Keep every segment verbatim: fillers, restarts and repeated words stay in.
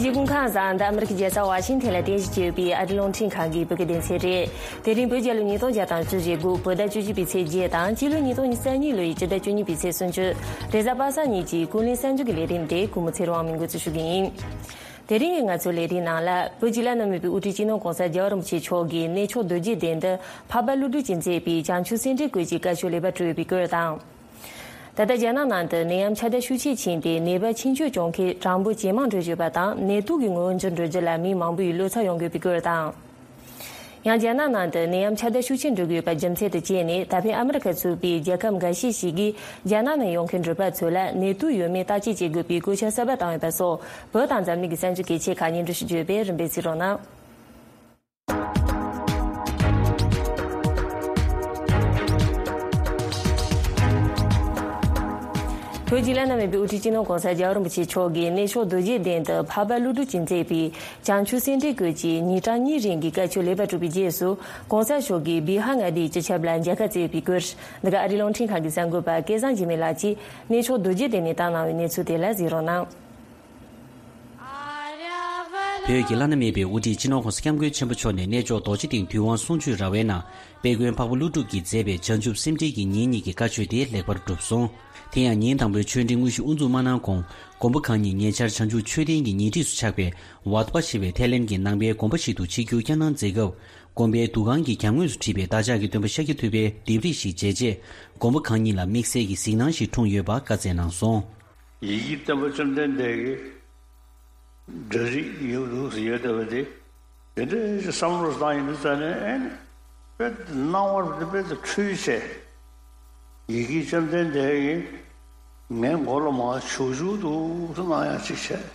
སྐུ་ཁམས་བཟང་། འདི་ཨ་མི་རི་ཀའི་རྒྱལ་ས་ཝ་ཤིང་ཐན་ལ་རྟེན་གཞི་བྱས་ཡོད་པའི་ཨ་རིའི་རླུང་འཕྲིན་ཁང་གི་བོད་སྐད་སྡེ་ཚན་རེད། དེ་རིང་བོད་རྒྱལ་ལོ་ཉིས་སྟོང་བརྒྱ་དང་བཅུ་བཞི་དགུ་བོད་ཟླ་བཅུ་གཅིག་པའི་ཚེས་བརྒྱད་དང་སྤྱི་ལོ་ཉིས་སྟོང་ཉི་ཤུ་རྩ་གཉིས་ལོའི་སྤྱི་ཟླ་བཅུ་གཉིས་པའི་ཚེས་སུམ་ཅུ། རེས་གཟའ་པ་སངས་ཉིན་གྱི་ཀུན་གླེང་གསར་འགྱུར་གྱི་ལས་རིམ་དེ་གུས་མོ་ཚེ་རིང་དབང་མོས་འགོ་འཛུགས་ཞུ་གི་ཡིན། དེ་རིང་གི་ང་ཚོའི་ལས་རིམ་ནང་ལ་བོད་ཀྱི་བླ་ན་མེད་པའི་དབུ་ཁྲིད་སྤྱི་ནོར་༸གོང་ས་༸རྒྱལ་བ་རིན་པོ་ཆེ་མཆོག་གིས་གནས་མཆོག་རྡོ་རྗེ་གདན་དུ་འཕགས་པ་ཀླུ་སྒྲུབ་ཀྱིས་མཛད་པའི་བྱང་ཆུབ་སེམས་འགྲེལ་སྐོར་གྱི་བཀའ་ཆོས་ལེགས་པར་གྲུབ་ཡོད་པའི་སྐོར་དང་། ད་ལྟ་རྒྱ་ནག་ནང་དུ་ནད་ཡམས་ཁྱབ་གདལ་ཤུགས་ཆེ་ཕྱིན་ཏེ་ནད་པ་ཆེད་སྤྱོད་གྱོང་གུན་གྲངས་འབོར་ཇེ་མང་འགྲོ་བཞིན་པ་དང་ནད་དུག་གི་ངོ་བོ་འགྱུར་འགྲོ་རྒྱུ་ལ་མི་མང་པོས་བློ་འཚབ་ཡོང་དགོས་པའི་སྐོར་དང་། ཡང་རྒྱ་ནག་ནང་དུ་ནད་ཡམས་ཁྱབ་གདལ་ཤུགས་ཆེན་འགྲོ་གི་ཡོད་པ་རྒྱུ་མཚན་དུ་བྱས་ནས་ད་ཕན་ཨ་མི་རི་ཁ་ཚུད་པའི་རྒྱལ་ཁབ་འགའ་ཤས་ཤིག་གིས་རྒྱ་ནག་ནས་ཡོང་མཁན་འགྲུལ་པ་ཚོ་ལ་ནད་དུག་ཡོད་མེད་བརྟག་དཔྱད་བྱེད་དགོས་པའི་བཀོད་ཁྱབ་གསར་པ་བཏང་ཡོད་པ་སོགས་བོད་དང་འཛམ་གླིང་གི་གསར་འགྱུར་གལ་ཆེ་ཁག་སྙན་སྒྲོན་ཞུ་རྒྱུ་ཡོད་པས་རིམ་པས་གཟིགས་རོགས་གནང་། བོད་ཀྱི་བླ་ན་མེད་པའི་དབུ་ཁྲིད་སྤྱི་ནོར་༸གོང་ས་༸རྒྱལ་བ་རིན་པོ་ཆེ་མཆོག་གིས་གནས་མཆོག་རྡོ་རྗེ་གདན་དུ་འཕགས་པ་ཀླུ་སྒྲུབ་ཀྱིས་མཛད་པའི་བྱང་ཆུབ་སེམས་འགྲེལ་སྐོར་གྱི་ཉིན་གྲངས་གཉིས་རིང་གི་བཀའ་ཆོས་ལེགས་པར་གྲུབ་པའི་རྗེས་སུ་༸གོང་ས་མཆོག་གིས་བི་ཧར་མངའ་སྡེའི་སྤྱི་ཁྱབ་ལ་མཇལ་ཁ་བསྩལ་ཡོད་པའི་སྐོར། འདི་ག་ཨ་རིའི་རླུང་འཕྲིན་ཁང་གི་གསར་འགོད་པ་སྐལ་བཟང་འཇིགས་མེད་ལགས་ཀྱིས་གནས་མཆོག་རྡོ་རྗེ་གདན་ནས་བཏང་གནང་བའི་གནས་ཚུལ་དེ་ལ་གཟིགས་རོགས་གནང་། བོད་ཀྱི་བླ་ན་མེད་པའི་དབུ་ཁྲིད་སྤྱི་ནོར་༸གོང་ས་༸སྐྱབས་མགོན་ཆེན་པོ་མཆོག་ནས་གནས་མཆོག་རྡོ་རྗེ་གདན་དུས་དབང་གསུང་ཆོས་ར་བའི་ནང་དཔལ་མགོན་འཕགས་པ་ཀླུ་སྒྲུབ་ཀྱིས་མཛད་པའི་བྱང་ཆུབ་སེམས་འགྲེལ་གྱི་ཉིན་གཉིས་ཀྱི་བཀའ་ཆོས་དེ་ལེགས་པར་གྲུབ་སོང་། དེ་ཡང་ཉིན་དང་པོའི་ཆོས་འབྲེལ་དངོས་གཞི་དབུ་འཛུགས་མ་གནང་གོང་མགོན་པོ་གང་ཉིད་ཉེ་ཆར་བྱང་ཆུབ་མཆོད་རྟེན་གྱི་ཉེ་འཁྲིས་སུ་ཆགས་པའི་ཝཱ་ཏི་པ་ཞེས་པའི་ཐའི་ལེན་གྱི་ནང་པའི་དགོན་པ་ཞིག་ཏུ་ཆིབས་བསྒྱུར་བསྐྱངས་གནང་མཛད་སྐབས། དགོན་པའི་འདུ་ཁང་གི་གྱང་ངོས་སུ་བྲིས་པའི་བདག་ཅག་གི་སྟོན་པ་ཤཱཀྱ་ཐུབ་པའི་ལྡེབས་རིས་ཤིག་མཇལ་རྗེས། མགོན་པོ་གང་ཉིད་ལ་དམིགས་བསལ་གྱི་གཟིགས་སྣང་ཞིག་འཁྲུངས་ཡོད་པ་བཀའ་སྩལ་གནང་སོང་། ཡི་གེ་སྟོན་པ་བཅོམ་ལྡན་འདས་ཀྱི་འབྲུ་རིགས་ཡོད་འདུག་ཟེར་ཡོད་བསྡད་པ་དེ། དེ་འདྲའི་བསམ་བློ་བཏང་ཡིན་ཙང་ནས་ཨེ་ནི། དཔེ་སྣང་བར་དཔེ་དེ་འཁྲུལ་བྱས། ཡི་གེ་བཅོམ་ལྡན་འདས་ཀྱིས་ངའི་མགོ་ལ་མར་བྱུག་བྱུག་འདུག་སེ་གནང་ཡག་ཅིག་བྱས།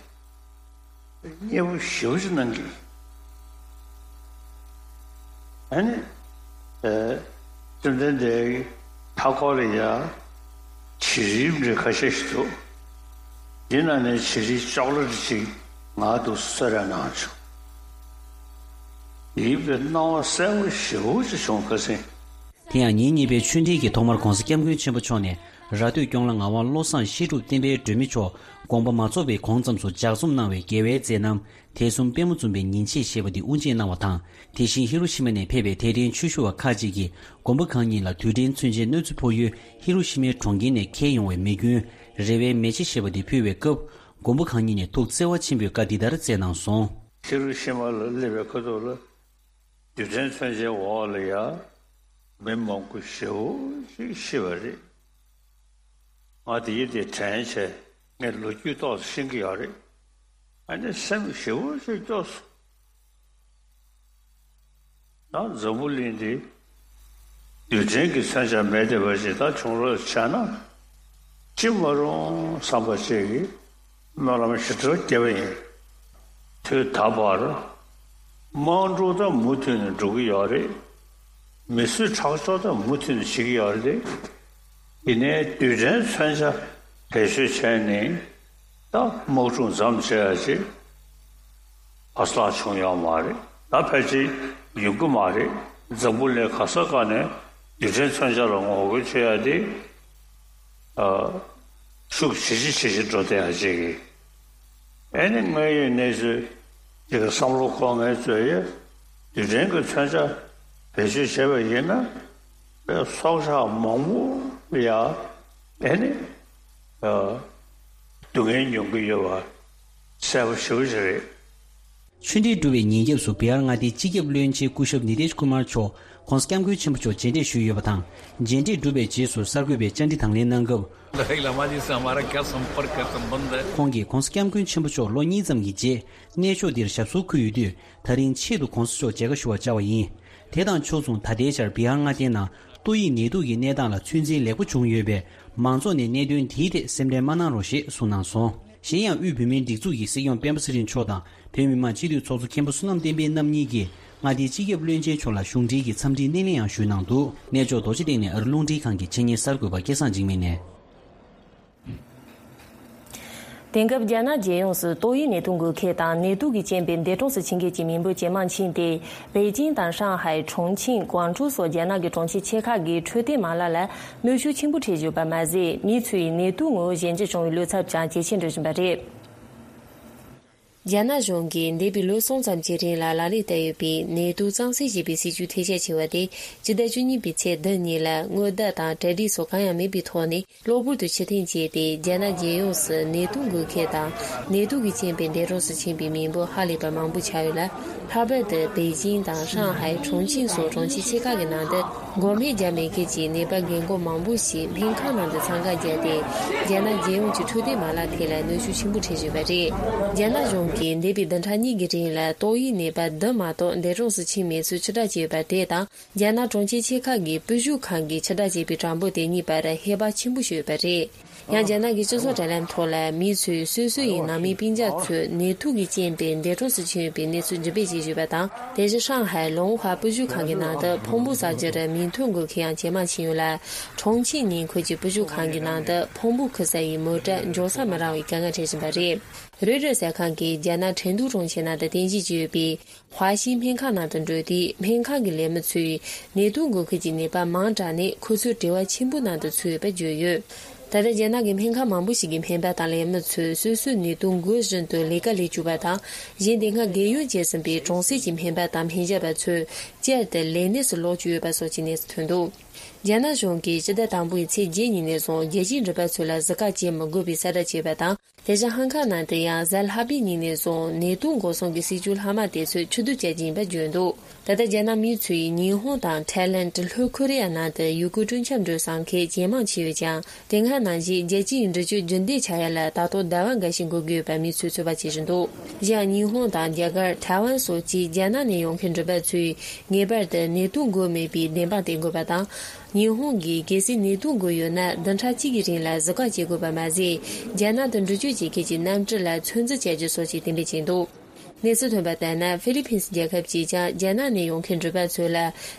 མཉེས་པོ་ཞེ་པོ་ཅིག་གནང་གི། ཨ་ནི། ཨེ། བཅོམ་ལྡན་འདས་ཀྱི་མཐའ་འཁོར་ལ་ཡ། བྱི་རིལ་འདྲ་ཁ་ཤས་ཤིག་འདུག་འདི་ནང་ནས་བྱི་རིལ་ཅོག་ལེ་ཅིག་ང་འདུག་གསོལ་རས་གནང་བྱུང་། ཡིད་པའི་སྣང་བ་གསལ་པོ་ཞེ་པོ་ཅིག་བྱུང་། ཁ་སང་། དེ་ཡང་ཉིན་གཉིས་པའི་ཆོས་འབྲེལ་གྱི་ཐོག་མར་༸གོང་ས་༸སྐྱབས་མགོན་ཆེན་པོ་མཆོག་ནས་ར་སྟོད་སྐྱོང་ལ་ངག་དབང་བློ་བཟང་བཤད་སྒྲུབ་བསྟན་པའི་སྒྲོན་མེ་མཆོག་དགོངས་པ་མ་རྫོགས་པའི་གོང་ཙམ་དུ་ལྗགས་རྩོམ་གནང་བའི་དགེ་བའི་མཛད་རྣམ། དད་གསུམ་པད་མོ་འཛུམ་པའི་ཉིན་བྱེད་ཞེས་པ་འདི་དབུ་འབྱེད་གནང་བ་དང་། དེ་བཞིན་ཧི་རོ་ཤི་མ་ནས་ཕེབས་པའི་དད་ལྡན་ཆོས་ཞུ་བ་ཁག་ཅིག་གིས་མགོན་པོ་གང་ཉིད་ལ་དུས་དྲན་མཚོན་ཆའི་གནོད་འཚེ་ཕོག་ཡུལ་ཧི་རོ་ཤི་མའི་གྲོང་ཁྱེར་ནས་འཁྱེར་ཡོང་བའི་མེ་སྐྱོན་རེ་བའི་མེ་ལྕེ་ཞེས་པ་འདི་ཕུལ་བའི་སྐབས། མགོན་པོ་གང་ཉིད་ནས་ཐུགས་བརྩེ་བ་ཆེན་པོས་བཀའ་འདི་ལྟར་སྩལ་གནང་སོང་། ཧི་རོ་ཤི་མ་ལ་སླེབས་པའི་ཁ་ཐུག་ལ། རྡུལ་ཕྲན་མཚོན་ཆའི་འོག་ལ་ཡ། མི་མང་པོ་ཞེ་པོ་ཅིག་ཤི་བ་རེད། ང་དེ་ཡི་དེ་དྲན་བྱས་ངས་ལོ་རྒྱུས་ཏོག་ཙམ་ཤེས་ཀྱི་ཡོད་རེད། ཨ་ནི་སེམས་ཞེ་པོ་ཅིག་སྐྱོ་སོང་། ད་འཛམ་བུ་གླིང་འདི་རྡུལ་ཕྲན་གྱི་མཚོན་ཆ་མེད་བསྡད་པ་ཞིག་ད་བྱུང་རོགས་བྱས་ན། ཅི་མ་རུང་བསམ་པ་ཅིག་གིས་སྨོན་ལམ་ཞེ་དྲག་རྒྱབ་པ་ཡིན། དུས་ད་བར་དམག་འཁྲུག་ད་མུ་མཐུད་ནས་འགྲོ་གི་ཡོད་རེད། མི་གསོད་ཁྲག་སྦྱོར་ད་མུ་མཐུད་ནས་བྱེད་ཀྱི་ཡོད་རེད། ཡིན་ནའི་རྡུལ་ཕྲན་མཚོན་ཆ་བེད་སྤྱོད་བྱས་ནས་ད་དམག་འཁྲུག་མཚམས་བཅད་ཡ་ཅིག་བར་ལྷག་བྱུང་ཡོད་མ་རེད། ད་ཕལ་ཆེར་ཡོང་གི་མ་རེད། འཛམ་བུ་གླིང་ག་ས་ག་ནས་རྡུལ་ཕྲན་མཚོན་ཆ་ལ་ངོ་རྒོལ་བྱེད་ཡ་དེ། ཨ། ཤུགས་ཇེ་ཆེ་ཇེ་ཆེ་འགྲོ་བསྡད་ཡ་ཅིག་གིས། ཨེ་ནི་དངོས་ཡོད་གནས་ཚུལ་ཅིག་གི་བསམ་བློ་འཁོར་མཁན་ཚོས་ཡ། རྡུལ་ཕྲན་གྱི་མཚོན་ཆ་བེད་སྤྱོད་བྱས་པ་ཡིན་ན། པའི་སྲོག་ཆགས་མང་པོ་ཡ། ཨེ་ནི། ཨ། སྡུག་བསྔལ་མྱོང་གི་ཡོད་པ་གསལ་པོ་ཞེ་པོ་ཅིག་རེད། ཆོས་འབྲེལ་གྲུབ་པའི་ཉིན་རྒྱབ་སུ་བི་ཧར་མངའ་སྡེའི་སྤྱི་ཁྱབ་བློན་ཆེན་སྐུ་ཞབས་ནི་ཏེཤ་ཀུ་མར་མཆོག་༸གོང་ས་༸སྐྱབས་མགོན་ཆེན་པོ་མཆོག་མཇལ་འཕྲད་ཞུས་ཡོད་པ་དང་། མཇལ་འཕྲད་གྲུབ་པའི་རྗེས་སུ་གསར་འགོད་པས་བཅར་འདྲི་དང་ལེན་གནང་སྐབས། दलाई लामा जी से हमारा क्या संपर्क है, संबंध है? ཁོང་གིས་༸གོང་ས་༸སྐྱབས་མགོན་ཆེན་པོ་མཆོག་ལོ་གཉིས་ཙམ་གྱི་རྗེས་གནས་མཆོག་འདིར་ཞབས་སོར་འཁོད་ཡོད་དུས། ད་རིང་ཆེད་དུ་༸གོང་ས་མཆོག་མཇལ་ཁ་ཞུ་བར་བཅར་བ་ཡིན། དེ་དང་ཕྱོགས་མཚུངས་ད་ལྟའི་ཆར་བི་ཧར་མངའ་སྡེའི་ནང་ཏོག་དབྱིབས་ནད་དུག་གི་གནས་སྟངས་ལ་ཚོད་འཛིན་ལེགས་པོ་བྱུང་ཡོད་པས། མང་ཚོགས་ནས་གནད་དོན་དེའི་ཐད་སེམས་ཁྲལ་མ་གནང་རོགས་ཞེས་གསུངས་གནང་སོང་། གཞན་ཡང་དབུས་བོད་མིའི་སྒྲིག་འཛུགས་ཀྱི་སྲིད་སྐྱོང་སྤེན་པ་ཚེ་རིང་མཆོག་དང་བོད་མི་མང་སྤྱི་འཐུས་ཚོགས་གཙོ་མཁན་པོ་བསོད་ནམས་བསྟན་འཕེལ་རྣམ་གཉིས་ཀྱིས་མངའ་སྡེའི་སྤྱི་ཁྱབ་བློན་ཆེན་མཆོག་ལ་གཞུང་འབྲེལ་གྱི་འཚམས་འདྲིའི་སྣེ་ལེན་ཡང་ཞུས་གནང་འདུག་གནས་མཆོག་རྡོ་རྗེ་གདན་ནས་ཨ་རིའི་རླུང་འཕྲིན་ཁང་གི་ཆེད་གཉེར་གསར་འགོད་པ་སྐལ་བཟང་འཇིགས་མེད་ནས། དེང་སྐབས་རྒྱ་ནག་རྒྱལ་ཡོངས་སུ་ཏོག་དབྱིབས་ནད་དུག་འགོས་མཁན་དང་ནད་དུག་གི་རྐྱེན་པས་འདས་གྲོངས་སུ་ཕྱིན་མཁན་གྱི་མི་འབོར་ཇེ་མང་ཕྱིན་ཏེ། པེ་ཅིང་དང་ཧྲང་ཧའེ། ཁྲུང་ཆིང་། ཀོང་ཀྲོའུ་སོགས་རྒྱ་ནག་གི་གྲོང་ཁྱེར་ཆེ་ཁག་གི་འཕྲོད་བསྟེན་མ་ལག་ལ་གནོན་ཤུགས་ཆེན་པོ་འཕྲད་བཞིན་ཡོད་པ་མ་ཟད། མི་ཚོས་ནད་དུག་ངོ་བོ་གཞན་གྱིས་བྱུང་བའི་བློ་འཚབ་ཀྱང་ཇེ་ཆེར་འགྲོ་བཞིན་པ་རེད། རྒྱ་ནག་གཞུང་གིས་འདས་པའི་ལོ་གསུམ་ཙམ་གྱི་རིང་ལ་ལག་ལེན་བསྟར་ཡོད་པའི་ནེ་ཏུ་གཙང་སེལ་བྱེད་པའི་སྲིད་ཇུས་ཐེར་ཞིབ་ཆེ་བ་དེ་སྤྱི་ཟླ་བཅུ་གཉིས་པའི་ཚེས་བདུན་ཉིན་ལ་སྔོན་བརྡ་དང་གྲ་སྒྲིག་སོགས་གང་ཡང་མེད་པའི་ཐོག་ནས། གློ་བུར་དུ་ཕྱིར་འཐེན་བྱས་ཏེ། རྒྱ་ནག་རྒྱལ་ཡོངས་སུ་ནེ་ཏུ་འགོད་མཁན་དང་ནེ་ཏུ་གི་རྐྱེན་པས་འདས་གྲོངས་སུ་ཕྱིན་པའི་མི་འབོར་ཧ་ལས་པར་མང་པོ་ཆགས་ཡོད་ལ། ལྷག་པར་དུ་པེ་ཅིང་དང་ཧྲང་ཧའེ། ཁྲུང་ཆིང་སོགས་གྲོང་ཁྱེར་ཆེ་ཁག་གི་ནང་དུ་འགོག་སྨན་བརྒྱབ་མེད་མཁན་གྱི་ནད་པ་རྒན་འཁོགས་མང་པོ་ཞིག་སྨན་ཁང་ནང་དུ་འཚང་ཁ་བརྒྱབ་སྟེ། རྒྱ་ནག་རྒྱལ་ཡོངས་ཀྱི་འཕྲོད་བསྟེན་མ་ལག་ཐད་ལ་གནོན་ཤུགས་ཆེན་པོ་འཕྲད་བཞིན་པ་རེད། རྒྱ་ནག་གཞུང་གིས་འདས་པའི་བདུན་ཕྲག་གཉིས་ཀྱི་རིང་ལ་ཏོག་དབྱིབས་ནད་པ་བདུན་མ་གཏོགས་འདས་གྲོངས་སུ་ཕྱིན་མེད་ཚུལ་ཕྱིར་བསྒྲགས་བྱས་ཡོད་པ་དེ་དང་། རྒྱ་ནག་གྲོང་ཁྱེར་ཆེ་ཁག་གི་སྤོ་བཞུད་ཁང་གིས་ཕྱིར་བསྒྲགས་བྱས་པའི་གྲངས་འབོར་དེ་གཉིས་བར་ཧེ་བག་ཆེན་པོ་ཞིག་ཡོད་པ་རེད། ཡང་རྒྱ་ནག་གི་སྤྱི་ཚོགས་དྲ་ལམ་ཐོག་ལ་མི་ཚོས་སོ་སོ་ཡི་ནང་མི་སྤུན་ཀྱག་ཚོས་ནད་དུག་གི་རྐྱེན་པས་འདས་གྲོངས་སུ་ཕྱིན་ཡོད་པའི་གནས་ཚུལ་འགྲེམས་སྤེལ་བྱེད་བཞིན་པ་དང་། དེ་བཞིན་ཧྲང་ཧའེ་ལུང་ཧྭ་སྤོ་བཞུད་ཁང་གི་ནང་དུ་ཕུང་པོ་བསགས་རྒྱུར་མིག་ཐོན་འགོད་མཁན་ཡང་ཇེ་མང་ཕྱིན་ཡོད་ལ། ཁྲུང་ཆིང་ཉིན་ཁུལ་གྱི་སྤོ་བཞུད་ཁང་གི་ནང་དུ་ཕུང་པོ་འཁུར་ས་ཡི་མོ་ཊ་འབྱོར་ས་མི་རག་པའི་དཀའ་ངལ་འཕྲད་བཞིན་པ་རེད། རོའི་ཊར་གསར་ཁང་གིས་རྒྱ་ནག་ཁྲེང་ཏུའུ་གྲོང་ཁྱེར་ནང་དུ་རྟེན་གཞི་བྱས་ཡོད་པའི་ཧྭ་ཤིང་སྨན་ཁང་ནང་དུ་འགྲོ་དུས། སྨན་ཁང་གི་ལས་མི་ཚོས་ནད་དུག་འགོས་མཁན་གྱི་ནད་པ་མང་དྲགས་ནས་ཁོ་ཚོའི་བྲེལ་བ་ཆེན་པོའི་ནང་དུ་ཚུད་ཡོད་པ་བརྗོད་ཡོད། ད་ལྟ་རྒྱ་ནག་གི་སྨན་ཁང་མང་པོ་ཞིག་གི་སྨན་པ་དང་ལས་མི་ཚོས་སོ་སོའི་ནད་དུག་འགོས་བཞིན་དུ་ལས་ཀ་ལས་བཅུག་པ་དང་། གཞན། དེ་སྔ་རྒས་ཡོལ་བྱས་ཟིན་པའི་གྲོང་གསེབ་ཀྱི་སྨན་པ་དང་སྨན་ཞབས་པ་ཚོས་བསྐྱར་དུ་ལས་གནས་སུ་ལོག་བཅུག་ཡོད་པ་སོགས་ཀྱི་གནས་ཚུལ་ཐོན་འདུག་རྒྱ་ནག་གཞུང་གིས་སྤྱི་ཟླ་དང་པོའི་ཚེས་བརྒྱད་ཉིན་ནས་བཟུང་རྒྱལ་སྤྱིའི་འགྲུལ་པ་ཚོ་ལ་གཟི་ཁ་བྱེད་མི་དགོས་པའི་གསལ་བསྒྲགས་བྱས་པ་དང་། དེ་བཞིན་ཧང་ཀང་ནང་དུ་ཡང་གཟའ་ལྷག་པའི་ཉིན་ནས་བཟུང་ནད་དུག་འགོག་སྲུང་གི་སྲིད་ཇུས་ལྷག་མ་དེ་ཚོ་ཕྱིར་བསྡུ་བྱ་རྒྱུ་ཡིན་པ་བརྗོད་འདུག་ད་ལྟ་རྒྱ་ནག་མི་ཚོས་ཉི་ཧོང་དང་ཐའི་ལེན། ལྷོ་ཁོ་རེ་ཡ་ནང་དུ་ཡུལ་སྐོར་སྤྲོ་འཆམ་འགྲོ་བསམ་མཁན་ཇེ་མང་ཆེ་ཡོད་ཀྱང་། དེ་སྔ་ནང་བཞིན་རྒྱལ་སྤྱིའི་འགྲུལ་སྐྱོད་རྒྱུན་ལྡན་ཆགས་ཡ་ལ་ད་དུང་ཟླ་བ་འགའ་ཞིག་འགོར་གྱི་ཡོད་པ་མི་ཚོས་ཚོད་དཔག་བྱེད་བཞིན་འདུག་གཞན་ཡང་ཉི་ཧོང་དང་རྒྱ་གར། ཐའེ་ཝན་སོགས་ཀྱི་རྒྱ་ནག་ནས་ཡོང་མཁན་འགྲུལ་པ་ཚོས་ངེས་པར་དུ་ནད་དུག་འགོས་མེད་པའི་བདེན་དཔང་སྟེར་དགོས་པ་དང་། ཉི་ཧོང་གིས་གལ་སྲིད་ནད་དུག་འགོས་ཡོད་ན། བདུན་ཕྲག་གཅིག་གི་རིང་ལ་གཟིགས་སྐོར་བྱེད་དགོས་པ་མ་ཟད། རྒྱ་ནག་ཏུ་འགྲུལ་སྐྱོད་བྱེད་མཁན་གྱི་གནམ་གྲུ་ལ་ཚོད་འཛིན་བྱ་རྒྱུ་སོགས་ཀྱི་གཏན་འབེབས་བྱས་འདུག་གནས་ཚུལ་ཐོན་པ་ལྟར་ན། ཧྥི་ལི་ཕིན་སི་རྒྱལ་ཁབ་ཀྱིས་ཀྱང་རྒྱ་ནག་ནས་ཡོང་མཁན་འགྲུལ་པ་ཚོ་ལ་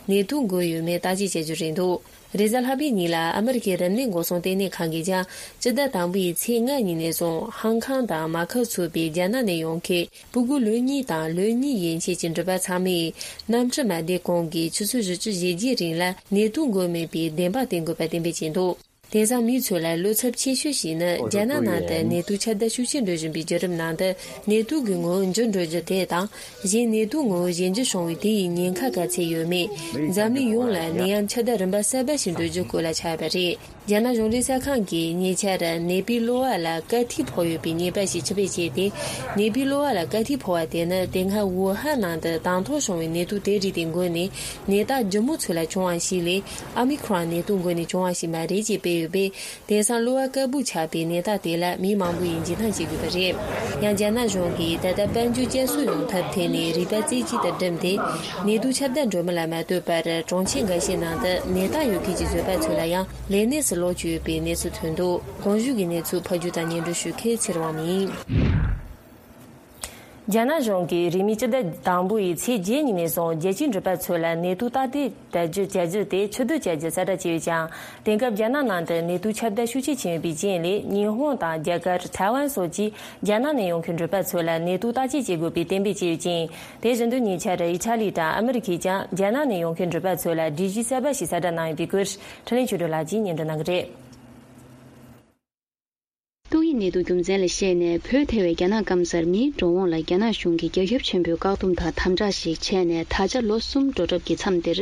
ནད་དུག་འགོས་ཡོད་མེད་བརྟག་དཔྱད་བྱ་རྒྱུ་རེད་འདུག་རེས་གཟའ་ལྷག་པའི་ཉིན་ལ་ཨ་མི་རི་ཀའི་རིམས་ནད་འགོག་སྲུང་ལྟེ་གནས་ཁང་གིས་ཀྱང་སྤྱི་ཟླ་དང་པོའི་ཚེས་ལྔ་ཉིན་ནས་བཟུང་ཧང་ཀང་དང་མ་ཁའོ་ཚུད་པའི་རྒྱ་ནག་ནས་ཡོང་མཁན། ཕྲུ་གུ་ལོ་གཉིས་དང་ལོ་གཉིས་ཡན་ཆད་ཀྱི་འགྲུལ་པ་ཚང་མས་གནམ་གྲུ་མ་བསྡད་གོང་གི་ཆུ་ཚོད་བཞི་བཅུ་ཞེ་བརྒྱད་རིང་ལ་ནད་དུག་འགོས་མེད་པའི་བདེན་དཔང་སྟེར་དགོས་པ་གཏན་འབེབས་བྱས་འདུག་དེང་སང་མི་ཚོ་ལ་བློ་འཚབ་ཆེ་ཤོས་ཤིག་ནི་རྒྱ་ནག་ནང་དུ་ནད་དུག་ཁྱབ་གདལ་ཤུགས་ཆེ་འགྲོ་བཞིན་པའི་བརྒྱུད་རིམ་ནང་དུ། ནད་དུག་གི་ངོ་བོ་འགྱུར་འགྲོ་རྒྱུ་དེ་དང་། གཞན་ནད་དུག་ངོ་བོ་གཞན་འགྱུར་བྱུང་བའི་དེ་ཡི་ཉེན་ཁ་ག་ཚད་ཡོད་མེད། འཛམ་གླིང་ཡོངས་ལ་ནད་ཡམས་ཁྱབ་གདལ་རིམ་པ་གསར་པ་ཞིག་འགྲོ་རྒྱུ་སྐོར་ལ་ཆགས་པ་རེད། རྒྱ་ནག་གཞུང་འབྲེལ་གསར་ཁང་གིས་ཉེ་ཆར་ནད་པའི་གློ་བ་ལ་དཀར་ཐིགས་ཕོག་ཡོད་པའི་ཉེས་པ་ཞིག་ཕྱིར་འབུད་བྱས་ཏེ། ནད་པའི་གློ་བ་ལ་དཀར་ཐིགས་ཕོག་པ་དེ་ནི་དེ་སྔ་ཝུ་ཧན་ནང་དུ་དང་ཐོག་བྱུང་བའི་ནད་དུག་དེའི་རིགས་དེ་འགོས་ནས་ནད་རྟགས་ལྗིད་མོ་ཚོ་ལ་བྱུང་བ་ཞིག་ལས། ཨ་མི་ཁོ་རོན་ནད་དུག་འགོས་ནས་བྱུང་བ་ཞིག་མ་རེད་ཅེས་སྤེལ་ཡོད་པས། དེང་སང་གློ་བ་དཀར་པོ་ཆགས་པའི་ནད་རྟགས་དེ་ལ་མི་མང་པོ་ཡིས་འཇིགས་སྣང་བྱེད་དགོས་པ་རེད། ཡང་རྒྱ་ནག་གཞུང་གིས་ད་ལྟ་དཔལ་འབྱོར་བསྐྱར་གསོ་ཡོང་ཐབས་ཐད་ནས་རིག་པ་རྩེ་གཅིག་ཏུ་བསྒྲིམས་ཏེ། ནད་དུག་ཁྱབ་གདལ་འགྲོ་མི་ལ་མ་ལྟོས་པར། གྲོང་ཁྱེར་འགའ་ཤས་ནང་དུ་ནད་རྟགས་ཡོད་མཁན་གྱི་བཟོད་པ་ཚོ་ལ་ཡང་ལས་གནས་སུ་ལོག་བཅུག་ཡོད་པའི་གནས་ཚུལ་ཐོན་འདུག་གོང་ཞུས་ཀྱི་གནས་ཚུལ་ཕབ་སྒྱུར་དང་སྙན་སྒྲོན་ཞུ་མཁན་ཚེ་རིང་དབང་མོ་ཡིན། རྒྱ་ནག་གཞུང་གིས་རིང་མིན་སྤྱི་ཟླ་དང་པོ་ཡི་ཚེས་བརྒྱད་ཉིན་ནས་བཟུང་རྒྱལ་སྤྱིའི་འགྲུལ་པ་ཚོ་ལ་ནད་དུག་བརྟག་དཔྱད་བྱ་རྒྱུ་བྱ་རྒྱུ་དེ་ཕྱིར་བསྡུ་བྱ་རྒྱུ་གསལ་བསྒྲགས་བྱས་ཡོད་ཀྱང་། དེང་སྐབས་རྒྱ་ནག་ནང་དུ་ནད་དུག་ཁྱབ་གདལ་ཤུགས་ཆེ་ཕྱིན་ཡོད་པའི་རྐྱེན་ལས། ཉི་ཧོང་དང་རྒྱ་གར། ཐའེ་ཝན་སོགས་ཀྱིས་རྒྱ་ནག་ནས་ཡོང་མཁན་འགྲུལ་པ་ཚོ་ལ་ནད་དུག་བརྟག་དཔྱད་བྱེད་དགོས་པའི་གཏན་འབེབས་བྱས་ཡོད་ཅིང་། དེ་བཞིན་དུ་ཉེ་ཆར་ཨི་ཊ་ལི་དང་ཨ་མི་རི་ཁས་ཀྱང་རྒྱ་ནག་ནས་ཡོང་མཁན་འགྲུལ་པ་ཚོ་ལ་སྒྲིག་གཞི་གསར་པ་ཞིག་གསལ་བསྒྲགས་གནང་ཡོད་པའི་སྐོར་འཕྲིན་ལས་ཆོས་སྒྲོན་ལགས་ཀྱིས་སྙན་སྒྲོན་གནང་གི་རེད། ཏོག་དབྱིབས་ནད་དུག་རྒྱུ་མཚན་ལ་བཤད་ནས་བོད་ཐེ་བའི་རྒྱ་ནག་སྐམ་སར་མིའི་འགྲོ་འོང་ལ་རྒྱ་ནག་གཞུང་གིས་རྒྱ་ཁྱབ་ཆེན་པོའི་བཀག་སྡོམ་དང་དམ་དྲག་ཞིག་བྱས་ནས་ད་ཆ་ལོ་གསུམ་འགྲོ་གྲབས་ཀྱི་མཚམས་འདིར།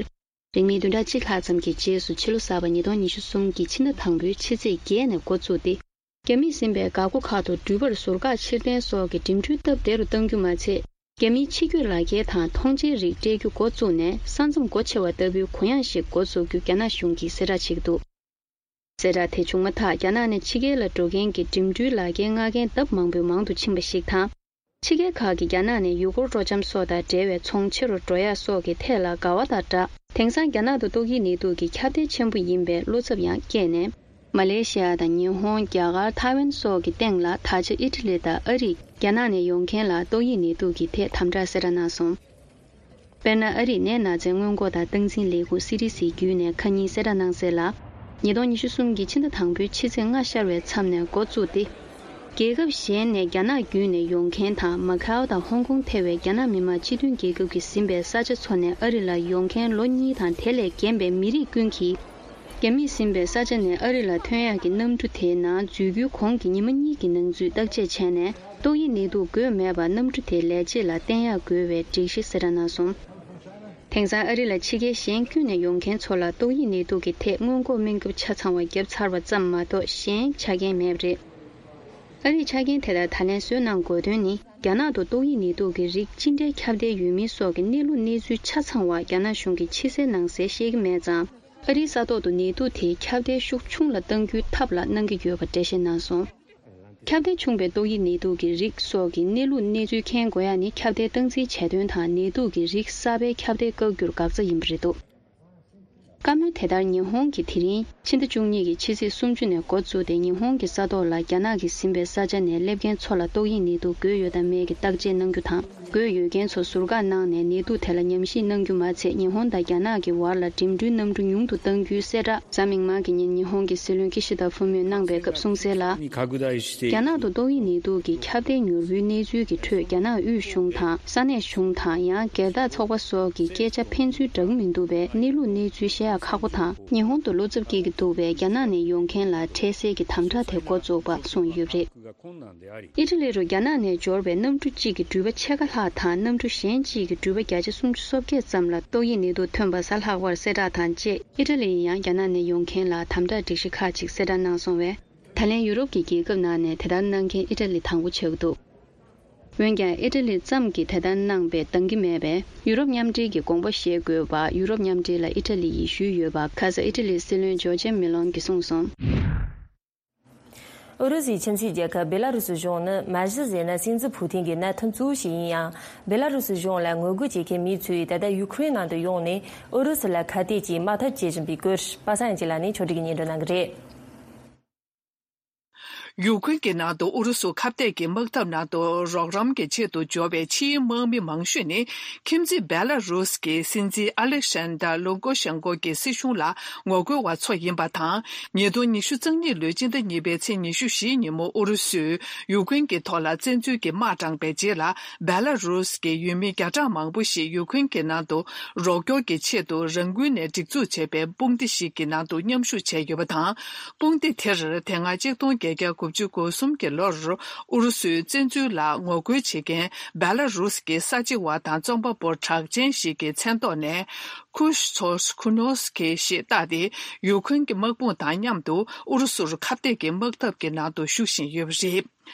རིང་མིན་བདུན་ཕྲག་གཅིག་ལྷག་ཙམ་གྱི་རྗེས་སུ་ཕྱི་ལོ་གསར་པ་ཉིས་སྟོང་ཉི་ཤུ་གསུམ་གྱི་ཕྱི་ཟླ་དང་པོའི་ཕྱི་ཚེས་བརྒྱད་ནས་འགོ་བཙུགས་ཏེ། རྒྱ་མིས་ཟིན་པའི་འགག་སྒོ་ཁག་ཏུ་འགྲུལ་པར་ཟུར་བཀག་ཕྱིར་འཐེན་སོགས་ཀྱི་འགྲིམ་འགྲུལ་སྟབས་བདེ་རུ་གཏང་རྒྱུ་མ་ཚད། རྒྱ་མིའི་ཕྱི་སྐྱོད་ལག་འཁྱེར་དང་མཐོང་མཆན་རིགས་སྤྲད་རྒྱུ་འགོ་བཙུགས་ནས་ས་མཚམས་སྒོ་ཕྱེ་བ་ལྟ་བུའི་གུ་ཡངས་ཤིག་འགོ་འཛུགས་རྒྱུ་རྒྱ་ནག་གཞུང་གིས་གསལ་བསྒྲགས་བྱེད་ཀྱི་འདུག་གསལ་བསྒྲགས་དེ་བྱུང་མ་ཐག་རྒྱ་ནག་ནས་ཕྱི་རྒྱལ་ལ་འགྲོ་མཁན་གྱི་འགྲིམ་འགྲུལ་ལག་འཁྱེར་མངགས་མཁན་ལྡབ་མང་པོས་མང་དུ་ཕྱིན་པ་ཞིག་དང་། ཕྱི་རྒྱལ་ཁག་གི་རྒྱ་ནག་ནས་ཡུལ་སྐོར་སྤྲོ་འཆམ་སོགས་དང་འབྲེལ་བའི་ཚོང་ཆེ་རུ་འགྲོ་ཡག་སོགས་ཀྱི་ཐད་ལ་དགའ་བ་དང་སྦྲགས། དེང་སང་རྒྱ་ནག་ཏུ་ཏོག་དབྱིབས་ནད་དུག་གི་ཁྱབ་གདལ་ཆེན་པོ་ཡིན་པའི་བློ་འཚབ་ཡང་སྐྱེས་ནས། མ་ལེ་ཤི་ཡ་དང་ཉི་ཧོང་། རྒྱ་གར། ཐའེ་ཝན་སོགས་ཀྱི་སྟེང་ལ་ད་ཆ་ཨི་ཊ་ལི་དང་ཨ་རིས་རྒྱ་ནག་ནས་ཡོང་མཁན་ལ་ཏོག་དབྱིབས་ནད་དུག་གི་ཐད་དམ་དྲག་གསལ་བསྒྲགས་གནང་སོང་། དཔེར་ན། ཨ་རིའི་ནད་ན་ཚའི་སྔོན་འགོག་དང་སྟངས་འཛིན་ལས་ཁུངས་སི་ཌི་སི་བརྒྱུད་ནས་ཁ་ཉིན་གསལ་བསྒྲགས་གནང་གསལ་ལ། ཉིས་སྟོང་ཉི་ཤུ་གསུམ་གྱི་ཕྱི་ཟླ་དང་པོའི་ཕྱི་ཚེས་ལྔ་ཤར་བའི་མཚམས་ནས་འགོ་བཙུགས་ཏེ། རྒྱལ་ཁབ་གཞན་ནས་རྒྱ་ནག་བརྒྱུད་ནས་ཡོང་མཁན་དང་མ་ཁའོ་དང་ཧོང་ཀོང་ཐེ་བའི་རྒྱ་ནག་མི་དམངས་སྤྱི་མཐུན་རྒྱལ་ཁབ་ཀྱིས་ཟིན་པའི་ས་ཆ་ཚོ་ནས་ཨ་རི་ལ་ཡོང་མཁན་ལོ་གཉིས་དང་དེ་ལས་རྒན་པའི་མི་རིགས་ཀུན་གྱིས། རྒྱ་མིས་ཟིན་པའི་ས་ཆ་ནས་ཨ་རི་ལ་ཐོན་ཡག་གི་གནམ་གྲུ་དེའི་ནང་འཛུལ་རྒྱུའི་གོང་གི་ཉི་མ་གཉིས་ཀྱི་ནང་ཚུད་བརྟག་དཔྱད་བྱས་ནས། ཏོག་དབྱིབས་ནད་དུག་འགོས་མེད་པར་གནམ་གྲུ་དེ་ལས་བྱེད་ལ་བསྟན་ཡག་དགོས་པའི་སྒྲིག་གཞི་གསལ་བསྒྲགས་གནང་སོང་། དེང་སང་ཨ་རི་ལ་ཕྱི་རྒྱལ་གཞན་ཁྱོན་ནས་ཡོང་མཁན་ཚོ་ལ་ཏོག་དབྱིབས་ནད་དུག་གི་ཐད་སྔོན་འགོག་སྨན་ཁབ་ཆ་ཚང་བ་བརྒྱབ་ཚར་བ་ཙམ་མ་གཏོགས་གཞན་ཆ་རྐྱེན་མེད་པ་རེད། ཨ་རིས་ཆ་རྐྱེན་དེ་ལྟར་ད་ལན་བཟོས་གནང་དགོས་དོན་ནི། རྒྱ་ནག་ཏུ་ཏོག་དབྱིབས་ནད་དུག་གི་རིགས་ཅི་འདྲའི་ཁྱབ་གདལ་ཡོད་མིན་སོགས་ཀྱི་གནས་ལུགས་གནས་ཚུལ་ཆ་ཚང་བ་རྒྱ་ནག་གཞུང་གིས་ཕྱི་གསལ་ནང་གསལ་ཤེས་ཀྱི་མེད་ཙང་། ཨ་རིའི་ས་ཐོག་ཏུ་ནད་དུག་དེའི་ཁྱབ་གདལ་ཤུགས་ཆུང་ལ་གཏང་རྒྱུའི་ཐབས་ལ་གནང་གི་ཡོད་པ་འགྲེལ་བཤད་གནང་སོང་། ཁྱབ་གདལ་ཆུང་བའི་ཏོག་དབྱིབས་ནད་དུག་གི་རིགས་སོགས་ཀྱི་གནས་ལུགས་གནས་ཚུལ་མཁྱེན་དགོས་ཡ་ནི་ཁྱབ་གདལ་སྟངས་འཛིན་བྱས་དོན་དང་ནད་དུག་གི་རིགས་གསར་པའི་ཁྱབ་གདལ་བཀག་རྒྱུར་འགག་རྩ་ཡིན་པ་རེད་འདུག་བཀའ་མོལ་དེ་ལྟར་ཉི་ཧོང་གིས་དེ་རིང་ཕྱི་ཟླ་བཅུ་གཉིས་ཀྱི་ཕྱི་ཚེས་སུམ་ཅུ་ནས་འགོ་བཙུགས་ཏེ་ཉི་ཧོང་གི་ས་ཐོག་ལ་རྒྱ་ནག་གིས་ཟིན་པའི་ས་ཆ་ནས་སླེབས་མཁན་ཚོ་ལ་ཏོག་དབྱིབས་ནད་དུག་འགོས་ཡོད་དམ་མེད་ཀྱི་བརྟག་དཔྱད་གནང་རྒྱུ་དང་། འགོས་ཡོད་མཁན་ཚོ་ཟུར་བཀག་གནང་ནས་ནད་དུག་དེ་ལ་ཉམས་ཞིབ་གནང་རྒྱུ་མ་ཚད་ཉི་ཧོང་དང་རྒྱ་ནག་གི་བར་ལ་འགྲིམ་འགྲུལ་གནམ་གྲུ་ཉུང་དུ་གཏང་རྒྱུའི་གསལ་བསྒྲགས་གཟའ་མིག་དམར་གྱི་ཉིན་ཉི་ཧོང་གི་སྲིད་བློན་ཀི་ཤི་ད་ཧྥུ་མོས་གནང་པའི་སྐབས་གསུངས་གསལ་ལ། རྒྱ་ནག་ཏུ་ཏོག་དབྱིབས་ནད་དུག་གི་ཁྱབ་གདལ་མྱུར་བོའི་གནས་ཚུལ་གྱི་ཁྲོད་རྒྱ་ནག་དབུས་གཞུང་དང་ས་གནས་གཞུང་དང་ཡང་སྒེར་བདག་ཚོགས་པ་སོགས་ཀྱི་སྐད་ཆ་ཕན་ཚུན་འདྲ་གི་མི་འདུག་པས་གནས་ལུགས་གནས་ཚུལ་བཤད་ཡག་ཁག་པོ་དང་ཉི་ཧོང་དུ་བློ་འཚབ་སྐྱེ་གི་འདུག་པས་རྒྱ་ནག་ནས་ཡོང་མཁན་ལ་འཕྲལ་སེལ་གྱི་དམ་དྲག་དེ་འགོ་བཙུགས་པ་གསུངས་ཡོད་པ་རེད། ཨི་ཊ་ལི་རུ་རྒྱ་ནག་ནས་འབྱོར་བའི་གནམ་གྲུ་གཅིག་གི་འགྲུལ་པ་ཕྱེད་ཀ་ལྷག་དང་གནམ་གྲུ་གཞན་གཅིག་གི་འགྲུལ་པ་བརྒྱ་ཆ་སུམ་ཅུ་སོ་བརྒྱད་ཙམ་ལ་ཏོག་དབྱིབས་ནད་དུག་ཐོན་པ་གཟའ་ལྷག་པར་གསལ་བསྒྲགས་དང་བཅས་ཨི་ཊ་ལི་ཡིས་ཡང་རྒྱ་ནག་ནས་ཡོང་མཁན་ལ་དམ་དྲག་སྒྲིག་གཞི་ཁག་ཅིག་གསལ་བསྒྲགས་གནང་སོང་བས། ད་ལན་ཡུ་རོབ་ཀྱི་རྒྱལ་ཁབ་ནང་ནས་དེ་ལྟར་གནང་མཁན་ཨི་ཊ་ལི་དང་པོ་ཆགས་ཀྱི་འདུག་འོན་ཀྱང་ཨི་ཊ་ལི་ཙམ་གྱིས་དེ་ལྟར་གནང་པས་འདང་གི་མེད་པས་ཡུ་རོབ་མཉམ་འབྲེལ་གྱི་དགོངས་པ་བཞེས་དགོས་པ་ཡུ་རོབ་མཉམ་འབྲེལ་ལ་ཨི་ཊ་ལི་ཡིས་ཞུས་ཡོད་པ་ཁ་སང་ཨི་ཊ་ལིའི་སྲིད་བློན་ཇོར་ཇ་མེ་ལོན་གྱིས་གསུངས་སོང་། ཨུ་རུ་སུའི་ཁྱིམ་མཚེས་རྒྱལ་ཁབ་བེ་ལ་རུ་སི་གཞུང་ནི་མ་གཞི་ཟེར་ན་སྲིད་འཛིན་ཕུ་ཐིན་གྱི་མནའ་མཐུན་གཙོ་བོ་ཞིག་ཡིན་ཡང་། བེ་ལ་རུ་སི་གཞུང་ལ་ངོ་རྒོལ་བྱེད་མཁན་མི་ཚོས་ད་ལྟ་ཡུ་ཁུ་རེན་ནང་དུ་ཡོང་ནས་ཨུ་རུ་སུ་ལ་ཁ་གཏད་ཀྱིས་དམག་འཐབ་བྱེད་བཞིན་པའི་སྐོར་པ་སངས་ཡང་སྐྱིད་ལགས་ནས་ཕྱོགས་སྒྲིག་གིས་སྙན་སྒྲོན་གནང་གི་རེད། ཡུ་ཁུན་གྱི་ནང་དུ་ཨུ་རུ་སུ་ཁ་གཏད་ཀྱི་དམག་འཐབ་ནང་དུ་རོགས་རམ་གྱི་ཆེད་དུ་འབྱོར་བའི་ཕྱིའི་དམག་མི་མང་ཤོས་ནི་ཁྱིམ་མཚེས་བེ་ལ་རུས་ཀྱི་སྲིད་འཛིན་ཨ་ལེག་ཤན་ཌར་ལུ་ཀོ་ཤན་ཀོ་གྱི་སྲིད་གཞུང་ལ་ངོ་རྒོལ་བ་ཚོ་ཡིན་པ་དང་། ཉིས་སྟོང་ཉི་ཤུ་རྩ་གཉིས་ལོའི་སྤྱི་ཟླ་གཉིས་པའི་ཚེས་ཉི་ཤུ་བཞི་ཉིན་མོ་ཨུ་རུ་སུས་ཡུ་ཁུན་གྱི་ཐོག་ལ་བཙན་འཛུལ་གྱི་དམག་དྲངས་པའི་རྗེས་ལ། བེ་ལ་རུས་ཀྱི་ཡུལ་མི་བརྒྱ་ཕྲག་མང་པོ་ཞིག་ཡུ་ཁུན་གྱི་ནང་དུ་རོགས་སྐྱོར་གྱི་ཆེད་དུ་རང་འགུལ་ནས་སྒྲིག་འཛུགས་བྱས་པའི་དཔུང་སྡེ་ཞིག་གི་ནང་དུ་མཉམ་ཞུགས་བྱས་ཡོད་པ་དང་། དཔུང་སྡེ་དེར་དེ་སྔ་ཆིག་སྟོང་བརྒྱད་བརྒྱ་དགུ་བཅུ་གོ་གསུམ་གྱི་ལོར་ཨུ་རུ་སུའི་བཙན་འཛུལ་ལ་ངོ་རྒོལ་བྱེད་མཁན་བེ་ལ་རུས་ཀྱི་ས་བྱི་བ་དང་རྩོམ་པ་པོ་གྲགས་ཅན་ཞིག་གི་མཚན་ཐོག་ནས་ཁུ་ཤ་ཚོ་ཁུ་ནོ་སི་ཁེ་ཞེས་བཏགས་ཏེ་ཡུ་ཁུན་གྱི་དམག་དཔུང་དང་མཉམ་དུ་ཨུ་རུ་སུར་ཁ་གཏད་ཀྱི་དམག་འཐབ་ཀྱི་ནང་དུ་ཞུགས་བཞིན་ཡོད་པ་རེད།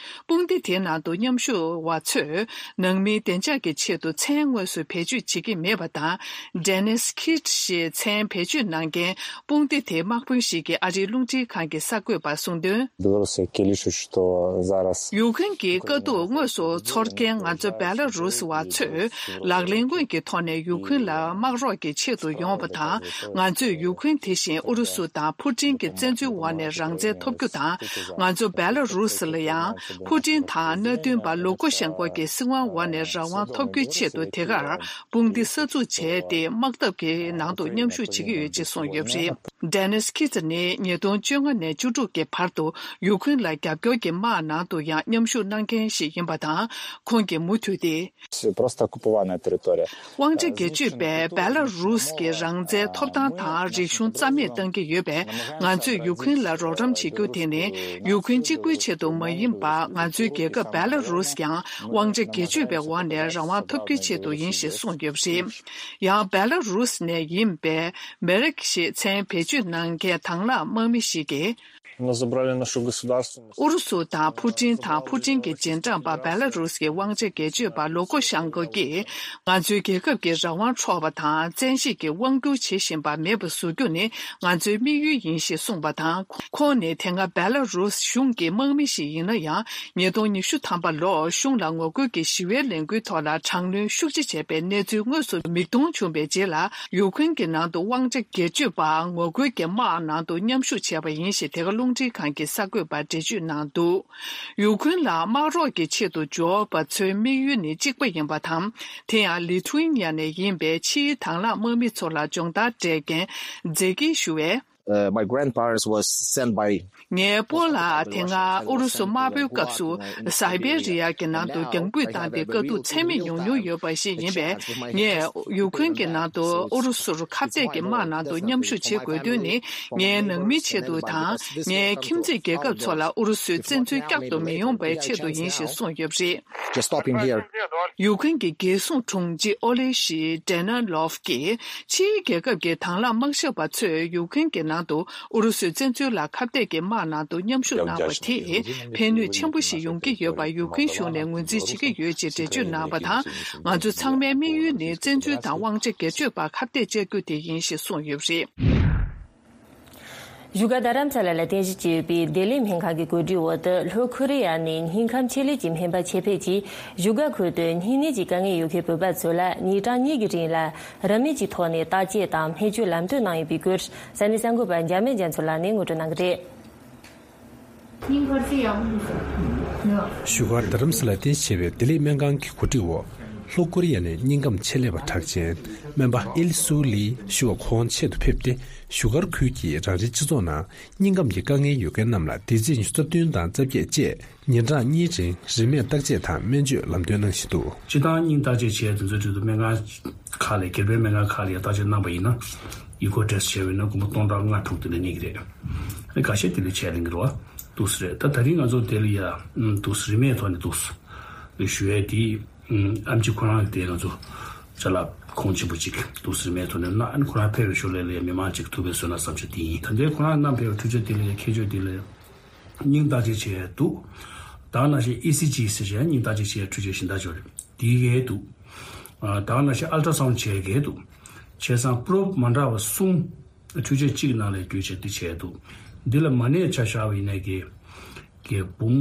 དཔུང་སྡེ་དེའི་ནང་དུ་མཉམ་ཞུགས་བ་ཚོས་ནང་མིའི་བདེ་འཇགས་ཀྱི་ཆེད་དུ་མཚན་དངོས་སུ་བེད་སྤྱོད་བྱེད་ཀྱི་མེད་པ་དང་། Dennis Kit ཞེས་མཚན་བེད་སྤྱོད་གནང་མཁན་དཔུང་སྡེ་དེའི་དམག་དཔོན་ཞིག་གིས་ཨ་རིའི་རླུང་འཕྲིན་ཁང་གི་གསར་འགོད་པར་གསུངས་དོན། Белорусы кілішуть, што зараз ཡུ་ཁུན་གྱི་དཀའ་སྡུག་དངོས་སུ་ཚོར་མཁན་ང་ཚོ་བེ་ལ་རུས་བ་ཚོས་ལག་ལེན་དངོས་ཀྱི་ཐོག་ནས་ཡུ་ཁུན་ལ་དམག་རོགས་ཀྱི་ཆེད་དུ་ཡོང་བ་དང་། ང་ཚོས་ཡུ་ཁུན་དེ་བཞིན་ཨུ་རུ་སུ་དང་ཕུ་ཀྲིན་གྱི་བཙན་འཛུལ་འོག་ནས་རང་བཙན་ཐོབ་རྒྱུ་དང་། ང་ཚོ་བེ་ལ་རུས་ལ་ཡང་ཕུ་ཀྲིན་དང་མནའ་མཐུན་པ་ལུ་ཀོ་ཤན་ཀོ་གི་སྲིད་དབང་འོག་ནས་རང་དབང་ཐོབ་རྒྱུའི་ཆེད་དུ་དེ་གར་དཔུང་སྡེ་གསར་འཛུགས་བྱས་ཏེ་དམག་འཐབ་ཀྱི་ནང་དུ་མཉམ་ཞུགས་བྱེད་ཀྱི་ཡོད་ཅེས་གསུངས་ཡོད་པ་རེད། Dennis Kit ནི་ཉིས་སྟོང་བཅོ་ལྔ་ནས་བཅུ་དྲུག་གི་བར་དུ་ཡུ་ཁུན་ལ་རྒྱབ་སྐྱོར་གྱི་དམག་ནང་དུ་ཡང་མཉམ་ཞུགས་གནང་མཁན་ཞིག་ཡིན་པ་དང་། ཁོང་གིས་མུ་མཐུད་དེ། Просто оккупованная территория. དབང་ཆ་སྒེར་གཅོད་པས་བེ་ལ་རུས་ཀྱི་རང་བཙན་ཐོབ་ཐང་དང་རིག་གཞུང་རྩ་མེད་གཏང་གི་ཡོད་པས། ང་ཚོས་ཡུ་ཁུན་ལ་རོགས་རམ་བྱེད་རྒྱུ་དེ་ནི་ཡུ་ཁུན་གཅིག་པུའི་ཆེད་དུ་མ་ཡིན་པར། ང་ཚོའི་རྒྱལ་ཁབ་བེ་ལ་རུས་ཀྱང་དབང་ཆ་སྒེར་གཅོད་པའི་འོག་ནས་རང་དབང་ཐོབ་རྒྱུའི་ཆེད་དུ་ཡིན་ཞེས་གསུངས་ཡོད་པ་རེད། ཡང་བེ་ལ་རུས་ནས་ཡིན་པའི་མེ་རེག་ཞེས་མཚན་བེད་སྤྱོད་གནང་མཁན་དང་བླངས་དམག་མི་ཞིག་གིས། Но забрали нашу государственность. ཨུ་རུ་སུ་དང་ཕུ་ཀྲིན་དང་ཕུ་ཀྲིན་གྱི་རྗེས་འབྲང་པ་བེ་ལ་རུས་ཀྱི་དབང་ཆ་སྒེར་གཅོད་པ་ལུ་ཀོ་ཤན་ཀོ་གིས། ང་ཚོའི་རྒྱལ་ཁབ་ཀྱི་རང་དབང་འཕྲོག་པ་དང་བཙན་ཤེད་ཀྱིས་དབང་བསྒྱུར་བྱེད་བཞིན་པ་མེད་པ་བཟོ་རྒྱུ་ནི་ང་ཚོའི་དམིགས་ཡུལ་ཡིན་ཞེས་གསུངས་པ་དང་། ཁོང་ནི་དེ་སྔ་བེ་ལ་རུས་གཞུང་གི་དམག་མི་ཞིག་ཡིན་ན་ཡང་། ཉིས་སྟོང་ཉི་ཤུ་ཐམ་པ་ལོར་གཞུང་ལ་ངོ་རྒོལ་གྱི་ཞི་བའི་ལས་འགུལ་ཐོག་ལ་དྲག་གནོན་ཤུགས་ཆེ་བྱས་པའི་གནས་ཚུལ་དངོས་སུ་མིག་མཐོང་བྱུང་བའི་རྗེས་ལ། ཡུ་ཁུན་གྱི་ནང་དུ་དབང་ཆ་སྒེར་གཅོད་པ་ངོ་རྒོལ་གྱི་དམག་ནང་དུ་མཉམ་ཞུགས་བྱས་པ་ཡིན་ཞེས་དེ་ག་རླུང་འཕྲིན་ཁང་གི་གསར་འགོད་པར་འགྲེལ་བརྗོད་གནང་འདུག་ཡུ་ཁུན་ལ་དམག་རོགས་ཀྱི་ཆེད་དུ་འབྱོར་བ་ཚོའི་དམིགས་ཡུལ་ནི་གཅིག་པ་ཡིན་པ་དང་། དེ་ཡང་ལི་ཐུ་ཨེ་ནི་ཡ་ནས་ཡིན་པའི་ཕྱིའི་དང་བླངས་དམག་མི་ཚོ་ལ་སྦྱོང་བརྡར་སྤྲད་མཁན་ཛེ་ཀི་ཞུ་བས། Uh, my grandparents was sent by ངའི་སྤོ་ལགས་དེ་སྔ་ཨུ་རུ་སུ་དམར་པོའི་སྐབས་སུ་སའི་བེ་རི་ཡ་གི་ནང་དུ་རྒྱང་འབུད་བཏང་སྟེ་དཀའ་སྡུག་ཚད་མེད་མྱོང་མྱོང་ཡོད་པ་ཞིག་ཡིན་པས། ངས་ཡུ་ཁུན་གྱི་ནང་དུ་ཨུ་རུ་སུར་ཁ་གཏད་ཀྱི་དམག་ནང་དུ་མཉམ་ཞུགས་བྱེད་དགོས་དོན་ནི། ངའི་ནང་མིའི་ཆེད་དུ་དང་། ངའི་ཁྱིམ་མཚེས་རྒྱལ་ཁབ་ཚོ་ལ་ཨུ་རུ་སུའི་བཙན་འཛུལ་བསྐྱར་དུ་མི་ཡོང་བའི་ཆེད་དུ་ཡིན་ཞེས་གསུངས་ཡོད་པ་རེད། Just stopping here. ཡུ་ཁུན་གྱི་རྒྱལ་སྲུང་དྲུང་ཆེ་ཨོ་ལེ་ཤི་ཏྲེ་ན་ལོབ་ཀྱིས། ཕྱིའི་རྒྱལ་ཁབ་ཀྱི་དྭང་བླངས་དམག་ཞབས་པ་ཚོས་ཡུ་ཁུན་གྱི་ནང་དུ་ཨུ་རུ་སུའི་བཙན་འཛུལ་ལ་ཁ་གཏད་ཀྱི་དམག་ནང་དུ་མཉམ་ཞུགས་གནང་བ་དེས་ཕན་ནུས་ཆེན་པོ་ཞིག་ཡོང་གི་ཡོད་པ་ཡུ་ཁུན་གཞུང་ནས་ངོས་འཛིན་བྱེད་ཀྱི་ཡོད་ཅེས་འགྲེལ་བརྗོད་གནང་བ་དང་། ང་ཚོ་ཚང་མའི་དམིགས་ཡུལ་ནི་བཙན་འཛུལ་དང་དབང་ཆ་སྒེར་གཅོད་པར་ཁ་གཏད་བཅག་རྒྱུ་དེ་ཡིན་ཞེས་གསུངས་ཡོད་པ་རེད། བཞུགས་སྒར་རྡ་རམ་ས་ལ་ལ་རྟེན་གཞི་བྱས་ཡོད་པའི་ལྡི་ལི་སྨན་ཁང་གི་གོ་སྒྲིག་འོག་ཏུ། ལྷོ་ཁོ་རི་ཡ་ནས་སྙིང་ཁམས་ཆེད་ལས་ཀྱི་སྨན་པ་ཆེད་ཕེབས་ཀྱིས་བཞུགས་སྒར་ཁུལ་དུ་སྨྱུང་གནས་ཀྱི་དཀའ་ངལ་ཡོད་མཁན་བོད་པ་ཚོ་ལ་ཉིན་གྲངས་གཉིས་ཀྱི་རིང་ལ་རིན་མེད་ཀྱི་ཐོག་ནས་བརྟག་དཔྱད་དང་སྨན་བཅོས་ལམ་སྟོན་གནང་ཡོད་པའི་སྐོར། ས་གནས་གསར་འགོད་པ་འཇར་མན་རྒྱ་མཚོ་ལགས་ནས་ངོ་སྤྲོད་གནང་གི་རེད། སྙིང་ཁར་ཚིག་ཡག་པོ་འདུག་ཟེར། བཞུགས་སྒར་རྡ་རམ་ས་ལ་རྟེན་གཞི་བྱས་པའི་ལྡི་ལི་སྨན་ཁང་གི་གོ་སྒྲིག་འོག་ལྷོ་ཀོ་རི་ཡ་ནས་སྙིང་ཁམས་ཆེད་ལས་པ་གྲགས་ཅན་སྨན་པ་ཨིལ་སུའུ་ལི་ཞུ་བ་ཁོང་ཆེད་དུ་ཕེབས་ཏེ། བཞུགས་སྒར་ཁུལ་གྱི་རང་རེའི་སྤྱི་ཚོགས་ནང་སྙིང་ཁམས་ཀྱི་དཀའ་ངལ་ཡོད་མཁན་རྣམས་ལ་སྡེ་ཚན་ཉི་ཤུ་རྩ་བདུན་དང་རྩ་བརྒྱད་བཅས་ཉིན་གྲངས་གཉིས་རིང་རིན་མེད་བརྟག་དཔྱད་དང་སྨན་བཅོས་ལམ་སྟོན་གནང་བཞིན་འདུག་སྤྱིར་བཏང་སྙིང་བརྟག་དཔྱད་བྱས་དེ་ཚོའི་ཁྲོད་དུ་སྨན་ཁང་ཁག་ལ་སྒེར་པའི་སྨན་ཁང་ཁག་ལ་ཡང་བརྟག་དཔྱད་གནང་པ་ཡིན་ན། ཨི་ཀོ་ཊེ་སི་བྱས་པ་ཡིན་ན་སྒོར་མོ་སྟོང་ཕྲག་ལྔ་དྲུག་དེ་འདྲ་གཉིས་ཀྱི་རེད། ཨ་ནི་ཁ་ཤས་དེ་ལས་ཆད་ལེན་གྱི་རེད་བ། འདུག་སེ་རེད། ད་ད་རིང་ང་ཚོ་དེ་ལ་ཡ་འདུག་སེ་རིན་མེད་ཐོག་ནས་འདུག་སེ་ཞུ་ཡས་དེ། ཨམ་ཆི་ཁོ་རང་གི་དེ་ང་ཚོ་ཅ་ལག་གོང་ཆེན་པོ་གཅིག་འདུག་སེ་རིན་མེད་ཐོག་ནས་གནང་། ཨ་ནི་ཁོ་རང་ཕེབས་པའི་ཞོར་ལ་ལ་ཡ་མི་མང་གཅིག་ཐུག་པའི་བཟོས་ན་བསམ་འཆར་དེ་ཡིན། ད་ལྟའི་ཁོ་རང་གནང་ཕེབས་པའི་འཕྲུལ་ཆས་དེ་ལ་ཡ་ཁྱད་ཆོས་དེ་ལ་ཡ། སྙིང་བརྟག་དཔྱད་བྱས་འདུག་ད་ག་ནང་བཞིན་ཨི་སི་ཇི་ཟེར་བྱས་སྙིང་བརྟག་དཔྱད་བྱས་འཕྲུལ་ཆས་གཞན་དག་ཅིག་རེད། དེའི་གས་འདུག་ད་ག་ནང་བཞིན་ཨལ་ཏྲ་སའུན་བྱས་གས་འདུག་བྱས་ཙང་པྲོབ་མ་འདྲ་བ་གསུམ་འཕྲུལ་ཆས་གཅིག་ནང་ལ་བརྒྱུད་བྱས་འདི་བྱས་འདུག་འདི་ལ་མ་ཎི་ཆ་བཞག་པ་ཡིན་ནའི་གས་གས་འབུམ་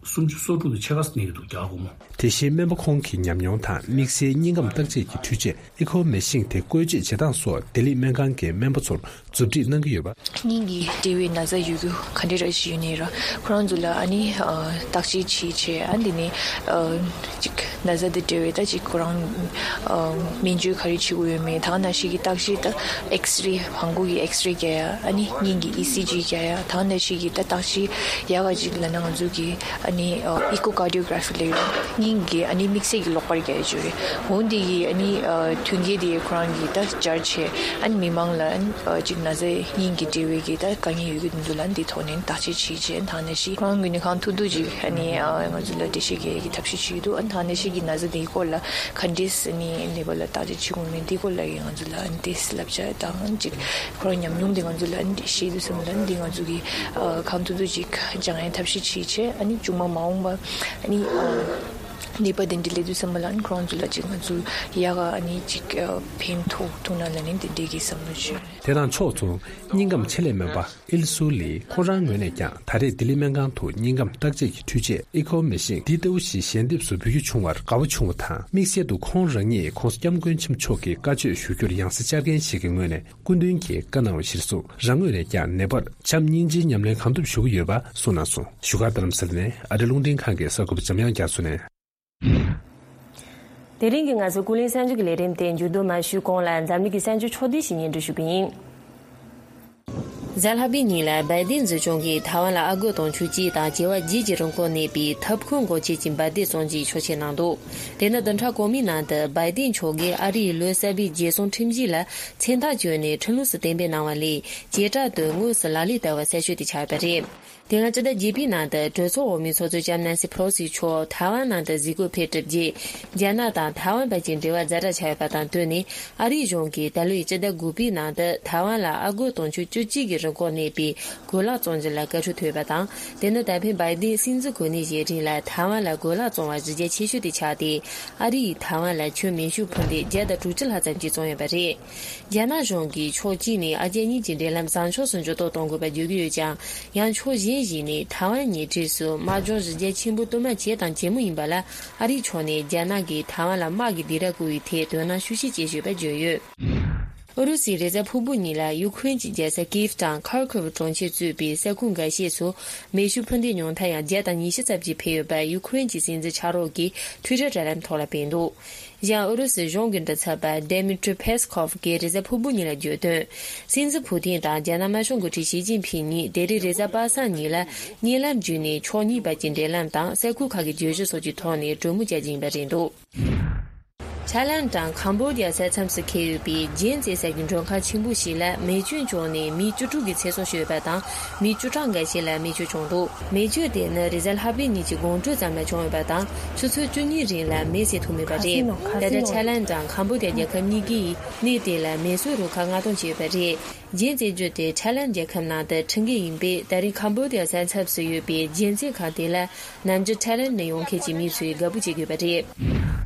སུམ་ཅུ་སོ་དྲུག་དང་ཕྱེད་ཀ་གནས་ཀྱི་འདུག་རྒྱ་སྒོར་མོ། དེ་བཞིན་སྨན་པ་ཁོང་གི་ཉམས་མྱོང་དང་དམིགས་བསལ་སྙིང་ཁམས་བརྟག་དཔྱད་ཀྱི་འཕྲུལ་ཆས་ཨི་ཁོ་མེ་ཤིན་དེ་བཀོལ་སྤྱོད་བྱེད་སྟངས་སོགས་ལྡི་ལི་སྨན་ཁང་གི་སྨན་པ་ཚོར་མཛུབ་ཁྲིད་གནང་གི་ཡོད་པ། སྙིང་གི་འབྲེལ་བའི་ན་ཚ་ཡོད་རྒྱུ་ག་འདྲ་ར་ཞིག་ཡོད་ནའི་ར། ཁོ་རང་ཚོ་ལ་ཨ་ནི་ཨ་བརྟག་དཔྱད་བྱེད་བྱས། ཨ་འདི་ནས་ཨ་ཅིག་ན་ཚ་དང་འབྲེལ་བའི་ད་ཅིག་ཁོ་རང་ཨ་སྨན་བཅོས་ག་རེ་བྱེད་དགོས་ཡོད་མེད། ད་ག་ནང་བཞིན་གྱི་བརྟག་དཔྱད་ད་ཨེགས་རེ་བང་གུ་གི་ཨེགས་རེ་རྒྱག་ཡ། ཨ་ནི་སྙིང་གི་ཨི་སི་ཇི་རྒྱག་ཡ། ད་ག་ནང་བཞིན་གྱི་ད་བརྟག་དཔྱད་ཡག་ག་ཅིག་ལབ་ན་ང་ཚོ་གི་ཨ་ནི་ཨ་ཨི་ཀོ་ཀར་ཌི་ཡོ་གྷ་ར་ཕི་ལབ་ཡོད། སྙིང་གི་ཨ་ནི་དམིགས་བསལ་གྱི་གློག་པར་རྒྱག་ཡ་ཅིག་རེད། འོ་འདི་གི་ཨ་ནི་ཨ་མཐུན་རྐྱེན་དེ་ཁོ་རང་གིས་ད་སྦྱར་བྱས། ཨ་ནི་མི་མང་ལ་ཨ་ནི་ཨ་ཅིག་ན་ཚ་སྙིང་གི་འབྲེལ་བའི་གི་ད་དཀའ་ངལ་ཡོད་ཀྱི་དེ་ཚོ་ལ་འདི་ཐོག་ནས་བརྟག་དཔྱད་བྱེད་བྱས། ད་ནང་བཞིན་ཁོ་རང་གི་ནི་གང་ཐུབ་ཐུབ་ཅིག་ཨ་ནི་ཨ་ང་ཚོ་ལ་འགྲེལ་བཤད་རྒྱག་ཡ་གི་ཐབས་ཤེས་བྱེད་ཀྱི་འདུག་ཨ་ནི་ད་ནང་བཞིན་གྱི་ན་ཚ་དེའི་སྐོར་ལ་ག་འདྲས་ཨ་ནི་ནད་པ་ལ་བརྟག་དཔྱད་བྱེད་དགོས་མིན་དེའི་སྐོར་ལ་ཡང་ང་ཚོ་ལ་ཨ་ནི་ཏོག་ཙམ་བསླབ་བྱ་དང་ཅིག་ཁོ་རང་ཉམས་མྱོང་དེ་ང་ཚོ་ལ་ཨ་ནི་བཤད་དུས་ཙམ་ལ་ཨ་ནི་འདི་ང་ཚོ་གི་ཨ་གང་ཐུབ་ཐུབ་ཅིག་སྦྱང་ཡའི་ཐབས་ཤེས་བྱེད་བྱས། ཨ་ནི་མཇུག་མ་མ་འོངས་པ་ཨ་ནི་ཨ་ནད་པ་དེ་འདྲ་སླེབས་དུས་ཙམ་པ་ལ་ཨ་ནི་ཁོ་རང་ཚོ་ལ་ཅིག་ང་ཚོ་ཡག་ག་ཨ་ནི་ཅིག་ཨ་ཕན་ཐོགས་ཐུབ་ན་ལབ་ནས་དེ་འདྲའི་གི་བསམ་བློ་བྱུང་། དེ་དང་ཕྱོགས་མཚུངས་སྙིང་ཁམས་ཆེད་ལས་སྨན་པ་ཨིལ་སུའུ་ལི་ཁོང་རང་ངོས་ནས་ཀྱང་ད་རེས་ལྡི་ལི་སྨན་ཁང་དུ་སྙིང་ཁམས་བརྟག་དཔྱད་ཀྱི་འཕྲུལ་ཆས་ཨི་ཁོ་མེ་ཤིན་འདི་ལྟ་བུ་ཞིག་ཞལ་འདེབས་སུ་འབུལ་རྒྱུ་བྱུང་བར་དགའ་བོ་བྱུང་བ་དང་། དམིགས་བསལ་དུ་ཁོང་རང་ཉིད་༸གོང་ས་༸སྐྱབས་མགོན་ཆེན་པོ་མཆོག་གི་བཀའ་ཆོས་ཞུ་རྒྱུར་ཡང་སྲིད་བཅར་མཁན་ཞིག་གི་ངོས་ནས་སྐུ་མདུན་གྱིས་བཀའ་གནང་བ་གཞིར་བཟུང་རང་ངོས་ནས་ཀྱང་ནད་པར་བྱམས་སྙིང་རྗེའི་ཉམས་ལེན་གང་ཐུབ་ཞུ་གི་ཡོད་པ་གསུངས་གནང་སོང་། བཞུགས་སྒར་རྡ་རམ་ས་ལ་ནས་ཨ་རི་རླུང་འཕྲིན་ཁང་གི་གསར་འགོད་པ་འཇམ་དབྱངས་རྒྱ་མཚོ་ནས། དེ་རིང་གི་ང་ཚོའི་ཀུན་གླེང་གསར་འགྱུར་གྱི་ལས་རིམ་དེ་མཇུག་བསྡོམས་མ་ཞུས་གོང་ལ་འཛམ་གླིང་གི་གསར་འགྱུར་ཕྱོགས་བསྡུས་ཤིག་སྙན་སྒྲོན་ཞུ་གི་ཡིན། གཟའ་ལྷག་པའི་ཉིན་ལ་བའི་ཏིན་འཛིན་སྐྱོང་གིས་ཐའེ་ཝན་ལ་ཨ་སྒོར་དུང་ཕྱུར་གཅིག་དང་བྱེ་བ་བརྒྱད་ཀྱི་རིན་གོང་གནས་པའི་ཐབ་ཁུང་སྒོ་འབྱེད་ཀྱི་འབར་མདེལ་བཙོང་རྒྱུའི་ཆོག་མཆན་གནང་འདུག་དེ་ནི་བདུན་ཕྲག་གོང་མའི་ནང་དུ་བའི་ཏིན་མཆོག་གིས་ཨ་རིའི་ལོ་གསར་པའི་རྒྱལ་སྲུང་ཁྲིམས་གཞི་ལ་མཚན་རྟགས་བཅོལ་ནས་ཁྲིམས་ལུགས་སུ་གཏན་འབེབས་གནང་བ་ལས། བྱེ་བྲག་ཏུ་དངོས་སུ་ལག་ལེན་བསྟར་བ་གསལ་ཤོས་དེ་ཆགས་ཡོད་པ་རེད། དེ་སྔ་སྤྱི་ཟླ་བརྒྱད་པའི་ནང་དུ་གྲོས་ཚོགས་འོག་མའི་ཚོགས་གཙོ་ལྕམ་ནན་སི་ཕེ་ལོ་སི་མཆོག་ཐའེ་ཝན་ནང་དུ་གཟིགས་སྐོར་ཕེབས་གྲུབ་རྗེས། རྒྱ་ནག་དང་ཐའེ་ཝན་བར་གྱི་འབྲེལ་བ་ཛ་དྲག་ཆགས་ཡོད་པ་དང་བསྟུན་ནས། ཨ་རིའི་གཞུང་གིས་ད་ལོའི་སྤྱི་ཟླ་དགུ་པའི་ནང་དུ་ཐའེ་ཝན་ལ་ཨ་སྒོར་དུང་ཕྱུར་བཅུ་གཅིག་གི་རིན་གོང་གནས་པའི་གོས་ལག་བཙོང་རྒྱུ་ལ་བཀའ་འཁྲོལ་ཐོབ་ཡོད་པ་དང་། དེ་ནི་ད་ཕན་བའི་ཏིན་སྲིད་འཛིན་གོ་གནས་བཞེས་རིང་ལ་ཐའེ་ཝན་ལ་གོས་ལག་བཙོང་བ་གཞི་རྒྱ་ཆེ་ཤོས་དེ་ཆགས་ཏེ། ཨ་རི་ཡིས་ཐའེ་ཝན་ལ་ཁྱོན་མེ་ཤུགས་འཕུར་མདེལ་བརྒྱ་དང་དྲུག་ཅུ་ལྷག་ཙམ་ཞིག་བཙོང་ཡོད་པ་རེད། རྒྱ་ནག་གཞུང་གིས་ཕྱོགས་གཅིག་ནས་ཨ་རྒྱ་གཉིས་ཀྱི་འབྲེལ་ལམ་བཟང་ཕྱོགས་སུ་འགྱུར་ལྡོག་གཏོང་དགོས་པ་བརྗོད་ཀྱི་ཡོད་ཀྱང་། ཡང་ཕྱོགས་གཞན་ཞིག་ནས་ཐའེ་ཝན་གཉིས་འཁྲིས་སུ་དམག་སྦྱོང་གཞི་རྒྱ་ཆེན་པོ་དུ་མ་བྱས་དང་བྱེད་མུས་ཡིན་པ་ལ། ཨ་རིའི་ཕྱོགས་ནས་རྒྱ་ནག་གིས་ཐའེ་ཝན་ལ་དམག་གི་སྡིགས་ར་བསྐུལ་བའི་ཐད་དོ་སྣང་ཤུགས་ཆེ་བྱེད་བཞིན་པ་བརྗོད་ཡོད། ཨུ་རུ་སུའི་རེས་གཟའ་ཕུར་བུ་ཉིན་ལ་ཡུ་ཁུ་རེན་གྱི་རྒྱལ་ས་ཀིབ་དང་ཁར་ཁིབ་གྲོང་ཁྱེར་གཙོས་པའི་ས་ཁུལ་འགའ་ཤས་སུ་མེ་ཤུགས་འཕུར་མདེལ་ཉུང་མཐའ་ཡང་བརྒྱ་དང་ཉི་ཤུ་ཙམ་ཞིག་འཕེན་ཡོད་པ་ཡུ་ཁུ་རེན་གྱི་སྲིད་འཛིན་ཕྱག་རོགས་ཀྱིས་ཊུའི་ཊར་དྲ་ལམ་ཐོག་ལ་སྤེལ་འདུག་ཞང་ཨུ་རུ་སུའི་གཞུང་གི་མགྲིན་ཚབ་པ་Dmitry Peskov གིས་རེས་གཟའ་ཕུར་བུ་ཉིན་ལ་བརྗོད་དོན། སྲིད་འཛིན་ཕུ་ཐིན་དང་རྒྱ་ནག་དམར་ཤོག་འགོ་ཁྲིད་ཞི་ཅིན་ཕིན་གཉིས་དེ་རིང་རེས་གཟའ་པ་སངས་ཉིན་ལ་བརྙན་ལམ་བརྒྱུད་ནས་ཕྱོགས་གཉིས་བར་གྱི་འབྲེལ་ལམ་དང་ས་ཁུལ་ཁག་གི་བརྗོད་གཞི་སོགས་ཀྱི་ཐོག་ནས་གྲོས་མོལ་བྱ་རྒྱུ་ཡིན་པ་རེད་འདུག། ཐའི་ལན་དང་ཁམ་བོ་ཌི་ཡ་ས་མཚམས་སུ་འཁེལ་ཡོད་པའི་རྒྱན་ཙེ་ཟེར་རྒྱུ་མགྲོན་ཁང་ཆེན་པོ་ཞིག་ལ་མེ་སྐྱོན་བྱུང་ནས་མི་བཅུ་དྲུག་གི་ཚེ་སྲོག་ཤོར་ཡོད་པ་དང་། མི་བཅུ་ཕྲག་འགའ་ཤས་ལ་མེ་མཆོད་བྱུང་འདུག། མེ་མཆོད་དེ་ནི་རེས་གཟའ་ལྷག་པའི་ཉིན་གྱི་དགོང་དྲོའི་ཙམ་ལ་བྱུང་ཡོད་པ་དང་། ཆུ་ཚོད་བཅུ་གཉིས་རིང་ལ་མེ་བསད་ཐུབ་མེད་པ་རེད། ད་ལྟ་ཐའི་ལན་དང་ཁམ་བོ་ཌི་ཡ་རྒྱལ་ཁབ་གཉིས་ཀས་གནས་དེ་ལ་མེ་གསོད་རུ་ཁག་མངགས་གཏོང་བྱས་ཡོད་པ་རེད། རྒྱན་ཙེ་བརྗོད་དེ་ཐའི་ལན་རྒྱལ་ཁབ་ནང་དུ་ཁྲིད་མཁན་ཡིན་པས། ད་རེས་ཁམ་བོ་ཌི་ཡ་ས་མཚམས་སུ་ཡོད་པའི་རྒྱན་ཙེ་ཁང་དེ་ལ་ནམ་རྒྱུན་ཐའི་ལན་ནས་ཡོང་མཁན་གྱི་མི་ཚོས་དགའ་པོ་བྱེད་ཀྱི་ཡོད་པ་རེད།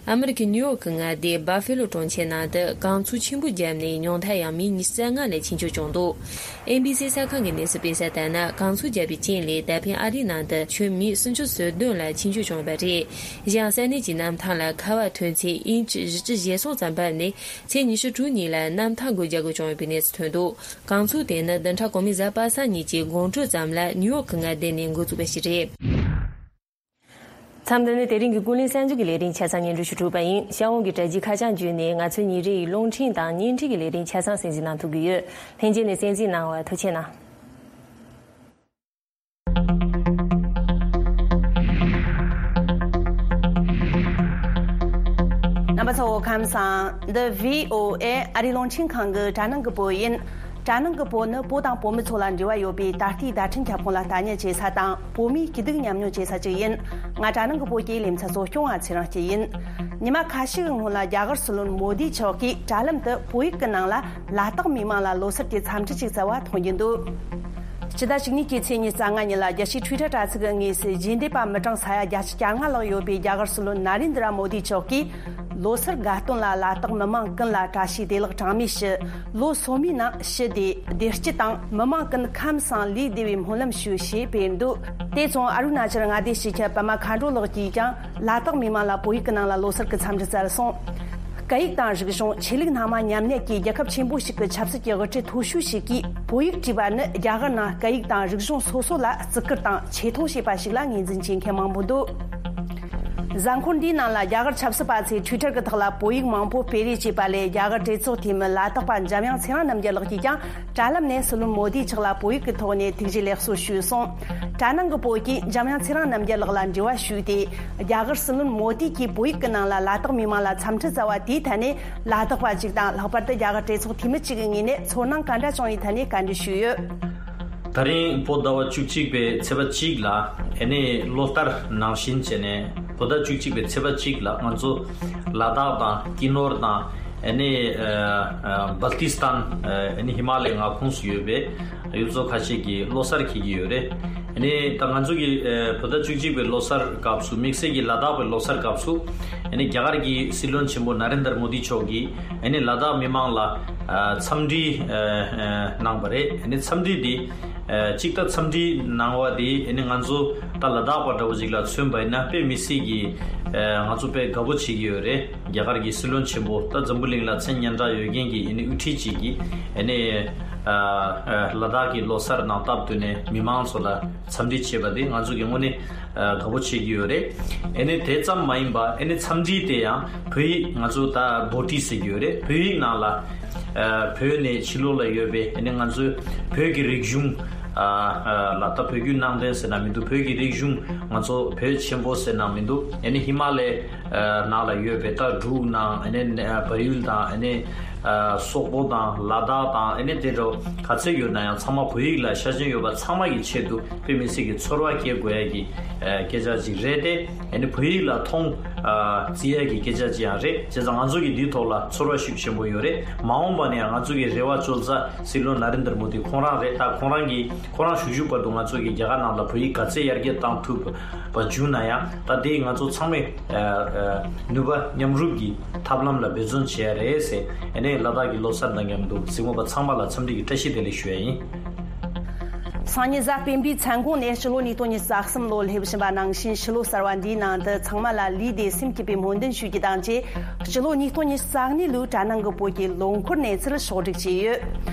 ཨ་མི་རི་ཀའི་ནིའུ་ཡོག་གི་མངའ་སྡེ་Buffalo གྲོང་ཁྱེར་ནང་དུ་གངས་ཚུགས་ཆེན་པོ་བརྒྱབ་ནས་ཉུང་མཐར་ཡང་མི་ཉི་ཤུ་རྩ་ལྔ་ལ་འཆི་མཆོད་བྱུང་འདུག། ཨེན་བི་སི་གསར་ཁང་གི་གནས་ཚུལ་སྤེལ་གསལ་ལྟར་ན། གངས་ཚུགས་བརྒྱབ་པའི་རྐྱེན་ལས་ད་ཕན་ཨ་རིའི་ནང་དུ་ཁྱོན་མི་སུམ་ཅུ་སོ་བདུན་ལ་འཆི་མཆོད་བྱུང་བ་རེད། གཞན་ས་གནས་ཀྱི་གནམ་ཐང་ལ་ཁ་བ་ཐོན་ཚད་ཨིན་ཅི་བཞི་བཅུ་ཞེ་གསུམ་ཙམ་འབབ་ནས། ཚེས་ཉི་ཤུ་དྲུག་ཉིན་ལ་གནམ་ཐང་སྒོ་རྒྱག་དགོས་བྱུང་ཡོད་པའི་གནས་ཚུལ་ཐོན་འདུག། གངས་ཚུགས་དེ་ནི་བདུན་ཕྲག་གོང་མའི་གཟའ་པ་སངས་ཉིན་གྱི་དགོང་དྲོའི་ཙམ་ལ་ནིའུ་ཡོག་གི་མངའ་སྡེ་ནས་འགོ་བཙུགས་པ་ཞིག་རེད། མཚམས་འདི་ནས་དེ་རིང་གི་ཀུན་གླེང་གསར་འགྱུར་གྱི་ལས་རིམ་ཆ་ཚང་སྙན་སྒྲོན་ཞུ་གྲུབ་པ་ཡིན། ཤར་འོང་གི་དྲ་རྒྱའི་ཁ་བྱང་བརྒྱུད་ནས་ང་ཚོའི་ཉིན་རེའི་རླུང་འཕྲིན་དང་བརྙན་འཕྲིན་གྱི་ལས་རིམ་ཆ་ཚང་གསན་གཟིགས་གནང་ཐུབ་ཀྱི་ཡོད། ལྷན་རྒྱས་ནས་གསན་གཟིགས་གནང་བར་ཐུགས་རྗེ་གནང་། རྣམ་པ་ཚོ་ཁམས་བཟང་། འདི་བྷི་ཨོ་ཨེ་ཨ་རིའི་རླུང་འཕྲིན་ཁང་གི་དྲ་ནང་གི་བོད་ཡིན། དྲ་ནང་གི་བོད་ནི་བོད་དང་བོད་མི་ཚོ་ལ་འབྲེལ་བ་ཡོད་པའི་ད་ལྟའི་བརྡ་འཕྲིན་ཁྱབ་ཁོངས་ལ་ལྟ་ཉན་བྱེད་ས་དང་། བོད་མིའི་སྐྱིད་སྡུག་མཉམ་མྱོང་བྱེད་ས་ཅིག་ཡིན། ང་དྲ་ནང་གི་བོད་ཀྱི་ལེ་ཚན་གཙོ་སྐྱོང་བ་ཚེ་རིང་སྐྱིད་ཡིན། ཉི་མ་ཁ་ཤས་ཀྱི་སྔོན་ལ་རྒྱ་གར་སྲིད་བློན་མོ་དི་མཆོག་གིས་དྲ་ལམ་དུ་བོད་ཡིག་གི་ནང་ལ་ལ་དྭགས་མི་མང་ལ་ལོ་གསར་གྱི་འཚམས་འདྲི་ཅིག་བསྩལ་བ་མཐོང་རྒྱུ་འདུག། སྤྱི་ཟླ་བཅུ་གཉིས་ཀྱི་ཚེས་ཉི་ཤུ་རྩ་ལྔ་ཉིན་ལ་རྒྱལ་སྤྱིའི་Twitter་དྲ་ཚིགས་ཀྱི་ངོས་སུ་རྗེས་འདེད་པ་མི་གྲངས་ས་ཡ་བརྒྱད་ཅུ་གྱ་ལྔ་ལྷག་ཡོད་པའི་རྒྱ་གར་སྲིད་བློན་ན་རེན་དྲ་མོ་དི་མཆོག་གིས། ལོ་གསར་དགའ་སྟོན་ལ་ལ་དྭགས་མི་མང་ཀུན་ལ་བཀྲ་ཤིས་བདེ་ལེགས་གྲངས་མེད་ཞུ། ལོ་སོ་མའི་ནང་ཞི་བདེ་བདེ་སྐྱིད་དང་མི་མང་ཀུན་ཁམས་བཟང་ལུས་བདེ་བའི་སྨོན་ལམ་ཞུ་ཞེས་སྤེལ་འདུག། དེ་མཚུངས་ཨ་རུ་ན་ཅལ་མངའ་སྡེའི་སྤྱི་ཁྱབ་པད་མ་མཁའ་འགྲོ་ལགས་ཀྱིས་ཀྱང་ལ་དྭགས་མི་མང་ལ་བོད་ཡིག་གི་ནང་ལ་ལོ་གསར་གྱི་འཚམས་འདྲི་བསྩལ་སོང་། སྐད་ཡིག་དང་རིག་གཞུང་། ཆོས་ལུགས་སྣ་མང་མཉམ་གནས་ཀྱི་རྒྱལ་ཁབ་ཆེན་པོ་ཞིག་གི་ཆབ་སྲིད་ཀྱི་དབུ་ཁྲིད་མཐོ་ཤོས་ཤིག་གིས་བོད་ཡིག་བྲིས་པ་ནི་རྒྱ་གར་ནང་སྐད་ཡིག་དང་རིག་གཞུང་སོ་སོ་ལ་བརྩི་བཀུར་དང་ཆེ་མཐོང་བྱེད་པ་ཞིག་ལ་ངོས་འཛིན་བྱེད་མཁན་མང་པོ་འདུག། གཟའ་འཁོར་འདིའི་ནང་ལ་རྒྱ་གར་ཆབ་སྲིད་པ་ཚོས་Twitter་གི་ཐོག་ལ་བོད་ཡིག་མང་པོ་སྤེལ་རེས་བྱས་པ་ལས། རྒྱ་གར་གྲོས་ཚོགས་འཐུས་མི་ལ་དྭགས་པ་འཇམ་དབྱངས་ཚེ་རིང་རྣམ་རྒྱལ་ལགས་ཀྱིས་ཀྱང་དྲ་ལམ་ནས་སྲིད་བློན་མོ་དི་མཆོག་ལ་བོད་ཡིག་གི་ཐོག་ནས་ཐུགས་རྗེ་ལེགས་གསོལ་ཞུས་སོང་། དྲ་ནང་གི་བོད་ཀྱིས་འཇམ་དབྱངས་ཚེ་རིང་རྣམ་རྒྱལ་ལགས་ལ་འབྲེལ་བ་ཞུས་ཏེ། རྒྱ་གར་སྲིད་བློན་མོ་དི་གིས་བོད་ཡིག་གི་ནང་ལ་ལ་དྭགས་མི་མང་ལ་འཚམས་འདྲི་བསྩལ་བ་དེའི་ཐད་ནས། ལ་དྭགས་པ་གཅིག་དང་། ལྷག་པར་དུ་རྒྱ་གར་གྲོས་ཚོགས་འཐུས་མི་གཅིག་གི་ངོས་ནས་ཚོར་སྣང་ག་འདྲ་བྱུང་བའི་ཐད་ནས་བཀའ་འདྲི་ཞུས་ཡོད། ད་རིང་བོད་ཟླ་བ་བཅུ་གཅིག་པའི་ཚེས་པ་གཅིག་ལ། ཨ་ནི་ལོ་ལྟར་ནང་བཞིན་བྱས་ནས་བོད་ཟླ་བཅུ་གཅིག་པའི་ཚེས་པ་གཅིག་ལ་ང་ཚོ་ལ་དྭགས་དང་ཀི་ནོར་དང་། ཨ་ནི་ཨ་ཨ་སྦལ་ཏི་སྟན། ཨ་ནི་ཧི་མ་ལའི་མངའ་ཁོངས་སུ་ཡོད་པའི་ཡུལ་ཚོ་ཁ་ཤས་ཀྱིས་ལོ་གསར་འཁེལ་གྱི་ཡོད་རེད། ཨ་ནི་ད་ང་ཚོ་གི་ཨ་བོད་ཟླ་བཅུ་གཅིག་པའི་ལོ་གསར་སྐབས་སུ། དམིགས་བསལ་གྱི་ལ་དྭགས་པའི་ལོ་གསར་སྐབས་སུ། ཨ་ནི་རྒྱ་གར་གྱི་སྲིད་བློན་ཆེན་པོ་ན་རེན་དར་མོ་དི་མཆོག་གིས་ཨ་ནི་ལ་དྭགས་མི་མང་ལ་ཨ་འཚམས་འདྲི་ཨ་ཨ་གནང་བ་རེད། ཨ་ནི་འཚམས་འདྲི་འདི་ཨ་གཅིག་ད་འཚམས་འདྲི་གནང་བ་འདི་ཨ་ནི་ང་ཚོ་ད་ལ་དྭགས་པ་འདྲ་བོ་ཅིག་ལ་མཚོན་པ་ཡིན་ན་དཔེ་མི་སྲིད་ཀྱི་ཨ་ང་ཚོ་དཔེ་དགའ་པོ་བྱེད་ཀྱི་ཡོད་རེད། རྒྱ་གར་གྱི་སྲིད་བློན་ཆེན་པོ་ད་འཛམ་བུ་གླིང་ལ་མཚན་སྙན་གྲགས་ཡོད་མཁན་གྱི་ཨ་ནི་དབུ་ཁྲིད་ཅིག་གིས་ཨ་ནི་ཨ་ཨ་ལ་དྭགས་ཀྱི་ལོ་གསར་ནང་སྟབས་བསྟུན་ནས་མི་མང་ཚོ་ལ་འཚམས་འདྲི་བྱས་པ་དེ་ང་ཚོ་གི་དངོས་གནས་ཨ་དགའ་པོ་བྱེད་ཀྱི་ཡོད་རེད། ཨ་ནི་དེ་ཙམ་མ་ཡིན་པ་ཨ་ནི་འཚམས་འདྲི་དེ་ཡང་བོད་ཡིག་ང་ཚོ་ད་བྷོ་ཊི་ཟེར་གྱི་ཡོད་རེད། བོད་ཡིག་ནང་ལ་ཨ་བོད་ནས་ཕྱི་ལོགས་ལ་ཡོད་པའི་ཨ་ནི་ང་ཚོའི་བོད་ཀྱི་རིག་གཞུང་ཨ་ཨ་ལ་ད་བོད་བརྒྱུད་ནང་བསྟན་ཟེར་ན་མི་འདུག། བོད་ཀྱི་རིག་གཞུང་ང་ཚོ་བོད་ཆེན་པོ་ཟེར་ན་མི་འདུག། ཨ་ནི་ཧི་མ་ལའི་ཨ་ནང་ལ་ཡོད་པའི་ད་འབྲུག་དང་ཨ་ནི་ཨ་བལ་ཡུལ་དང་ཨ་ནི་ཨ་སོག་པོ་དང་ལ་དྭགས་དང་ཨ་ནི་དེ་འདྲ་ག་ཚད་ཡོད་ན་ཡང་ཚང་མ་བོད་ཡིག་ལ་ཤ་ཞེན་ཡོད་པ་ཚང་མ་གི་ཆེད་དུ་དཔེ་མི་སྲིད་ཀྱི་ཚོར་བ་སྐྱེ་དགོས་ཡ་གི་ཨ་སྐད་ཆ་ཅིག་རེད་དེ། ཨ་ནི་བོད་ཡིག་ལ་མཐོང་ཨ་བརྩི་ཡ་གི་སྐད་ཆ་ཅིག་ཡང་རེད། བྱས་ཙང་ང་ཚོ་གི་འདིའི་ཐོག་ལ་ཚོར་བ་ཤུགས་ཆེན་པོ་ཡོད་རེད། མ་འོངས་པ་ནས་ཡང་ང་ཚོ་གི་རེ་བ་བཅོལ་ས་སྲིད་བློན་ན་རེན་དར་མོ་དི་ཁོང་རང་རེད། ད་ཁོང་རང་གིས་ཁོ་རང་བཞུགས་བཞུགས་བར་དུ་ང་ཚོ་གི་རྒྱ་གར་ནང་ལ་བོད་ཡིག་ག་ཚད་ཡར་རྒྱས་བཏང་ཐུབ་པ་བྱུང་ན་ཡང་། ད་དེ་ང་ཚོ་ཚང་མས་ཨ་ཨ་ནུས་པ་མཉམ་རུབ་ཀྱིས་ཐབས་ལམ་ལ་འབད་བརྩོན་བྱེད་ཡ་རེད་ཟེར། ཨ་ནི་ལ་དྭགས་ཀྱི་ལོ་གསར་དང་མཉམ་དུ་གཟིགས་མོ་པ་ཚང་མ་ལ་འཚམས་འདྲི་གི་བཀྲ་ཤིས་བདེ་ལེགས་ཞུ་ཡ་ཡིན། སང་ཉིན་གཟའ་སྤེན་པའི་མཚན་གུང་ནས་སྤྱི་ལོ་ཉིས་སྟོང་ཉི་ཤུ་རྩ་གསུམ་ལོ་སླེབས་བཞིན་པ་ནང་བཞིན། ཕྱི་ལོ་གསར་བ་འདིའི་ནང་དུ་ཚང་མ་ལ་ལུས་བདེ་སེམས་སྐྱིད་པའི་སྨོན་འདུན་ཞུ་རྒྱུ་དང་བཅས། སྤྱི་ལོ་ཉིས་སྟོང་ཉི་ཤུ་རྩ་གཉིས་ལོའི་དྲ་ནང་གི་བོད་ཀྱི་ལོ་འཁོར་གནས་ཚུལ་ཕྱོགས་སྒྲིག་བྱས་ཡོད།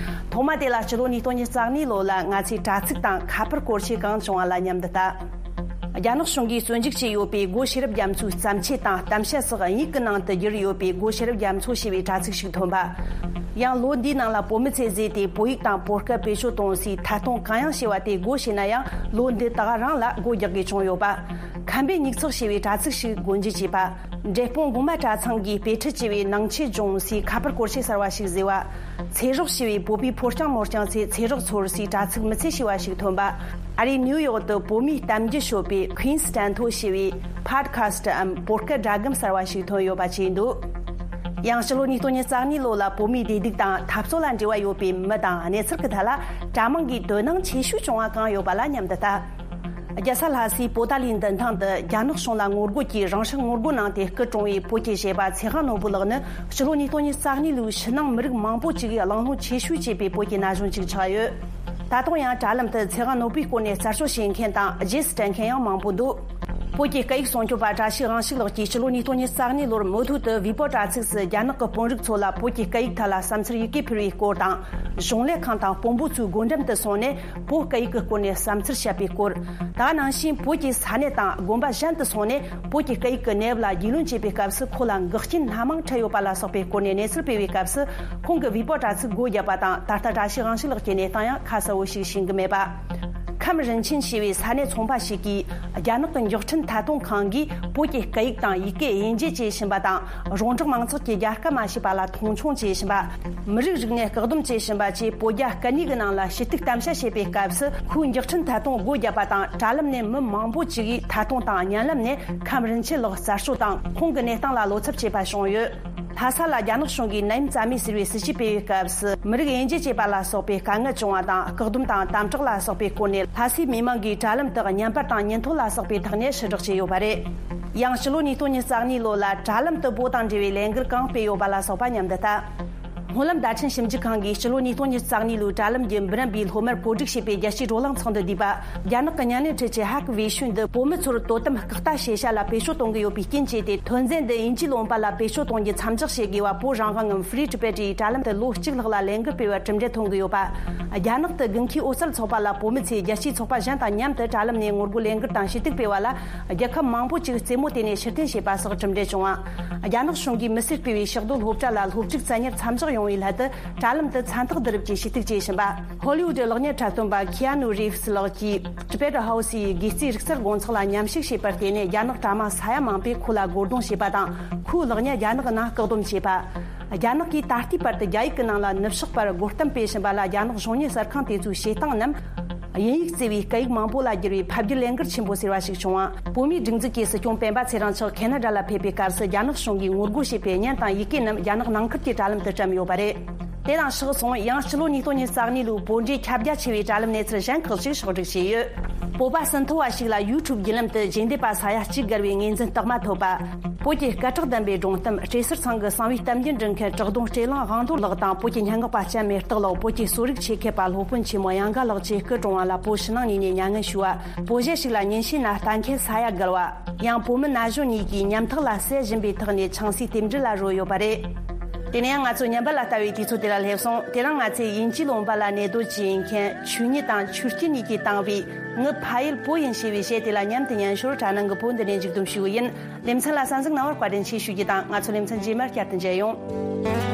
ཐོག་མ་དེ་ལ་སྤྱི་ལོ་ཉིས་སྟོང་ཉི་ཤུ་རྩ་གཉིས་ལོ་ལ་ང་ཚོས་དྲ་ཚིགས་དང་ཁ་པར་སྐོར་ཆས་གང་བྱུང་བ་ལ་མཉམ་དུ་ལྟ། རྒྱ་ནག་གཞུང་གིས་བཙོན་འཇུག་བྱས་ཡོད་པའི་སྒོ་ཤེས་རབ་རྒྱ་མཚོའི་བརྩམས་ཆོས་དང་གཏམ་བཤད་སོགས་དབྱིན་ཡིག་གི་ནང་དུ་བསྒྱུར་ཡོད་པའི་སྒོ་ཤེས་རབ་རྒྱ་མཚོ་ཞེས་པའི་དྲ་ཚིགས་ཤིག་ཐོན་པ། ཡང་ལོ་འདིའི་ནང་ལ་བོད་མི་ཚོས་བཟོས་ཏེ་བོད་ཡིག་དང་བོད་སྐད་བེད་སྤྱོད་གཏོང་སའི་ཐད་གཏོང་གང་ཡང་བྱས་པ་དེ་སྒོ་ཕྱེ་ན་ཡང་ལོ་འདི་དག་རིང་ལ་སྒོ་རྒྱག་དགོས་བྱུང་ཡོད་པ། ཁམས་པའི་མྱིག་ཚགས་ཞེས་པའི་དྲ་ཚིགས་ཤིག་སྒོ་འབྱེད་བྱས་པ། འབྲས་སྤུངས་གོང་མ་གྲྭ་ཚང་གིས་དཔེ་ཁྲིད་ཅེས་པའི་ནང་ཆོས་སྦྱོང་སའི་ཁ་པར་སྐོར་ཆས་གསར་བ་ཞིག་བཟོས་པ། ཚེ་སྲོག་ཞེས་པའི་བོད་པའི་ཕོ་རྐྱང་མོ་རྐྱང་ཚོས་ཚེ་སྲོག་འཚོ་བར་སའི་དྲ་ཚིགས་མི་ཚེ་ཞེས་པ་ཞིག་ཐོན་པ། ཨ་རིའི་ནིའུ་ཡོག་ཏུ་བོད་མིའི་གཏམ་རྒྱུད་ཤོད་པའི་Queen's Stand Tall ཞེས་པའི་Podcast འམ་བོད་སྐད་སྒྲ་སྒམ་གསར་བ་ཞིག་ཐོན་ཡོད་པ་བཅས་འདུག་ཡང་ཕྱི་ལོ་ཉིས་སྟོང་ཉི་ཤུ་རྩ་གཉིས་ལོ་ལ་བོད་མིའི་བདེ་སྡུག་དང་འཐབ་རྩོད་ལ་འབྲེལ་བ་ཡོད་པའི་མི་དང་གནས་ཚུལ་གྱི་ཐད་ལ་གྲྭ་མང་གིས་དོ་སྣང་ཆེ་ཤོས་བྱུང་བ་གང་ཡོད་པ་ལ་མཉམ་དུ་ལྟ། རྒྱལ་ས་ལྷ་སའི་པོ་ཏཱ་ལའི་མདུན་ཐང་དུ་རྒྱ་ནག་གཞུང་ལ་ངོ་རྒོལ་གྱིས་རང་སྲོག་ངོ་རྒོལ་གནང་སྟེ་སྐུ་གྲོངས་པའི་བོད་ཀྱི་གཞས་པ་ཚེ་དབང་ནོར་བུ་ལགས་ནི་ཕྱི་ལོ་ཉིས་སྟོང་ཉི་ཤུ་རྩ་གཉིས་ལོའི་ཕྱི་ནང་མི་རིགས་མང་པོ་ཅིག་གིས་གླེང་སློང་ཆེ་ཤོས་བྱས་པའི་བོད་ཀྱི་ན་གཞོན་ཅིག་ཆགས་ཡོད། ད་དུང་ཡང་དྲ་ལམ་དུ་ཚེ་དབང་ནོར་བུའི་སྐོར་ནས་རྩད་གཅོད་བྱེད་མཁན་དང་རྗེས་སུ་དྲན་མཁན་ཡང་མང་པོ་འདུག་བོད་ཀྱི་སྐད་ཡིག་སྲུང་སྐྱོབ་པ་བཀྲ་ཤིས་དབང་ཕྱུག་ལགས་ཀྱིས་ཕྱི་ལོ་ཉིས་སྟོང་ཉི་ཤུ་རྩ་གཉིས་ལོར་མུ་མཐུད་དུ་ཝི་པོ་དྲ་ཚིགས་སུ་རྒྱ་ནག་གི་དཔོན་རིགས་ཚོ་ལ་བོད་ཀྱི་སྐད་ཡིག་ཐད་ལ་བསམ་ཚུལ་ཡི་གེ་ཕུལ་བའི་སྐོར་དང་། གཞུང་ལས་ཁང་དང་དཔོན་པོ་ཚོའི་སྒོ་འགྲམ་དུ་སོང་ནས་བོད་སྐད་ཡིག་གི་སྐོར་ནས་བསམ་ཚུལ་བཤད་པའི་སྐོར། ད་ག་ནང་བཞིན་བོད་ཀྱི་ས་གནས་དང་དགོན་པ་གཞན་དུ་སོང་ནས་བོད་ཀྱི་སྐད་ཡིག་གི་གནས་བབ་ལ་རྒྱུས་ལོན་བྱེད་པའི་སྐབས་སུ་ཁོ་ལ་འགག་རྐྱེན་སྣ་མང་འཕྲད་ཡོད་པ་ལ་སོགས་པའི་སྐོར་ནས་གནས་ཚུལ་སྤེལ་བའི་སྐབས་སུ། ཁོང་གིས་ཝི་པོ་དྲ་ཚིགས་སྒོ་བརྒྱབ་པ་དང་། ད་ལྟ་བཀྲ་ཤིས་དབང་ཕྱུག་ལགས་ཀྱི་གནས་སྟངས་ཡང་ཁ་གསལ་བོ་ཞིག་ཤེས་ཀྱི་མེད་པ། ཁམས་རིན་ཆེན་ཞེས་པའི་ས་གནས་ཚོང་པ་ཞིག་གིས་རྒྱ་ནག་གི་མགྱོགས་འཕྲིན་ཐད་གཏོང་ཁང་གིས་བོད་ཀྱི་སྐད་ཡིག་དང་ཡི་གེ་དབྱེ་འབྱེད་བྱེད་བཞིན་པ་དང་། རོང་འབྲོག་མང་ཚོགས་ཀྱིས་རྒྱལ་ཁ་མ་ཤེས་པ་ལ་མཐོང་ཆུང་བྱེད་བཞིན་པ། མི་རིགས་རིག་གནས་བཀག་སྡོམ་བྱེད་བཞིན་པ་བཅས་བོད་རྒྱ་སྐད་གཉིས་ཀྱི་ནང་ལ་ཞུ་གཏུག་གཏམ་བཤད་བྱེད་པའི་སྐབས་སུ། ཁོའི་མགྱོགས་འཕྲིན་ཐད་གཏོང་སྒོ་བརྒྱབ་པ་དང་། དྲ་ལམ་ནས་མི་མང་པོ་ཅིག་གིས་ཐད་གཏོང་དང་བརྙན་ལམ་ནས་ཁམས་རིན་ཆེན་ལགས་རྩད་གཅོད་དང་ཁོང་གི་གནས་སྟངས་ལ་བློ་འཚབ་བྱེད་པ་བྱུང་ཡོད། ལྷ་ས་ལ་རྒྱ་ནག་གཞུང་གིས་ནད་ཡམས་རྩ་མེད་ཟེར་བའི་སྲིད་ཇུས་སྤེལ་བའི་སྐབས་སུ། མི་རིགས་དབྱེ་འབྱེད་བྱེད་པ་ལ་སོགས་པའི་དཀའ་ངལ་བྱུང་བ་དང་། བཀག་སྡོམ་དང་དམ་དྲག་ལ་སོགས་པའི་སྐོར་ནས་ལྷ་སའི་མི་མང་གིས་དྲ་ལམ་དུ་བརྙན་པར་དང་ཉིན་ཐོ་ལ་སོགས་པའི་ཐོག་ནས་ཕྱིར་བསྒྲགས་བྱས་ཡོད་པ་རེད། ཡང་ཕྱི་ལོ་ཉིས་སྟོང་ཉི་ཤུ་རྩ་གཉིས་ལོ་ལ་དྲ་ལམ་དུ་བོད་དང་འབྲེལ་བའི་ལས་འགུལ་གང་སྤེལ་ཡོད་པ་ལ་སོགས་པ་མཉམ་དུ་ལྟ། སྨོན་ལམ་བརྡ་འཕྲིན་ཞིབ་འཇུག་ཁང་གིས་ཕྱི་ལོ་ཉིས་སྟོང་ཉི་ཤུ་རྩ་གཉིས་ལོའི་དྲ་ལམ་གྱི་འབུམ་རམས་པའི་སློབ་མར་བཀོད་སྒྲིག་བྱས་པའི་རྒྱལ་སྤྱིའི་བགྲོ་གླེང་ཚོགས་འདུ་བསྡུས་པ། རྒྱ་ནག་གི་བརྙན་ལེན་འཕྲུལ་ཆས་ཧ་ཀི་བེ་ཤུན་འདི་བོད་མི་ཚོར་དོ་དམ་རྐུབ་སྟེགས་ཤེས་བྱ་ལ་བེད་སྤྱོད་གཏོང་གི་ཡོད་པའི་རྐྱེན་བྱས་ཏེ། ཐོན་རྫས་འདི་དབྱིན་ཇིའི་ལུང་པ་ལ་བེད་སྤྱོད་གཏོང་རྒྱུ་མཚམས་འཇོག་བྱེད་དགོས་པ། བོད་རང་དབང་ངམ་Free Tibet ཡི་དྲ་ལམ་དུ་ལོ་གཅིག་ལྷག་ལ་ལས་འགུལ་སྤེལ་བར་གྲུབ་འབྲས་ཐོན་གྱི་ཡོད་པ། རྒྱ་ནག་ཏུ་དགུན་ཁའི་འོད་གསལ་ཚོགས་པ་ལ་བོད་མི་ཚོས་རྒྱལ་སྤྱིའི་ཚོགས་པ་གཞན་དང་མཉམ་དུ་དྲ་ལམ་ནས་ངོ་རྒོལ་ལས་འགུལ་དང་ཞུ་གཏུག་སྤེལ་བ་ལ། རྒྱལ་ཁབ་མང་པོ་ཅིག་རྩེད་མོ་དེ་ནས་ཕྱིར་འཐེན་བྱས་པ་སོགས་གྲུབ་འབྲས་བྱུང་བ། རྒྱ་ནག་གཞུང་གིས་མི་སེར་སྤེལ་བའི་ཕྱག་སྡོད་སློབ་གྲྭ་ལ་སློབ་ཕྲུག་བཙན་ཉར་མཚམས་འཇོག་ཡོང་བའི་སླད་དུ། དྲ་ལམ་དུ་མཚན་རྟགས་བསྡུ་རུབ་ཀྱིས་ཞུ་གཏུག་བྱེད་བཞིན་པ། ཧོ་ལི་ཝུད་གློག་བརྙན་འཁྲབ་སྟོན་པ་ཁི་ཨ་ནུ་རི་ཝི་སི་ལགས་ཀྱིས་Tibetan House ཡི་སྒོས་རྩིས་རིག་རྩལ་སྒོ་ཚོགས་ལ་མཉམ་ཞུགས་བྱས་པར་བརྟེན་ནས། རྒྱ་ནག་དྲ་དམངས་ས་ཡ་མང་པོས་ཁོ་ལ་རྒོལ་རྡུང་བྱས་པ་དང་། ཁོའི་གློག་བརྙན་རྒྱ་ནག་ནང་བཀག་སྡོམ་བྱས་པ། རྒྱ་ནག་གིས་ད་ལྟའི་བར་དུ་རྒྱ་ཡིག་གི་ནང་ལ་ནུབ་ཕྱོགས་པར་རྒོལ་གཏམ་སྤེལ་བཞིན་པ་ལ། རྒྱ་ནག་གཞུང་གཉེར་གསར་ཁང་དེ་ཚོའི་བྱེད་སྟངས་རྣམས་དབྱིན་ཡིག་གཙོས་པའི་སྐད་ཡིག་མང་པོ་ལ་བསྒྱུར་བའི་ཕབ་བསྒྱུར་ལས་འགུལ་ཆེན་པོ་ཟེར་བ་ཞིག་བྱུང་བ། བོད་མིའི་སྒྲིག་འཛུགས་ཀྱི་སྲིད་སྐྱོང་སྤེན་པ་ཚེ་རིང་མཆོག་ཁེ་ན་ཌ་ལ་ཕེབས་པའི་སྐབས་སུ། རྒྱ་ནག་གཞུང་གིས་ངོ་རྒོལ་བྱས་པའི་བརྙན་དང་ཡི་གེ་རྣམས་རྒྱ་ནག་ནང་ཁུལ་གྱི་དྲ་ལམ་དུ་བཀྲམ་ཡོད་པ་རེད། དེ་དང་ཕྱོགས་མཚུངས། ཡང་ཕྱི་ལོ་ཉིས་སྟོང་ཉི་ཤུ་རྩ་གཉིས་ལོའི་བོད་འབྲེལ་ཁྱབ་རྒྱ་ཆེ་བའི་དྲ་ལམ་གནས་ཚུལ་གཞན་ཁག་ཅིག་ཕྱོགས་སྒྲིག་བྱས་ཡོད། བོད་པ་ཟིན་ཐོ་བ་ཞིག་ལ་ཡུ་ཊུབ་བརྒྱུད་ལམ་དུ་རྗེས་འདེད་པ་ས་ཡ་གཅིག་བརྒལ་བའི་ངོས་འཛིན་རྟགས་མ་ཐོབ་པ། བོད་ཀྱི་སྐད་གྲགས་ལྡན་པའི་སྒྲུང་གཏམ་བྲེ་སེར་ཚང་གི་གསང་བའི་གཏམ་རྒྱུད་འབྲི་མཁན་བྲག་གདོང་སྤྲེལ་གླང་དབང་རྡོར་ལགས་དང་། བོད་ཀྱི་སྙན་ངག་པ་ལྕམ་མེ་སྟག་ལགས། བོད་ཀྱི་གསོ་རིག་ཆེད་མཁས་པ་སློབ་དཔོན་ཆེན་མོ་གཡང་དགའ་ལགས་བཅས་སྐུ་གྲོངས་བ་ལ་བོད་ཕྱི་ནང་གཉིས་ནས་མྱ་ངན་ཞུ་བ། བོད་གཞས་ཤིག་ལ་ཉིན་ཤས་ན་ལྟ་མཁན་ས་ཡ་བརྒལ་བ། ཡང་བོད་མི་ན་གཞོན་གཉིས་ཀྱིས་ཉམ་ཐག་ལ་བསད་བཞིན་པའི་ཐོག་ནས་ཆང་སའི་རྟེན་འབྲེལ་ལ་རོལ་ཡོད་པ་རེད། དེ་ནས་ཡང་ང་ཚོ་ཉམས་པ་ལ་ལྟ་བའི་དུས་ཚོད་དེ་ལ་སླེབས་སོང་། དེ་རིང་ང་ཚོས་དབྱིན་ཇིའི་ལུང་པ་ལ་གནས་སྡོད་ཀྱི་ཡིན་མཁན་ཆོས་ཉིད་དང་ཆོས་སྐྱིད་གཉིས་ཀྱིས་བཏང་བའི་ངའི་ཕ་ཡུལ་བོད་ཡིན་ཞེས་པའི་གཞས་དེ་ལ་མཉམ་དུ་ཉན་ཞོར། དྲ་ནང་གི་བོད་འདི་ནས་མཇུག་བསྡོམས་ཞུ་གི་ཡིན། ལེ་ཚན་ལ་གསན་གཟིགས་གནང་བར་བཀའ་དྲིན་ཆེ་ཞུ་རྒྱུ་དང་། ང་ཚོ་ལེ་ཚན་རྗེས་མར་བསྐྱར་དུ་མཇལ་ཡོང་།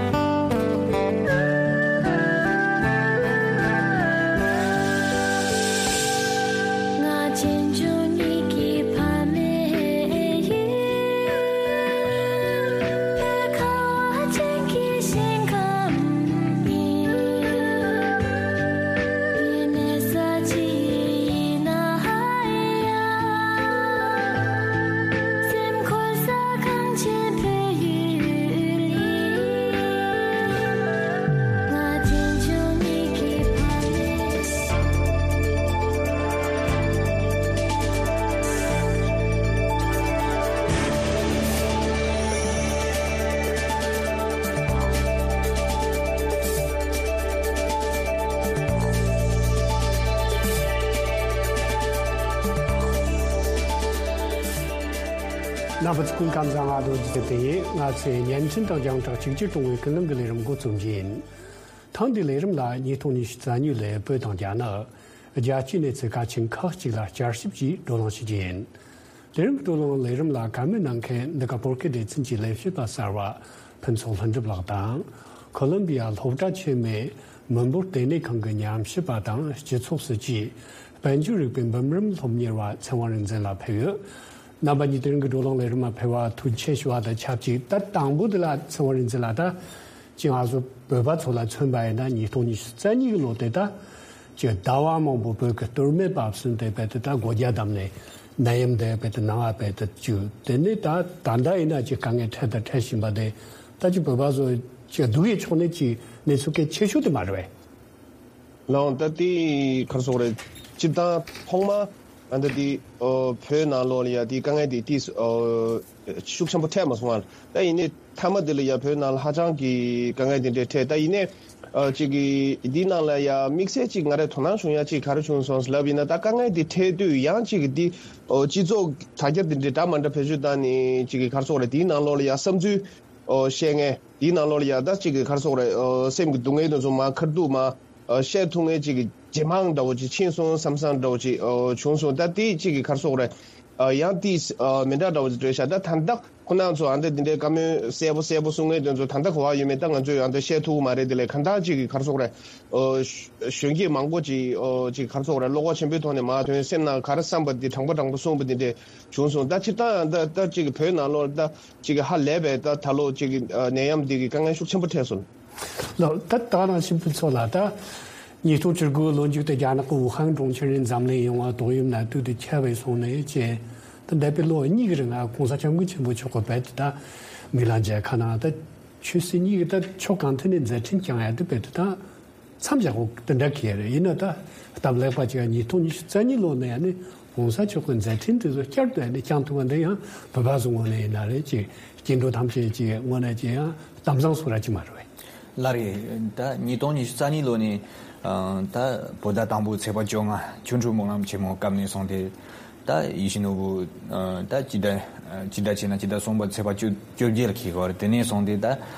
རྣམ་པ་ཚོ་སྐུ་ཁམས་བཟང་། ང་རྡོ་རྗེ་ཚེ་བརྟན་ཡིན། ང་ཚོས་བརྙན་འཕྲིན་དང་རྒྱང་བསྒྲགས་གཅིག་གྱུར་གཏོང་བའི་ཀུན་གླེང་གི་ལས་རིམ་འགོ་རྩོམ་རྒྱུ་ཡིན། ཐེངས་འདིའི་ལས་རིམ་ལ་ཉིས་སྟོང་ཉི་ཤུ་རྩ་གཉིས་ལོའི་བོད་དང་རྒྱ་ནག་རྒྱལ་སྤྱིའི་གནས་ཚུལ་གལ་ཆེན་ཁག་ཅིག་ལ་བསྐྱར་ཞིབ་ཀྱིས་བགྲོ་གླེང་ཞུ་རྒྱུ་ཡིན། དེ་རིང་གི་བགྲོ་གླེང་ལས་རིམ་ལ་བཀའ་མོལ་གནང་མཁན་འདི་ག་བོད་སྐད་སྡེ་ཚན་གྱི་ལས་བྱེད་པ་གསར་བ་ཕུན་ཚོགས་ལྷུན་གྲུབ་ལགས་དང་། ཁོ་ལོམ་བི་ཡ་སློབ་གྲྭ་ཆེན་མོའི་མི་འབོར་ལྟེ་གནས་ཁང་གི་ཉམས་ཞིབ་པ་དང་སྤྱི་ཚོགས་སྲིད་ཇུས་དཔལ་འབྱོར་རིག་པའི་འབུམ་རམས་སློབ་གཉེར་བ་ཚེ་དབང་རིག་འཛིན་ལགས་ཕེབས་ཡོད། རྣམ་པ་གཉིས་དེ་རིང་གི་བགྲོ་གླེང་ལས་རིམ་ལ་ཕེབས་པར་ཐུགས་རྗེ་ཆེ་ཞུ་བ་དང་ཆབས་ཅིག་ད་དང་པོ་དེ་ལ་ཚེ་དབང་རིག་འཛིན་ལགས། ད་ཅིག་ང་ཚོ་བོད་པ་ཚོ་ལ་མཚོན་པ་ཡིན་ན་ཉིས་སྟོང་ཉི་ཤུ་རྩ་གཉིས་ཀྱི་ལོ་དེ་ད་ཅིག་ཟླ་བ་མང་པོ་བོད་ཀྱི་སྟོད་སྨད་བབས་ཟིན་ཏེ་རྦད་དེ་ད་སྒོ་རྒྱ་བསྡམས་ནས་ནད་ཡམས་དེ་རྦད་དེ་ནང་ང་རྦད་དེ་བཅུག་དེ་ནས་ད་ད་ལྟ་ཡིན་ན་ཅིག་དཀའ་ངལ་འཕྲད་དང་འཕྲད་བཞིན་པ་དེ་ད་ཅིག་བོད་པ་ཚོ་ཅིག་སྡུག་ཡི་ཕྱོགས་ནས་ཅིག་གནས་ཚུལ་གལ་ཆེ་ཤོས་དེ་མ་རེད་པས། ལགས། ད་དེ་ག་རེ་ཟེར་དགོས་རེད། སྤྱིར་བཏང་ཐོག་མ་ཨ་ད་དེ་ཨོ་བོད་ནང་ལོགས་ལ་ཡ་དེ་དཀའ་ངལ་དེ་དེ་ཨོ་ཤུགས་ཆེན་པོ་འཕྲད་མ་སོང་ང་། ད་ཡིན་ནའི་མཐའ་མ་དེ་ལ་ཡ་བོད་ནང་ལ་ཧ་ཅང་གི་དཀའ་ངལ་དེ་འདྲ་འཕྲད། ད་ཡིན་ནའི་ཨ་ཅིག་གི་དེའི་ནང་ལ་ཡ་དམིགས་བསལ་ཅིག་ང་རའི་དོ་སྣང་བྱུང་ཡ་ཅིག་ག་རེ་བྱུང་སོང་ལབ་ཡིན་ན། ད་དཀའ་ངལ་དེ་འཕྲད་དུས་ཡང་ཅིག་གི་དེ་ཨོ་སྤྱི་ཚོགས་དྲ་རྒྱ་དེ་འདྲ་འདྲ་མ་འདྲ་བེད་སྤྱོད་བཏང་ནས་ཅིག་གི་ག་རེ་ཟེར་དགོས་རེད། དེའི་ནང་ལོགས་ལ་ཡ་བསམ་ཚུལ་ཨོ་བཤད་མཁན། དེའི་ནང་ལོགས་ལ་ཡ་ད་ཅིག་གི་ག་རེ་ཟེར་དགོས་རེད། ཨོ་སེམས་ཀྱི་སྡུག་བསྔལ་དེ་ཚོ་མར་ཁ་ཐུག་མར་ཨོ་བཤད་ཐུབ་མཁན་ཅིག་གི་ཇེ་མང་འདྲ་བོ་ཅིག་ཕྱིན་སོང་བསམ་བསམ་འདྲ་བོ་ཅིག་ཨོ་བྱུང་སོང་། ད་དེ་ཅིག་གི་ག་རེ་ཟེར་དགོས་རེད། ཨོ་ཡང་དེ་ཨོ་མི་འདྲ་འདྲ་བོ་ཅིག་རེད་ཤག་ད་ད་ལྟ་ཁོ་རང་ཚོ་ཨ་འདྲ་འདི་འདྲའི་བཀའ་མོལ་གསལ་པོ་གསལ་པོ་གསུང་མཁན་དེ་ཚོ་ད་ལྟ་ག་པར་ཡོད་མེད་ད་ང་ཚོས་ཨ་འདྲ་བཤད་ཐུབ་ཀྱི་མ་རེད། དེ་ལས་གང་ལྟར་ཅིག་གི་ག་རེ་ཟེར་དགོས་རེད། ཨོ་གཞོན་སྐྱེས་མང་པོ་ཅིག་ཨོ་ཅིག་ག་རེ་ཟེར་དགོས་རེད། བློ་ཁོག་ཆེན་པོའི་ཐོག་ནས་མར་ཐོན། སེམས་ནང་ག་རེ་བསམ་པ་དེ་དྲང་པོ་དྲང་པོ་གསུངས་པ་དེ་འདྲས་བྱུང་སོང་། ད་སྤྱིར་བཏང་ཡང་ད་ད་ཅིག་བོད་ནང་ལོགས་ད་ཅིག་ཧ་ལས་པའི་ད་ད་ལོ་ཅིག་ནད་ཡམས་འདི་གི་དཀའ་ངལ་ཤུགས་ཆེན་པོ་འཕྲད་སོང་། ལགས། ད་ད་ནང་བཞིན་ཕུན་ཚོགས་ལགས། ད་ཉིས་སྟོང་བཅུ་དགུ་ལོ་མཇུག་ཏུ་རྒྱ་ནག་གི་ཝུ་ཧན་གྲོང་ཁྱེར་ནས་འཛམ་གླིང་ཡོངས་ལ་ཏོག་དབྱིབས་ནད་དུག་དེ་ཁྱབ་པ་སོང་ནས་བྱས། ད་འདས་པའི་ལོ་གཉིས་ཀྱི་རིང་ལ་༸གོང་ས་༸སྐྱབས་མགོན་ཆེན་པོ་མཆོག་གིས་རྦད་དེ་ད་མི་ལ་མཇལ་ཁ་གནང་། ད་ཆོས་སྲིད་གཉིས་ཀྱི་ད་ཕྱོགས་གང་ཐད་ནས་མཛད་འཕྲིན་བསྐྱངས་ཡ་དེ་རྦད་དེ་ད་མཚམས་བཞག་དགོས་དེ་འདྲ་གི་རེད། ཡིན་ན་ད་སྟབས་ལེགས་པ་ཅིག་ཉིས་སྟོང་ཉི་ཤུ་རྩ་གཉིས་ལོ་ནས་ཡང་ནི་༸གོང་ས་མཆོག་གི་མཛད་འཕྲིན་དེ་ཚོ་བསྐྱར་དུ་ཡང་ནི་བསྐྱང་ཐུབ་པ་འདི་ཡང་བོད་པ་ཚོ་ངོས་ནས་ཡིན་ན་རེད་ཅིག་སྐྱེ་འགྲོ་ཐམས་ཅད་ཀྱི་ངོས་ནས་ཅིག་ཡང་གཏམ་བཟང་བཟོ་ར་ཅིག་མ་རེད་པས། ལགས་རེད། ད་ཉིས་སྟོང་ཉི་ཤུ་རྩ་གཉིས་ལོ་ནས་ཨ་ད་བོད་ཟླ་དང་པོ་ཚེས་པ་བཅོ་ལྔ་ཆོ་འཕྲུལ་སྨོན་ལམ་ཆེན་མོ་སྐབས་ནས་བཟུང་སྟེ། ད་ཡིད་བཞིན་ནོར་བུ་ཨ་ད་སྤྱི་ཟླ་ཨ་སྤྱི་ཟླ་བྱས་ན་སྤྱི་ཟླ་གསུམ་པ་ཚེས་པ་བཅོ་བཅོ་བརྒྱད་ལ་འཁེལ་གི་ཡོད་རེད། དེ་ནས་བཟུང་སྟེ་ད་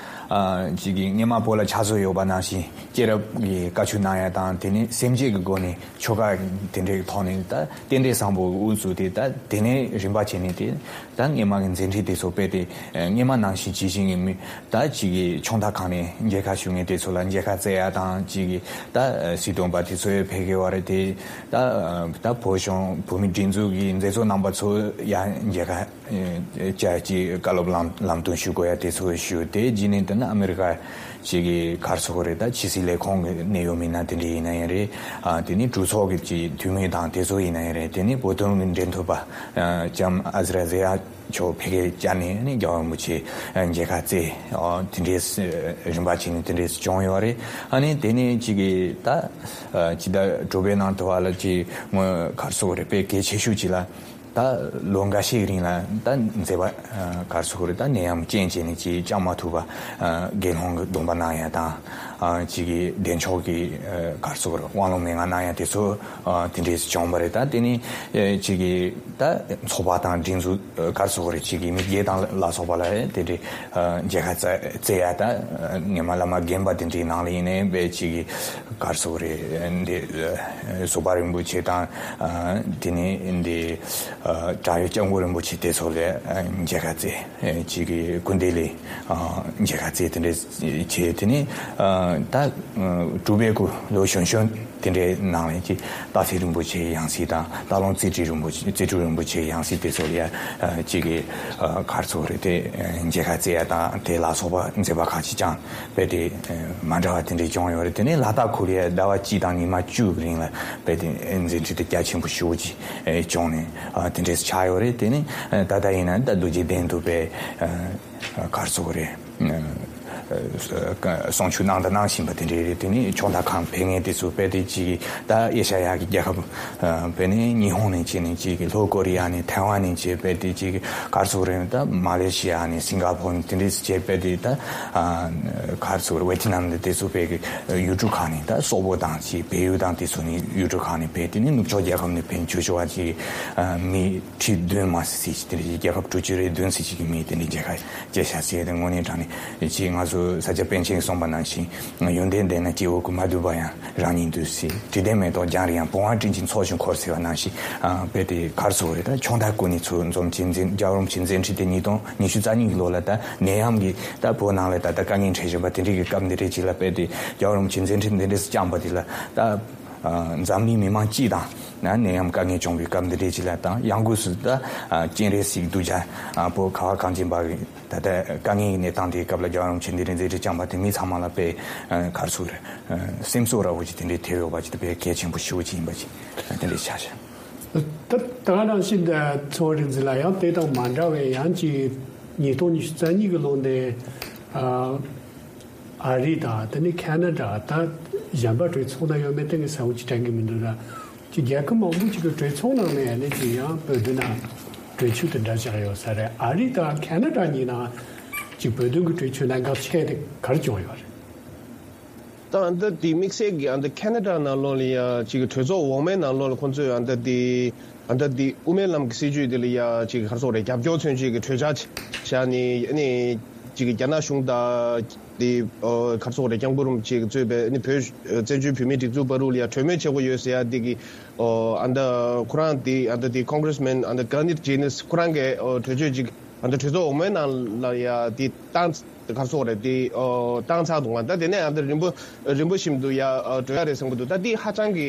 ཨ་ཅིག་གི་སྔས་མ་བོད་ལ་ཕྱག་བཟོ་ཡོད་པ་ནང་བཞིན་སྐྱེས་རབས་ཀྱི་བཀའ་ཆོས་གནང་ཡ་དང་། དེ་ནས་སེམས་བསྐྱེད་ཀྱི་སྒོ་ནས་ཆོ་ག་དེ་འདྲའི་ཐོག་ནས་ད་རྟེན་འབྲེལ་བཟང་པོ་དབུ་བཙུགས་ཏེ། ད་དེ་ནས་རིམ་པ་བྱས་ནས་དེ་ད་སྔས་མ་གི་མཛད་འཕྲིན་དེ་ཚོ་སྤེལ་ཏེ། སྔས་མ་ནང་བཞིན་ཇི་བཞིན་གྱི་མི་ད་ཅིག་གི་ཆུང་མཐའ་ཁང་ནས་མཇལ་ཁ་ཞུ་མཁན་དེ་ཚོ་ལ་མཇལ་ཁ་བསྩལ་ཡ་དང་། ཅིག་གི་ད་སྲིད་དོན་པ་དེ་ཚོ་ཡང་ཕེབས་ཀྱི་ཡོད་རེད་དེ། ད་ད་བོད་གཞུང་བོད་མི་སྒྲིག་འཛུགས་ཀྱི་མཛད་གཙོ་རྣམ་པ་ཚོ་ཡང་མཇལ་ཁ་བཅར། ཅིག་བཀའ་སློབ་ལམ་ལམ་སྟོན་ཞུ་དགོས་ཡ་དེ་ཚོ་ཞུ། དེ་རྗེས་ནས་དེ་ནི་ཨ་མི་རི་ཀ་ཅིག་གི་ག་རེ་ཟེར་དགོས་རེད། ད་ཕྱི་སྲིད་ལས་ཁུངས་ཀྱི་གནད་ཡོད་མི་སྣ་དེ་འདྲ་ཡིན་ན་ཡང་རེད། ཨ་དེ་ནི་གྲོས་ཚོགས་ཀྱི་ཅིག་འཐུས་མི་དང་དེ་ཚོ་ཡིན་ན་ཡང་རེད། དེ་ནི་བོད་དོན་གྱི་འབྲེལ་མཐུད་པ་ཨ་ལྕམ་ཨ་ཟི་ར་ཛེ་ཡ་མཆོག་ཕ་གིར་བཅར་ནས་ནི་རྒྱལ་བ་རིན་པོ་ཆེ་མཇལ་ཁ་བསྩལ། ཨ་དེ་འདྲའི་རིམ་པ་བྱས་ནས་དེ་འདྲའི་བྱུང་ཡོད་རེད། ཨ་ནི་དེ་ནས་ཅིག་གི་ད་ཨ་སྤྱི་ཟླ་དྲུག་པའི་ནང་དུ་བ་ལ་ཅིག་ངོས་ག་རེ་ཟེར་དགོས་རེད། དཔེ་གལ་ཆེ་ཤོས་ཅིག་ལ། ད་ལོ་འགའ་ཤས་རིང་ལ་ད་མཛད་པ་ཨ་ག་རེ་ཟེར་དགོས་རེད། ད་ནད་ཡམས་རྐྱེན་བྱས་ནས་ཅིག་བཅར་མ་ཐུབ་པ། ཨ་དགེ་སློང་གི་སྡོམ་པ་གནང་ཡ་དང་། ཨ་ཅིག་གི་བདེ་མཆོག་གི་ཨ་ག་རེ་ཟེར་དགོས་རེད། དབང་ལུང་མན་ངག་གནང་ཡ་དེ་ཚོ་ཨ་དེ་འདྲས་བྱུང་བ་རེད། ད་དེ་ནི་ཨ་ཅིག་གི་ད་ཚོགས་པ་དང་སྒྲིག་འཛུགས་ཨ་ག་རེ་ཟེར་དགོས་རེད། ཅིག་གི་མི་སྒེར་དང་ལ་སོགས་པ་ལ་དེ་འདྲའི་ཨ་མཇལ་ཁ་བསྩལ་བསྩལ་ཡ། ད་ཨ་སྔས་མ་བླ་མ་རྒན་པ་དེ་འདྲའི་ནང་ལ་ཡིན་ནའི་དཔེ་ཅིག་གི་ག་རེ་ཟེར་དགོས་རེད། འདི་ཨ་ཟུར་པ་རིན་པོ་ཆེ་དང་། ཨ་དེ་ནས་འདི་ཨ་བྲག་གཡབ་སྐྱབས་མགོན་རིན་པོ་ཆེ་དེ་ཚོ་ལ་ཨ་མཇལ་ཁ་བསྩལ། ཨ་ཅིག་གི་སྐུ་མདུན་ལ་ཨ་མཇལ་ཁ་བསྩལ། དེ་འདྲ་བྱས། དེ་ནས་ཨ་ད་ཨ་དྲུག་པའི་གུ་ལོ་གཞོན་གཞོན་དེ་འདྲའི་ནང་ལ་ཅིག་སྟག་འཚེར་རིན་པོ་ཆེའི་ཡང་སྲིད་དང་། སྟག་ལུང་རྩེ་སྤྲུལ་རིན་པོ་ཆེ་རྩེ་སྤྲུལ་རིན་པོ་ཆེའི་ཡང་སྲིད་དེ་ཚོ་ལ་ཡ་ཨ་ཅིག་གི་ཨ་ག་རེ་ཟེར་དགོས་རེད། དེ་ཨ་མཇལ་ཁ་བསྩལ་ཡ་དང་དེ་ལ་སོགས་པ་མཛད་པ་ཁག་ཅིག་བསྐྱངས། དཔེ་དེ་ཨ་མ་འདྲ་བ་དེ་འདྲའི་བྱུང་ཡོད་རེད། དེ་ནས་ལ་དྭགས་ཁུལ་ལ་ཡ་ཟླ་བ་གཅིག་དང་ཉི་མ་བཅུ་གི་རིང་ལ་དཔེ་དེ་ཨ་མཛད་འཕྲིན་དེ་རྒྱ་ཆེན་པོ་ཞེ་པོ་ཅིག་ཨ་བྱུང་ནས་ཨ་དེ་འདྲས་ཆགས་ཡོད་རེད། དེ་ནས་ཨ་ད་ལྟ་ཡིན་ན་ད་རྡོ་རྗེ་གདན་དུ་དཔེ་ཨ་ག་རེ་ཟེར་དགོས་རེད། ཨ་གསུང་ཆོས་གནང་དང་གནང་བཞིན་པ་དེ་འདྲ་རེད། དེ་ནས་ཆུང་མཐའ་ཁང་ཕེབས་མཁན་དེ་ཚོ་དཔེ་དེ་ཅིག་ད་ཨེ་ཤ་ཡ་གི་རྒྱལ་ཁབ་ཨ་དཔེ་ནས་ཉི་ཧོང་ནས་བྱས་ནས་ཅིག་ལྷོ་ཀོ་རི་ཡ་ནས་ཐའེ་ཝན་ནས་བྱས། དཔེ་དེ་ཅིག་ག་རེ་ཟེར་དགོས་རེད། ད་མ་ལེ་ཤི་ཡ་ནས་སིང་ག་ཕོར་ནས་དེ་འདྲས་བྱས། དཔེ་དེ་ད་ཨ་ག་རེ་ཟེར་དགོས་རེད། ཝེ་ཐི་ནམ་ནས་དེ་ཚོ་དཔེ་གི་ཡུལ་གྲུ་ཁག་ནས། ད་སོག་པོ་དང་ཅིག་བལ་ཡུལ་དང་དེ་ཚོ་ནས་ཡུལ་གྲུ་ཁག་ནས་ཕེབས། དེ་ནས་ནུབ་ཕྱོགས་རྒྱལ་ཁབ་ནས་ཕེབས་ཆོག་ཆོག་པ་ཅིག་ཨ་མི་ཁྲི་བདུན་མ་ཟིན་ཟིན་ཅིག་དེ་འདྲ་ཅིག་རྒྱལ་ཁབ་དྲུག་ཅུ་རེ་བདུན་ཟིན་ཅིག་གི་མི་དེ་འདྲ་མཇལ་ཁ་བཅར་ཤག་ཟེར། དེ་དངོས་གནས་དྲང་གནས་ཅིག་ང་ཚོ། ས་སྐྱ་པཎ་ཆེན་གསུངས་པ་ནང་བཞིན། ཡོན་ཏན་ལྡན་ན་སྐྱེ་བོ་ཀུན། མ་དུལ་པ་ཡང་རང་ཉིད་དུལ་ཟེར། དྲི་ལྡན་མེ་ཏོག་རྒྱང་རིང་ཡང་། བུང་བ་སྤྲིན་གྱི་ཚོགས་བཞིན་འཁོར་ཟེར་བ་ནང་བཞིན། ཨ། དཔེ་དེ་ག་རེ་ཟེར་དགོས་རེད། ད་ཆུང་མཐའ་ཀུན་ནས་ཚུར་འཛོམས་ཀྱི་མཛད། རྒྱལ་བ་རིན་པོ་ཆེའི་མཛད་འཕྲིན་དེ་ཉིས་སྟོང་ཉི་ཤུ་རྩ་གཉིས་ཀྱི་ལོ་ལ། ད་ནད་ཡམས་ཀྱིས་ད་བོད་ནང་ལ་ད་ལྟ་དཀའ་ངལ་འཕྲད་བཞིན་པ་དེ་འདྲའི་གི་སྐབས་འདི་འདྲའི་ཅིག་ལ། དཔེ་དེ་རྒྱལ་བ་རིན་པོ་ཆེའི་མཛད་འཕྲིན་འདི་འདྲས་སུ་བསྐྱངས་པ་དེ་ལ། ད་ཨ། འཛམ་གླིང་མི་མང་སྤྱི་དང་། ན་ནད་ཡམས་དཀའ་ངལ་བྱུང་བའི་སྐབས་འདི་འདྲའི་ཅིག་ལ། དང་ཡང་སྒོས་སུ་ད། ཨ། སྤྱན་རས་གཟིགས་གདུལ་བྱ། ཨ། བོད་ག་བ་གངས་ཅན་པ་གི་ད་ལྟ་དཀའ་ངལ་གྱི་གནས་སྟངས་དེའི་སྐབས་ལ་རྒྱལ་བ་རིན་པོ་ཆེ་འདི་འདྲའི་མཛད་འཕྲིན་བསྐྱངས་པ་དེ་མི་ཚང་མ་ལ་དཔེ། ཨ། ག་རེ་ཟེར་དགོས་རེད། ཨ། སེམས་གསོ་འདྲ་བོ་ཅིག་དེ་འདྲའི་ཐེབས་ཡོད་པ་ཅིག་དེ་དཔེ་གལ་ཆེན་པོ་ཞེ་པོ་ཅིག་ཡིན་པ་ཅིག་དེ་འདྲའི་ཆ་བཞག་ད་ད་ག་ནང་བཞིན་ད་ཚོགས་རིག་འཛིན་ལ་ཡང་དེ་དང་མ་འདྲ་བའི་ཡང་ཅིག་ཉིས་སྟོང་ཉི་ཤུ་རྩ་གཉིས་ཀྱི་ལོ་འདི། ཨ། ཨ་རི་དང་དེ་ནས་ཁ་ན་ཌ། ད་གཞན་པ་གྲོས་ཚོགས་ནང་ཡོད་མེད་དེ་ངས་གསལ་པོ་ཅིག་དྲན་གྱི་མི་འདུག་ར། ཅིག་རྒྱལ་ཁབ་མང་པོ་ཅིག་གི་གྲོས་ཚོགས་ནང་ནས་ནི་ཅིག་ཡང་བོད་དོན་ནང་གྲོས་ཆོད་དེ་འདྲ་བཞག་ཡོད་ས་རེད། ཨ་རི་དང་ཁ་ན་ཌ་གཉིས་ནང་ཅིག་བོད་དོན་གྱི་གྲོས་ཆོད་གནད་འགག་ཆེ་དེ་ག་རེ་བྱུང་ཡོད་རེད། ད་ཨ་ད་དེ་དམིགས་བསལ་གྱི་ཨ་ད་ཁ་ན་ཌ་ནང་ལོགས་ལ་ཡ་ཅིག་གྲོས་ཚོགས་འོག་མའི་ནང་ལོགས་ལ་ཁོང་ཚོས་ཨ་ད་དེ་ཨ་ད་དེ་དབུ་མའི་ལམ་གྱི་སྲིད་བྱུས་དེ་ལ་ཡ་ཅིག་ག་རེ་ཟེར་དགོས་རེད། རྒྱབ་སྐྱོར་མཚོན་ཆེད་ཀྱི་གྲོས་འཆར་བཞག་ནས་ཨ་ནི་ཅིག་རྒྱ་ནག་གཞུང་དང་དེ་ཨ་ག་རེ་ཟེར་དགོས་རེད། སྐྱབས་མགོན་རིན་པོ་ཆེ་གིས་གཙོས་པའི་ཨ་ནི་བོད་བཙན་བྱོལ་བོད་མིའི་སྒྲིག་འཛུགས་བར་དུ་ལ་ཡ་གྲོས་མོལ་བྱེད་དགོས་ཡོད་ཟེར་ཡ་དེ་གི་ཨ་ད་ཁོ་རང་དེ་ཨ་ད་དེ་Congressman ཨ་ད་Granit Jennings ཁོ་རང་གིས་ཨ་གྲོས་ཆོད་ཅིག་ཨ་ད་གྲོས་ཚོགས་འོག་མའི་ནང་ལ་ཡ་དེ་བཏང་། ག་རེ་ཟེར་དགོས་རེད། དེ་ཨོ་བཏང་ཚར་འདུག་ག་ད་དེ་ནས་ཨ་ད་རིམ་པ་རིམ་པ་བཞིན་དུ་ཡ་ཨོ་འགྲོ་ཡ་རེད་བསམ་གྱི་འདུག་ད་དེ་ཧ་ཅང་གི་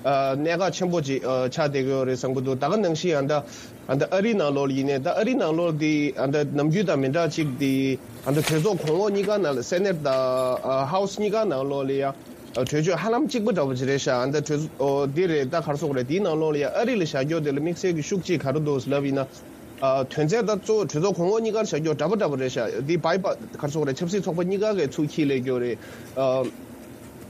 ཨ་གནད་འགག་ཆེན་པོ་ཅིག་ཨ་ཆགས་བསྡད་ཀྱི་ཡོད་རེད་བསམ་གྱི་འདུག་ད་ག་ནང་བཞིན་ཨ་ད་ཨ་ད་ཨ་རི་ནང་ལོགས་ལ་ཡིན་ནའི། ད་ཨ་རི་ནང་ལོགས་དེ་ཨ་ད་ནམ་རྒྱུན་དང་མི་འདྲ་ཅིག་དེ་ཨ་ད་གྲོས་ཚོགས་གོང་འོག་གཉིས་ཀ་ནང་ལ། Senate དང་ཨ་House གཉིས་ཀ་ནང་ལོགས་ལ་ཡ་ཨ་གྲོས་ཆོད་ཧ་ལམ་གཅིག་པ་འདྲ་བོ་ཅིག་རེད་ཤག་ཨ་ད་གྲོས་ཨོ་དེ་རེད། ད་ག་རེ་ཟེར་དགོས་རེད། དེའི་ནང་ལོགས་ལ་ཡ་ཨ་རི་ལ་བཞག་རྒྱུ་དེ་ལ་དམིགས་བསལ་གྱི་ཤུགས་ཅིག་ག་རེ་འདུག་ལབ་ཡིན་ན། ཨ་དོན་ཚན་ད་གཙོ་བོ་གྲོས་ཚོགས་གོང་འོག་གཉིས་ཀར་བཞག་རྒྱུ་འདྲ་པོ་འདྲ་པོ་རེད་ཤག་འདི་བྷའི་པ་ག་རེ་ཟེར་དགོས་རེད། ཆབ་སྲིད་ཚོགས་པ་གཉིས་ཀ་གིས་ཚུར་འཁྱེར་སླེབས་རྒྱུ་རེད། ཨ་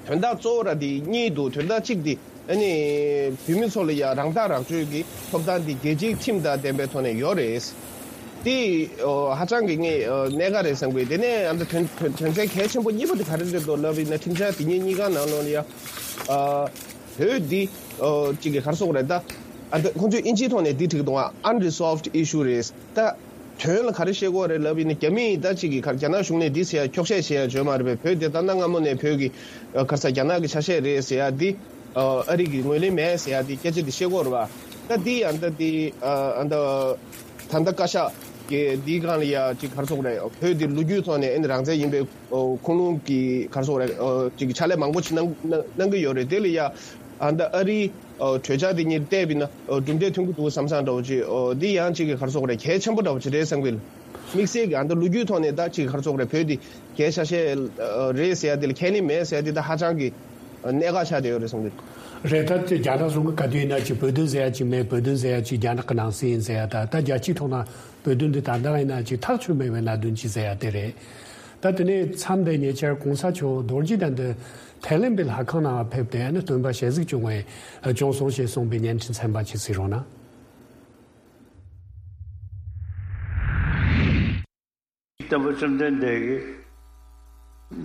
དོན་དག་གཙོ་བོ་ར་འདི་གཉིས་འདུག་དོན་དག་གཅིག་འདི་ཨ་ནི་བོད་མི་ཚོ་ལ་ཡ་རང་ཐག་རང་གཅོད་ཀྱི་ཐོབ་ཐང་འདི་རྒྱལ་སྤྱིའི་ཁྲིམས་དང་ལྡན་པའི་ཐོག་ནས་ཡོད་རེད། འདི་ཨོ་ཧ་ཅང་གི་ངས་ཨོ་གནད་འགག་རེད་བསམ་གི། དེ་ནས་ཨ་ནི་དོན་དོན་དོན་ཚན་གལ་ཆེན་པོ་གཉིས་པ་འདི་ག་རེ་རེད་འདུག་ལབ་ཡིན་ན། ཁྲིམས་འཆར་འདི་གཉིས་གཉིས་ཀ་ནང་ལོགས་ལ་ཡ་ཨ་བོད་འདི་ཨོ་གཅིག་གི་ག་རེ་ཟེར་དགོས་རེད། ད་ཨ་ད་ཁོང་ཚོས་དབྱིན་ཇིའི་ཐོག་ནས་འདི་བྲིས་འདུག་ག unresolved issue རེད། ད་དོན་ལ་ག་རེ་བཤད་དགོས་རེད་ལབ་ཡིན་ན། རྒྱ་མིས་ད་གཅིག་གི་ག་རྒྱ་ནག་གཞུང་ནས་འདི་ཟེར་ཡ་འཁྱོག་བཤད་བྱས་ཡ་བརྗོད་མ་རེད་པས། བོད་དེ་ད་གནའ་སྔ་མོ་ནས་བོད་ཀྱི་ཨ་ག་རེ་ཟེར་རྒྱ་ནག་གི་ཆ་ཤས་རེད་ཟེར་ཡ་འདི་ཨ་ཨ་རི་གིས་ངོས་ལེན་མེད་ཟེར་ཡ་འདི་སྐད་ཆ་འདི་བཤད་དགོས་རེད་པ། ད་འདི་ཡང་ད་འདི་ཨ་ཨ་ད་ད་ལྟ་བཀའ་ཤག་གིས་འདིའི་སྒང་ལ་ཡ་གཅིག་ག་རེ་ཟེར་དགོས་རེད། བོད་འདི་ལོ་རྒྱུས་ཐོག་ནས་ཨ་ནི་རང་བཙན་ཡིན་པའི་ཨོ་ཁུངས་ལུང་གི་ག་རེ་ཟེར་དགོས་རེད། ཨོ་ཅིག་ཕྱག་ལས་མང་པོ་ཅིག་གནང་གནང་གནང་གི་ཡོད་རེད། དེ་ལ་ཡ་ཨ་ད་ཨ་རིའི་ཨོ་གྲོས་འཆར་དེ་གཉིས་བལྟས་པ་ཡིན་ན་ཨོ་གྲུབ་འབྲས་ཐོན་གྱི་འདུག་བསམ་བསམ་འདྲ་བོ་ཅིག་ཨོ་འདི་ཡང་ཅིག་གི་ག་རེ་ཟེར་དགོས་རེད། གལ་ཆེན་པོ་འདྲ་བོ་ཅིག་རེད་བསམ་གི། དམིགས་བསལ་གྱི་ཨ་ད་ལོ་རྒྱུས་ཐོག་ནས་ད་ཅིག་ག་རེ་ཟེར་དགོས་རེད། བོད་འདི་རྒྱལ་ཤ་ཤེད་ཨོ་རེད་ཟེར་ཡ་དེ་ལ་ཁས་ལེན་མེད་ཟེར་ཡ་དེ་ད་ཧ་ཅང་གི་གནད་འགག་ཆགས་བསྡད་ཡོད་རེད་བསམ་གི། རེད། ད་དེ་རྒྱ་ནག་གཞུང་གི་བཀའ་བསྡུར་ཡིན་ན་ཅིག་བོད་དོན་ཟེར་ཡ་ཅིག་མེད། བོད་དོན་ཟེར་ཡ་ཅིག་རྒྱ་ནག་གི་ནང་སྲིད་ཡིན་ཟེར་ཡ། ད་ད་རྒྱལ་སྤྱིའི་ཐོག་ན་བོད་དོན་འདི་ད་ལྟ་ཡིན་ན་ཅིག་ཐག་ཆོད་མེད་པའི་གནད་དོན་ཅིག་ཟེར་ཡ་དེ་རེད། ད་དེ་ནས་མཚམས་འདི་ཉེ་ཆར་གོང་ས་མཆོག་རྡོ་རྗེ་གདན་དུ་ཐའི་ལེན་པའི་ལྷ་ཁང་ནང་ཕེབས་ཏེ་ནི་སྟོན་པ་ཞལ་གཟིགས་བྱུང་བས་བྱུང་སོང་ཞེས་གསུངས་པའི་བརྙན་འཕྲིན་ཚན་པ་ཅིག་གཟིགས་རོགས་གནང་། སྟོན་པ་བཅོམ་ལྡན་འདས་ཀྱི་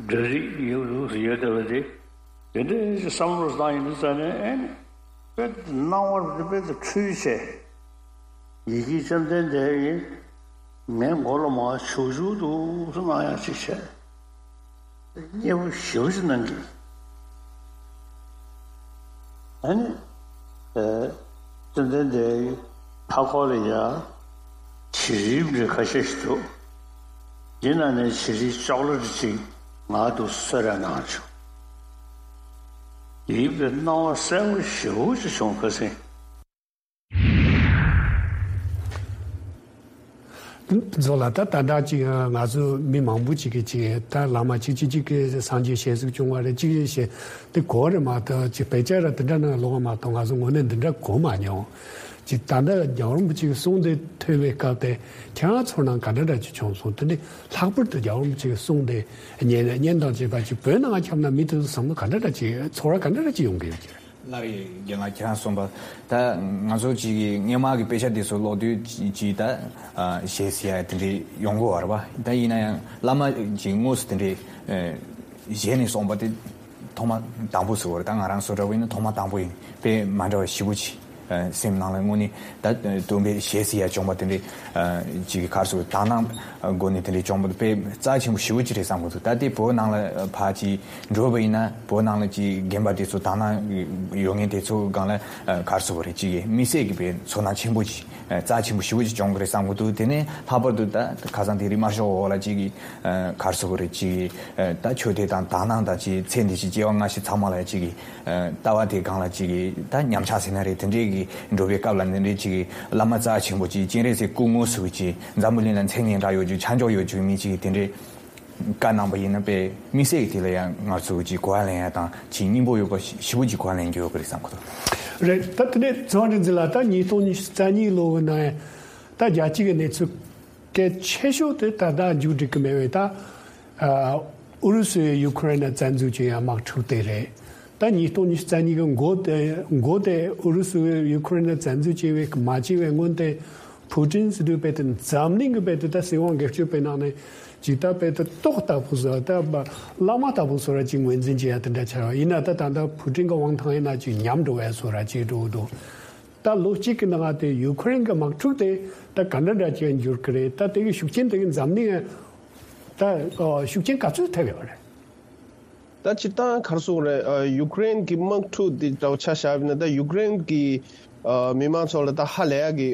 འདྲ་རིས་ཡོད་ཡོད་བསྡད་པ་དེ། དེ་འདྲའི་བསམ་བློ་བཏང་ཡིན་དུས་ཙང་ནས་ཨེ་ནི་དཔེ་སྣང་བ་དཔེ་དཔེ་དུ་འཁྲུལ་བྱས། ཡི་གེ་བཅོམ་ལྡན་འདས་ཀྱིས་ངའི་མགོ་ལ་མར་བྱུག་བྱུག་འདུག་སེ་གནང་ཡག་ཅིག་བྱས། མཉེས་པོ་ཞེ་པོ་ཅིག་གནང་གི། ཨ་ནི། ཨེ། བཅོམ་ལྡན་འདས་ཀྱི་མཐའ་འཁོར་ལ་ཡ་བྱི་རིལ་འདྲ་ཁ་ཤས་ཤིག་འདུག་འདི་ནང་ནས་བྱི་རིལ་ཅོག་ལེ་ཊི་ཅིག་ང་ལ་གསོལ་རས་གནང་བྱུང་། དེའི་དཔེ་སྣང་བ་གསལ་པོ་ཞེ་པོ་ཅིག་བྱུང་། ཁ་སང་། མཛོ་ལ་ད་ད་ལྟ་ཅིག་ང་ཚོ་མི་མང་པོ་ཅིག་གིས་ཅིག་ད་བླ་མ་ཅིག་ཅིག་ཅིག་གིས་སངས་རྒྱས་ཞལ་གཟིགས་བྱུང་བ་རེད། ཅིག་ཞེས་དེ་གོ་རེད་མ་གཏོགས། ཅིག་དཔེ་ཆ་ར་དེ་འདྲ་ནང་ལོགས་མ་གཏོགས་ང་ཚོ་དངོས་གནས་འདི་འདྲ་གོ་མ་མྱོང་། ཅིག་ད་ལྟ་རྒྱལ་བ་རིན་པོ་ཆེའི་གསུང་དེ་ཐོས་པའི་སྐབས་དེ་ཁྱེད་རང་ཚོར་སྣང་ག་འདྲ་འདྲ་ཅིག་བྱུང་སོང་། དེ་ནི་ལྷག་པར་དུ་རྒྱལ་བ་རིན་པོ་ཆེའི་གསུང་དེ་ཉན་ཉན་དང་བཅས་པ་ཅིག་བོད་ནང་ཁྱབ་ན་མི་དེ་ཚོ་བསམ་བློ་ག་འདྲ་འདྲ་ཅིག་ཚོར་བ་ག་འདྲ་འདྲ་ཅིག་ཡོང་གི་ཡོད་ཀྱི་རེད། སླར་ཡང་རྒན་ལགས་ཁྱེད་རང་གསུངས་པ། ད་ང་ཚོ་གཅིག་གིས་སྔོན་མ་གི་དཔེ་ཆ་དེ་ཚོ་ཀློག་དུས་ཅིག་ཅིག་ད་ཨ་ཞེད་སི་ཡ་དེ་འདྲའི་ཡོང་གི་ཡོད་རེད་པ། ད་ཡིན་ན་ཡང་བླ་མ་ཅིག་དངོས་སུ་དེ་འདྲའི་ཨ་ཞལ་ནས་གསུངས་པ་དེ་ཐོག་མ་དང་པོ་ཟེར་བ་རེད། ད་ང་རང་ཚོ་འདྲ་བོ་ཡིན་ན་ཐོག་མ་དང་པོ་ཡིན། དཔེ་མ་འདྲ་བ་ཞེ་པོ་ཅིག་ སེམས་ནང་ལ་དངོས་གནས་ད་སྟོན་པའི་ཞལ་གཟིགས་ཡ་བྱུང་བ་དེ་འདྲའི་ཅིག་ག་རེ་ཟེར་དག་སྣང་སྒོ་ནས་དེ་འདྲའི་བྱུང་བ་དཔེ་རྩ་ཆེན་པོ་ཞེ་པོ་ཅིག་རེད་བསམ་གྱི་འདུག་ད་ལྟའི་བོད་ནང་ལ་ཕར་ཅིག་འགྲོ་བ་ཡིན་ན་བོད་ནང་ལ་ཅིག་རྒན་པ་དེ་ཚོ་དག་སྣང་ཡོད་མཁན་དེ་ཚོ་སྒང་ལ་ག་རེ་ཟེར་དགོས་རེད། ཅིག་དམིགས་བསལ་གྱི་དཔེ་ཚོར་སྣང་ཆེན་པོ་ཅིག་རྩ་ཆེན་པོ་ཞེ་པོ་ཅིག་བྱུང་གི་རེད་བསམ་གྱི་འདུག་དེ་ནས་ལྷག་པར་དུ་ད་ཁ་སང་དེ་རིང་དམར་ཤོག་འོག་ལ་ཅིག་ག་རེ་ཟེར་དགོས་རེད། ཅིག་ད་ཆོས་དད་དང་དག་སྣང་དང་ཅིག་ཚེ་འདི་ཕྱི་སྐྱེ་བ་སྔ་ཕྱི་ཚང་མ་ལ་ཅིག་ལྟ་བ་དེ་སྒང་ལ་ཅིག་ད་ཉམས་ཆག་ཟེར་ན་རེད། དེ་འདྲའི་གི་འགྲོ་བའི་སྐབས་ལ་འདི་འདྲའི་ཅིག་བླ་མ་རྩ་ཆེན་པོ་ཅིག་སྤྱན་རས་གཟིགས་སྐུ་དངོས་སུ་ཅིག་འཛམ་བུ་གླིང་ལ་མཚན་སྙན་གྲགས་ཡོད་རྒྱུ་ཆ་འཇོག་ཡོད་རྒྱུ་མི་ཅིག་གིས་དེ་འདྲའི་བཀའ་གནང་པ་ཡིན་ན་དཔེ་དམིགས་བསལ་གྱི་དེ་ལ་ཡང་ང་ཚོ་ཅིག་གོ་བ་ལེན་ཡ་དང་ཅིག་སྙིང་པོ་ཡོད་པ་ཞེ་པོ་ཅིག་གོ་བ་ལེན་རྒྱུ་ཡོད་གི་རེད་བསམ་གི་འདུག་རེད། ད་དེ་ནས་ཚེ་དབང་རིག་འཛིན་ལགས། ད་ཉིས་སྟོང་ཉི་ཤུ་རྩ་གཉིས་ལོ་གི་ནང་ད་རྒྱལ་སྤྱི་གི་གནས་ཚུལ་གལ་ཆེ་ཤོས་དེ་ད་ལྟ་མཇུག་སྒྲིལ་གི་མེད་པའི་ད་ཨུ་རུ་སུས་ཡུ་ཁུ་རེན་ལ་བཙན་འཛུལ་བྱས་ཡ་དམག་འཁྲུག་དེ་རེད། ད་ཉིས་སྟོང་ཉི་ཤུ་རྩ་གཉིས་གི་འགོ་དེ་འགོ་དེ་ཨུ་རུ་སུས་ཡུ་ཁུ་རེན་ལ་བཙན་འཛུལ་བྱས་པའི་མ་བྱས་པའི་སྔོན་དེ་ཕུ་ཀྲིན་ཟེར་དུས་དཔེ་དེ་འཛམ་གླིང་གི་དཔེ་དེ་ད་སྲིད་དབང་སྒེར་གཅོད་པའི་ནང་ནས་ཇི་ལྟར་དཔེ་དེ་ཏོག་ལྟ་བུ་བཟོ་ད་བླ་མ་ལྟ་བུ་བཟོ་ར་ཅིག་ངོས་འཛིན་བྱེད་ཡ་དེ་འདྲ་ཆགས་ཡོད། ཡིན་ན་ད་ད་ལྟ་ཕུ་ཀྲིན་གི་དབང་ཐང་ཡིན་ན་ཅིག་ཉམས་འགྲོ་བ་བཟོ་ར་ཅིག་འགྲོ་གི་འདུག་ད་ལོ་གཅིག་གི་ནང་དེ་ཡུ་ཁུ་རེན་གི་དམག་འཁྲུག་དེ་ད་ག་འདྲ་འདྲ་ཅིག་འགྱུར་གི་རེད། ད་དེ་གི་ཤུགས་རྐྱེན་དེ་གི་འཛམ་གླིང་ད་ཤུགས་རྐྱེན་ག་ཚོད་ཐེབས་ཡོད་རེད། ད་སྤྱིར་བཏང་ག་རེ་ཟེར་དགོས་རེད། ཡུ་ཀེ་རེན་གྱི་དམག་འཁྲུག་འདི་འདྲ་བོ་ཆ་བཞག་པ་ཡིན་ན། ད་ཡུ་ཀེ་རེན་གྱི་མི་མང་ཚོ་ལ་ད་ཧ་ལས་ཡག་གི་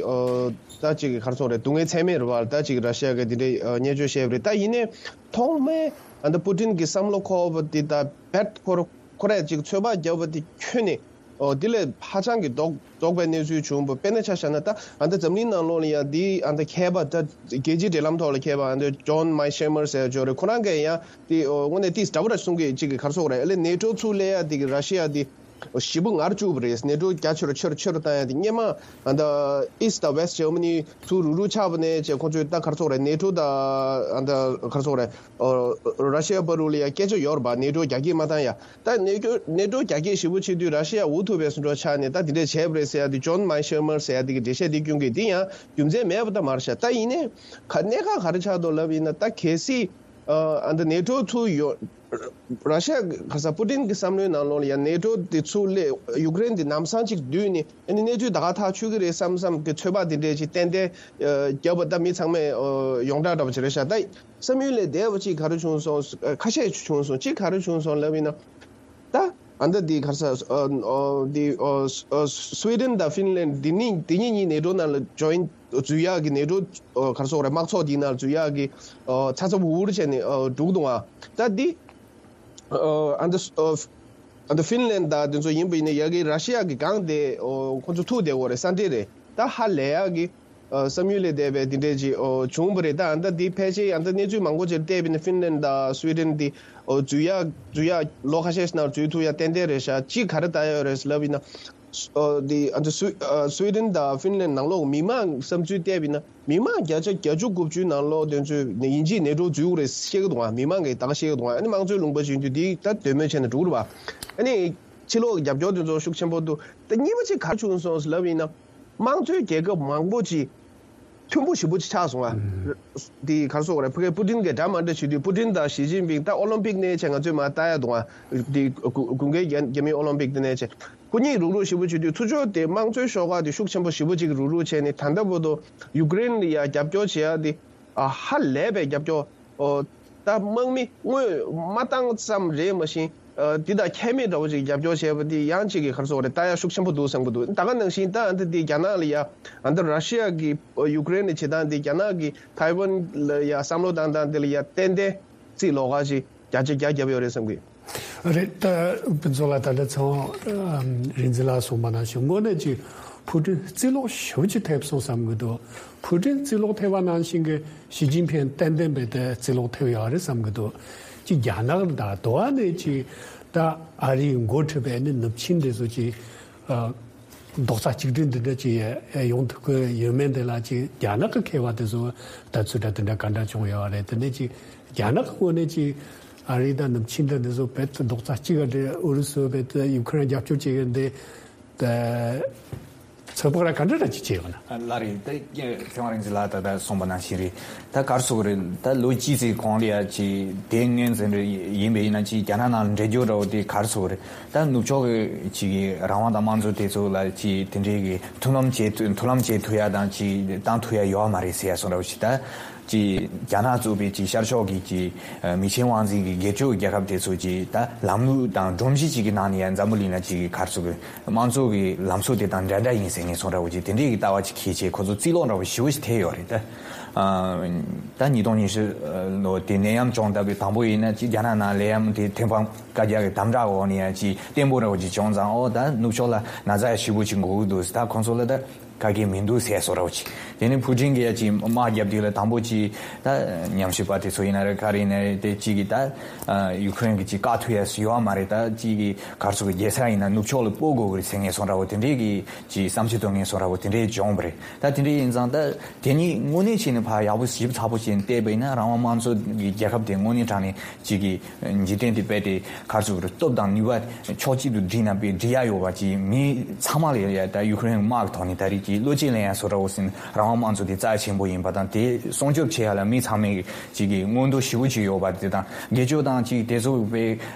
ད་ཅིག་ག་རེ་ཟེར་དགོས་རེད། སྡུག་བསྔལ་ཚད་མེད་རེད་བ། ད་ཅིག་ར་ཤི་ཡ་གི་འདི་འདྲའི་བརྙས་བཅོས་བྱས་པ་རེད། ད་ཡིན་ནའི་ཐོག་མའི་ཨ་ད་པུ་ཏིན་གྱི་བསམ་བློ་འཁོར་བ་འདི་ད་བེད་ཁོ་ར་ཁོ་རས་ཅིག་ཚོད་དཔག་བརྒྱབ་པ་འདི་ཁྱོན་ནས། ཨོ་དེ་ལས་ཧ་ཅང་གི་ལྡོག་ལྡོག་པའི་གནས་ཚུལ་བྱུང་བ། དཔེར་ན་ཆ་བཞག་ན་ད་ཨ་ད་འཛམ་གླིང་ནང་ལོགས་ལ་ཡང་འདི་ཨ་ད་མཁས་པ་ད་རྒྱལ་སྤྱིའི་འབྲེལ་ལམ་ཐོག་ལ་མཁས་པ་ཨ་ད་ཇོན་མའི་ཤེ་མར་ཟེར་ཡ་ཅིག་ཡོད་རེད། ཁོ་རང་གིས་ཡང་དེ་ཨོ་དངོས་གནས་ཏིས་འདྲ་པོ་ར་གསུང་གི་ཅིག་གི་ག་རེ་ཟེར་དགོས་རེད། ཨ་ལས་ནེ་ཊོ་ཚུར་སླེབས་ཡ་དེ་གི་ར་ཤི་ཡ་དེ་ཞེ་པོ་ངར་བཅུག་པ་རེད། ནེ་ཊོ་རྒྱ་ཆེ་རུ་ཆེ་རུ་ཆེ་རུ་བཏང་ཡ་དེ། སྔོན་མ་ཨ་ད་ཨིས་དང་ཝེ་སི་ཇར་མ་ནི་ཚུར་རུག་རུག་ཆགས་པ་ནས་བྱས་ཁོང་ཚོས་ད་ག་རེ་ཟེར་དགོས་རེད། ནེ་ཊོ་དང་ཨ་ད་ག་རེ་ཟེར་དགོས་རེད། ཨོ་ར་ཤི་ཡ་བར་དུ་ལ་ཡ་སྐད་ཆ་ཡོད་རེད་པ། ནེ་ཊོ་རྒྱ་སྐྱེད་མ་བཏང་ཡ། ད་ནེ་ཊོ་ནེ་ཊོ་རྒྱ་སྐྱེད་ཞེ་པོ་བྱེད་དུས་ར་ཤི་ཡ་འུ་ཐུག་པའི་བཟོ་འདྲ་ཆགས་ནས་ད་དེ་འདྲས་བྱས་པ་རེད་ཟེར་ཡ་དེ་ཇོན་མའི་ཤེ་མར་ཟེར་ཡ་དེ་གི་འགྲེལ་བཤད་དེ་སྐྱོན་གི་དེ་ཡང་རྒྱུ་མཚན་མེད་པ་ད་མ་རེད་ཤག་ད་ཡིན་ནའི་ག་གནད་འགག་ག་རེ་ཆགས་འདུག་ལབ་ཡིན་ན། ད་གལ་སྲིད་ཨ་ད་ནེ་ཊོ་ཚུར་ཡོང་། ར་ཤི་ཡ་ག་ས་པུ་ཏིན་གི་བསམ་བློའི་ནང་ལོགས་ལ་ཡང་ནེ་ཊོ་དེ་ཚུར་སླེབས། ཡུ་ཀེ་རེན་དེ་ལམ་སང་གཅིག་བསྡུས་ནས་ཨ་ནི་གནས་ཚུལ་ད་ག་ཐག་ཆོད་ཀྱི་རེད་བསམ་བསམ་གི་ཚོད་དཔག་དེ་འདྲས་ཅིག་ཏན་ཏན་ཨ་བརྒྱབ་པ་ད་མི་ཚང་མས་ཨ་ཡོངས་གྲགས་འདྲ་པོ་ཅིག་རེད་ཤག་ད་བསམ་ཡུལ་ལས་འདས་པ་ཅིག་ག་རེ་བྱུང་སོང་། ཁ་ཤས་བྱུང་སོང་། གཅིག་ག་རེ་བྱུང་སོང་ལབ་ཡིན་ན། ད་ཨ་ད་འདི་ག་རེ་ཟེར་ཨ་ཨ་འདི་ཨ་ཨ་སུ་ཝི་ཌེན་དང་ཧྥིན་ལན་འདི་གཉིས་འདི་གཉིས་གཉིས་ནེ་ཊོ་ནང་ལ་ཇོ་ཡིན་འཛུལ་ཡག་གི་ནེ་ཊོ་ཨ་ག་རེ་ཟེར་དགོས་རེད། དམག་ཚོགས་འདི་ནང་འཛུལ་ཡག་གི་ཨ་ཚ་ཚ་འུར་འུར་བྱས་ནས་ཨ་འགྲོ་གི་འདུག་ཨ་ད་འདི་ཨ་ཨ་ད་ཨ་ཨ་ད་ཧྥིན་ལན་དང་དེ་ཚོ་ཡིན་པ་ཡིན་ན་ཡ་གི་ར་ཤི་ཡ་གི་སྒང་དེ་ཨ་ཁོ་ཚོ་ཐུག་བསྡད་ཡོད་རེད། ས་འདྲེ་རེད། ད་ཧ་ལས་ཡག་གི་ཨ་བསམ་ཡུལ་ལས་འདས་པའི་འདི་འདྲས་ཅིག་ཨོ་བྱུང་བ་རེད། ད་ཨ་ད་འདི་ཕལ་ཆེར་ཨ་ད་གནས་ཚུལ་མང་པོ་ཅིག་བལྟས་པ་ཡིན་ན་ཧྥིན་ལན་དང་སུ་ཝི་ཌེན་འདི་ཨོ་འཛུལ་ཡག་འཛུལ་ཡག་ལོ་ཁ་ཤས་ཤིག་ནང་འཛུལ་ཐུབ་ཡག་ཏན་ཏན་རེད་ཤག་གཅིག་ག་རེ་ལྟ་ཡག་ཡོད་རེད་ལབ་ཡིན་ན། ཨོ་འདི་ཨ་ད་སུ་ཨ་སུ་ཝི་ཌེན་དང་ཧྥིན་ལན་ནང་ལོགས་མི་མང་བསམ་ཚུལ་བལྟས་པ་ཡིན་ན། མི་མང་བརྒྱ་ཆ་བརྒྱད་ཅུ་དགུ་བཅུའི་ནང་ལོགས་དེ་ཚོས་ཡིན་གཅིག་ནེ་ཊོ་འཛུལ་དགོས་རེད་བཤད་ཀྱི་འདུག་ཨ། མི་མང་གིས་ད་ག་བཤད་ཀྱི་འདུག་ཨ། ཨ་ནི་དམངས་གཙོའི་ལུང་པ་ཞིག་ཡིན་དུས་འདི་ད་འདོད་མོས་བྱས་ནས་འགྲོ་གི་རེད་པ། ཨ་ནི་ཕྱི་ལོགས་རྒྱབ་སྐྱོར་དེ་ཚོ་ཤུགས་ཆེན་པོ་འདུག་ད་གཉིས་པ་གཅིག་ག་རེ་བྱུང་སོང་ལབ་ཡིན་ན། དམངས་གཙོའི་རྒྱལ་ཁབ་མང་པོ་ཅིག་མཐུན་པོ་ཞེ་པོ་ཅིག་ཆགས་སོང་ཨ། ཨུམ། འདི་ག་རེ་ཟེར་དགོས་རེད། ཕ་གིའི་པུ་ཏིན་གྱི་འདྲ་མ་འདྲ་བྱེད་དུས་པུ་ཏིན་དང་ཞི་ཅིན་ཕིང་ད་ཨོ་ལིམ་པིག་ནས་བྱས་ང་ཚོས་མར་ལྟ་ཡག་འདུག་ཨ། འདི་དགུན་དགུན་ཁའི་རྒྱ་རྒྱ་མིའི་ཨོ་ལིམ་པིག་དེ་ནས་བྱས་ཁོ་གཉིས་རུག་རུག་ཞེ་པོ་བྱེད་དུས་ཚུར་ཕྱོགས་དེ་དམངས་གཙོའི་ཤོག་ཁག་དེ་ཤུགས་ཆེན་པོ་ཞེ་པོ་ཅིག་རུག་རུག་བྱས་ནས་ད་ལྟ་བར་དུ་ཡུཀ་རེན་ལ་ཡ་རྒྱབ་སྐྱོར་བྱེད་ཡག་དེ་ཨ་ཧ་ལས་པའི་རྒྱབ་སྐྱོར། ཨོ། ད་དམག་མི་དངོས་མ་བཏང་ཙམ་རེད་མ་གཞི། ཨ་འདི་དང་ཁྱད་མེད་འདྲ་བོ་ཅིག་རྒྱབ་སྐྱོར་བྱས་པ་འདི་ཡང་ཅིག་གི་ག་རེ་ཟེར་དགོས་རེད། ལྟ་ཡག་ཤུགས་ཆེན་པོ་འདུག་བསམ་གྱི་འདུག་ད་ག་ནང་བཞིན་ད་ཨ་འདི་འདི་རྒྱ་ནག་ལ་ཡ་ཨ་འདི་ར་ཤི་ཡ་གི་ཡུཀ་རེན་ལ་བྱེད་སྟངས་འདི་རྒྱ་ནག་གི་ཐའེ་ཝན་ལ་ཡ་བསམ་བློ་བཏང་སྟངས་འདི་ལ་ཡ་ཏན་ཏན་རྩིས་ལོགས་ཀ་ཅིག་བརྒྱ་ཆ་བརྒྱ་བརྒྱབ་ཡོད་རེད་བསམ་གྱི། རེད། ད་ཕུན་ཚོགས་ལགས་ད་ལྟ་ཚེ་དབང་རིག་འཛིན་ལགས་གསུངས་པ་ནང་བཞིན་དངོས་གནས་ཅིག་ཕུ་ཀྲིན་རྩིས་ལོག་ཞེ་པོ་ཅིག་ཐེབས་སོང་བསམ་གྱི་འདུག་ཕུ་ཀྲིན་རྩིས་ལོག་ཐེབས་པ་ནང་བཞིན་གྱི་ཞི་ཅིན་ཕིང་ཏན་ཏན་རྦད་དེ་རྩིས་ལོག་ཐེབས་ཡོད་རེད་བསམ་གྱི་འདུག་ཅིག་རྒྱ་ནག་དང་དོ་བ་ནས་ཅིག་ད་ཨ་རིའི་འགོ་ཁྲིད་པའི་ནི་ནུབ་ཆིངས་དེ་ཚོ་ཅིག་ཨ་རྡོག་རྩ་གཅིག་སྒྲིལ་འདི་འདྲ་ཅིག་ཡོང་ཐུབ་ཀྱི་ཡོད་མེད་འདི་ལ་ཅིག་རྒྱ་ནག་གི་མཁས་པ་དེ་ཚོ་ལྟ་ཚུལ་འདྲ་དེ་འདྲ་ག་འདྲ་བྱུང་ཡོད་རེད། དེ་ནས་ཅིག་རྒྱ་ནག་གི་ངོས་ནས་ཅིག་ཨ་རི་དང་ནུབ་ཆིངས་འདི་འདི་ཚོ་རྦད་དེ་རྡོག་རྩ་གཅིག་ག་འདྲ་ཨུ་རུ་སུ་རྦད་དེ་ཡུ་ཁུ་རེན་རྒྱབ་སྐྱོར་བྱེད་ཀྱི་འདི། ད་ ཚོད་དཔག་ར་ག་འདྲ་ར་ཅིག་བྱས་ཡོད་ན། ལ་རེད། ད་ཁྱོད་རང་ཚོ་ལ་ད་ད་གསུངས་པ་ནང་བཞིན་རེད། ད་གར་སོང་རེད། ད་ལོ་གཅིག་ཙམ་གོང་ལ་ཡ་ཅིག་དེ་སྔོན་ཙམ་རེད་ཡིན་པ་ཡིན་ན་ཅིག་རྒྱ་ནག་ནང་འདྲེས་རྒྱུ་འདྲ་བོ་དེ་གར་སོང་རེད། ད་ནུབ་ཕྱོགས་ཀྱི་ཅིག་གི་རང་དབང་དང་དམངས་གཙོ་དེ་ཚོ་ལ་ཅིག་དེ་འདྲའི་གི་མཐུན་ལམ་བྱེད་ཐུབ་མཐུན་ལམ་བྱེད་ཐུབ་ཡ་དང་ཅིག་བཏང་ཐུབ་ཡ་ཡོད་མ་རེད་ཟེར་ཡ་སོང་འདྲ་བོ་ཅིག་ད། ཅིག་རྒྱ་ནག་གཙོས་པའི་ཅིག་ཤར་ཕྱོགས་ཀྱི་ཅིག་མི་ཆེན་དབང་འཛིན་གྱི་སྒེར་གཅོད་རྒྱལ་ཁབ་དེ་ཚོ་ཅིག་ད་ལམ་ལུགས་དང་སྒྲོམ་གཞི་ཅིག་གི་ནང་ནས་ཡང་འཛམ་བུ་གླིང་ལ་ཅིག་གི་གར་སོང་གི་དམངས་གཙོ་གི་ལམ་སྲོལ་དེ་དང་འདྲ་འདྲ་ཡིན་ཟེར་ངེས་སོང་འདྲ་བོ་ཅིག་དེ་འདྲའི་གི་ལྟ་བ་ཅིག་འཁྱེར་བྱས་ཁོ་ཚོ་རྩིས་ལོག་འདྲ་བོ་ཞེ་པོ་ཞིག་ཐེབས་ཡོད་རེད་ད། ཨ། ད་ཉིས་སྟོང་ཉི་ཤུ་ལོ་དེ་ནད་ཡམས་བྱུང་སྟབས་དང་པོ་ཡིན་ན་ཅིག་རྒྱ་ནག་ནང་ནད་ཡམས་དེ་ཐེངས་མ་བཀའ་རྒྱ་གི་དམ་དྲག་འོག་ནས་ཡང་ཅིག་བརྟན་པོ་འདྲ་བོ་ཅིག་བྱུང་ཙང་ཨོ་ད་ནུབ་ཕྱོགས་ལ་ན་ཚ་ཡ་ཞེ་པོ་ཅིག་འགོ་གི་འདུག་ད་ཁོང་ཚོ་ལ་ད། ག་གེ་མི་འདུག་ཟེར་སོ་ར་བ་ཅིག་དེ་ནས་ཕུ་ཀྲིན་གྱིས་ཡ་ཅིག་དམག་རྒྱབ་དུས་ལ་དང་པོ་ཅིག་ད་ཉམས་ཞིབ་པ་དེ་ཚོ་ཡིན་ན་རེད་ག་རེ་ཡིན་ན་རེད་དེ་གཅིག་གིས་ད་ཡུ་ཁུ་རེན་གྱིས་ཅིག་བཀག་ཐུབ་ཡ་ཡོད་མ་རེད། ད་གཅིག་གིས་གར་སོང་གི་རྒྱལ་ས་ཡིན་ན་ནུབ་ཕྱོགས་ལ་སྤོ་དགོས་ཀྱི་རེད་ཟེར་ངེས་སོང་འདྲ་བོ་དེ་འདྲས་ཀྱི་ཅིག་བསམ་ཚུལ་ཐོན་ངེས་སོང་འདྲ་བོ་དེ་འདྲས་བྱུང་བ་རེད། ད་དེ་འདྲས་ཡིན་ཙང་ད་དེ་ཉིད་དངོས་གནས་བྱས་ནས་ཕར་ཡག་པོ་ཞིབ་ཚགས་པོ་བྱས་ནས་བལྟས་པ་ཡིན་ན་རང་དབང་དམངས་གཙོ་གི་རྒྱལ་ཁབ་དེ་དངོས་གནས་དྲང་གནས་གཅིག་གིས་འཇིག་རྟེན་དེ་རྦད་དེ་ག་རེ་ཟེར་དགོས་རེད། སྟོབས་དང་ནུས་པ་ཕྱོགས་གཅིག་ཏུ་བསྒྲིལ་ན་དཔེ་འགྲིག་ཡ་ཡོད་པ་ཅིག་མི་ཚང་མ་ལ་ཡ་ད་ཡུ་ཁུ་རེན་དམག་གི་ཐོག་ནས་ད་རེས་ཀྱི་བློ་སྐྱེད་ལེན་ཡ་བཟོ་འདྲ་བོ་ཟིན་རང་དབང་དམངས་གཙོ་དེ་རྩ་ཆེན་པོ་ཡིན་པ་དང་དེ་སྲུང་སྐྱོབ་བྱེད་ཡ་ལ་མི་ཚང་མས་ཅིག་གི་མངོན་འདོད་ཞེ་པོ་ཅིག་ཡོད་པ་དེ་དང་སྒེར་གཅོད་དང་ཅིག་དེ་ཚོ་དཔེ་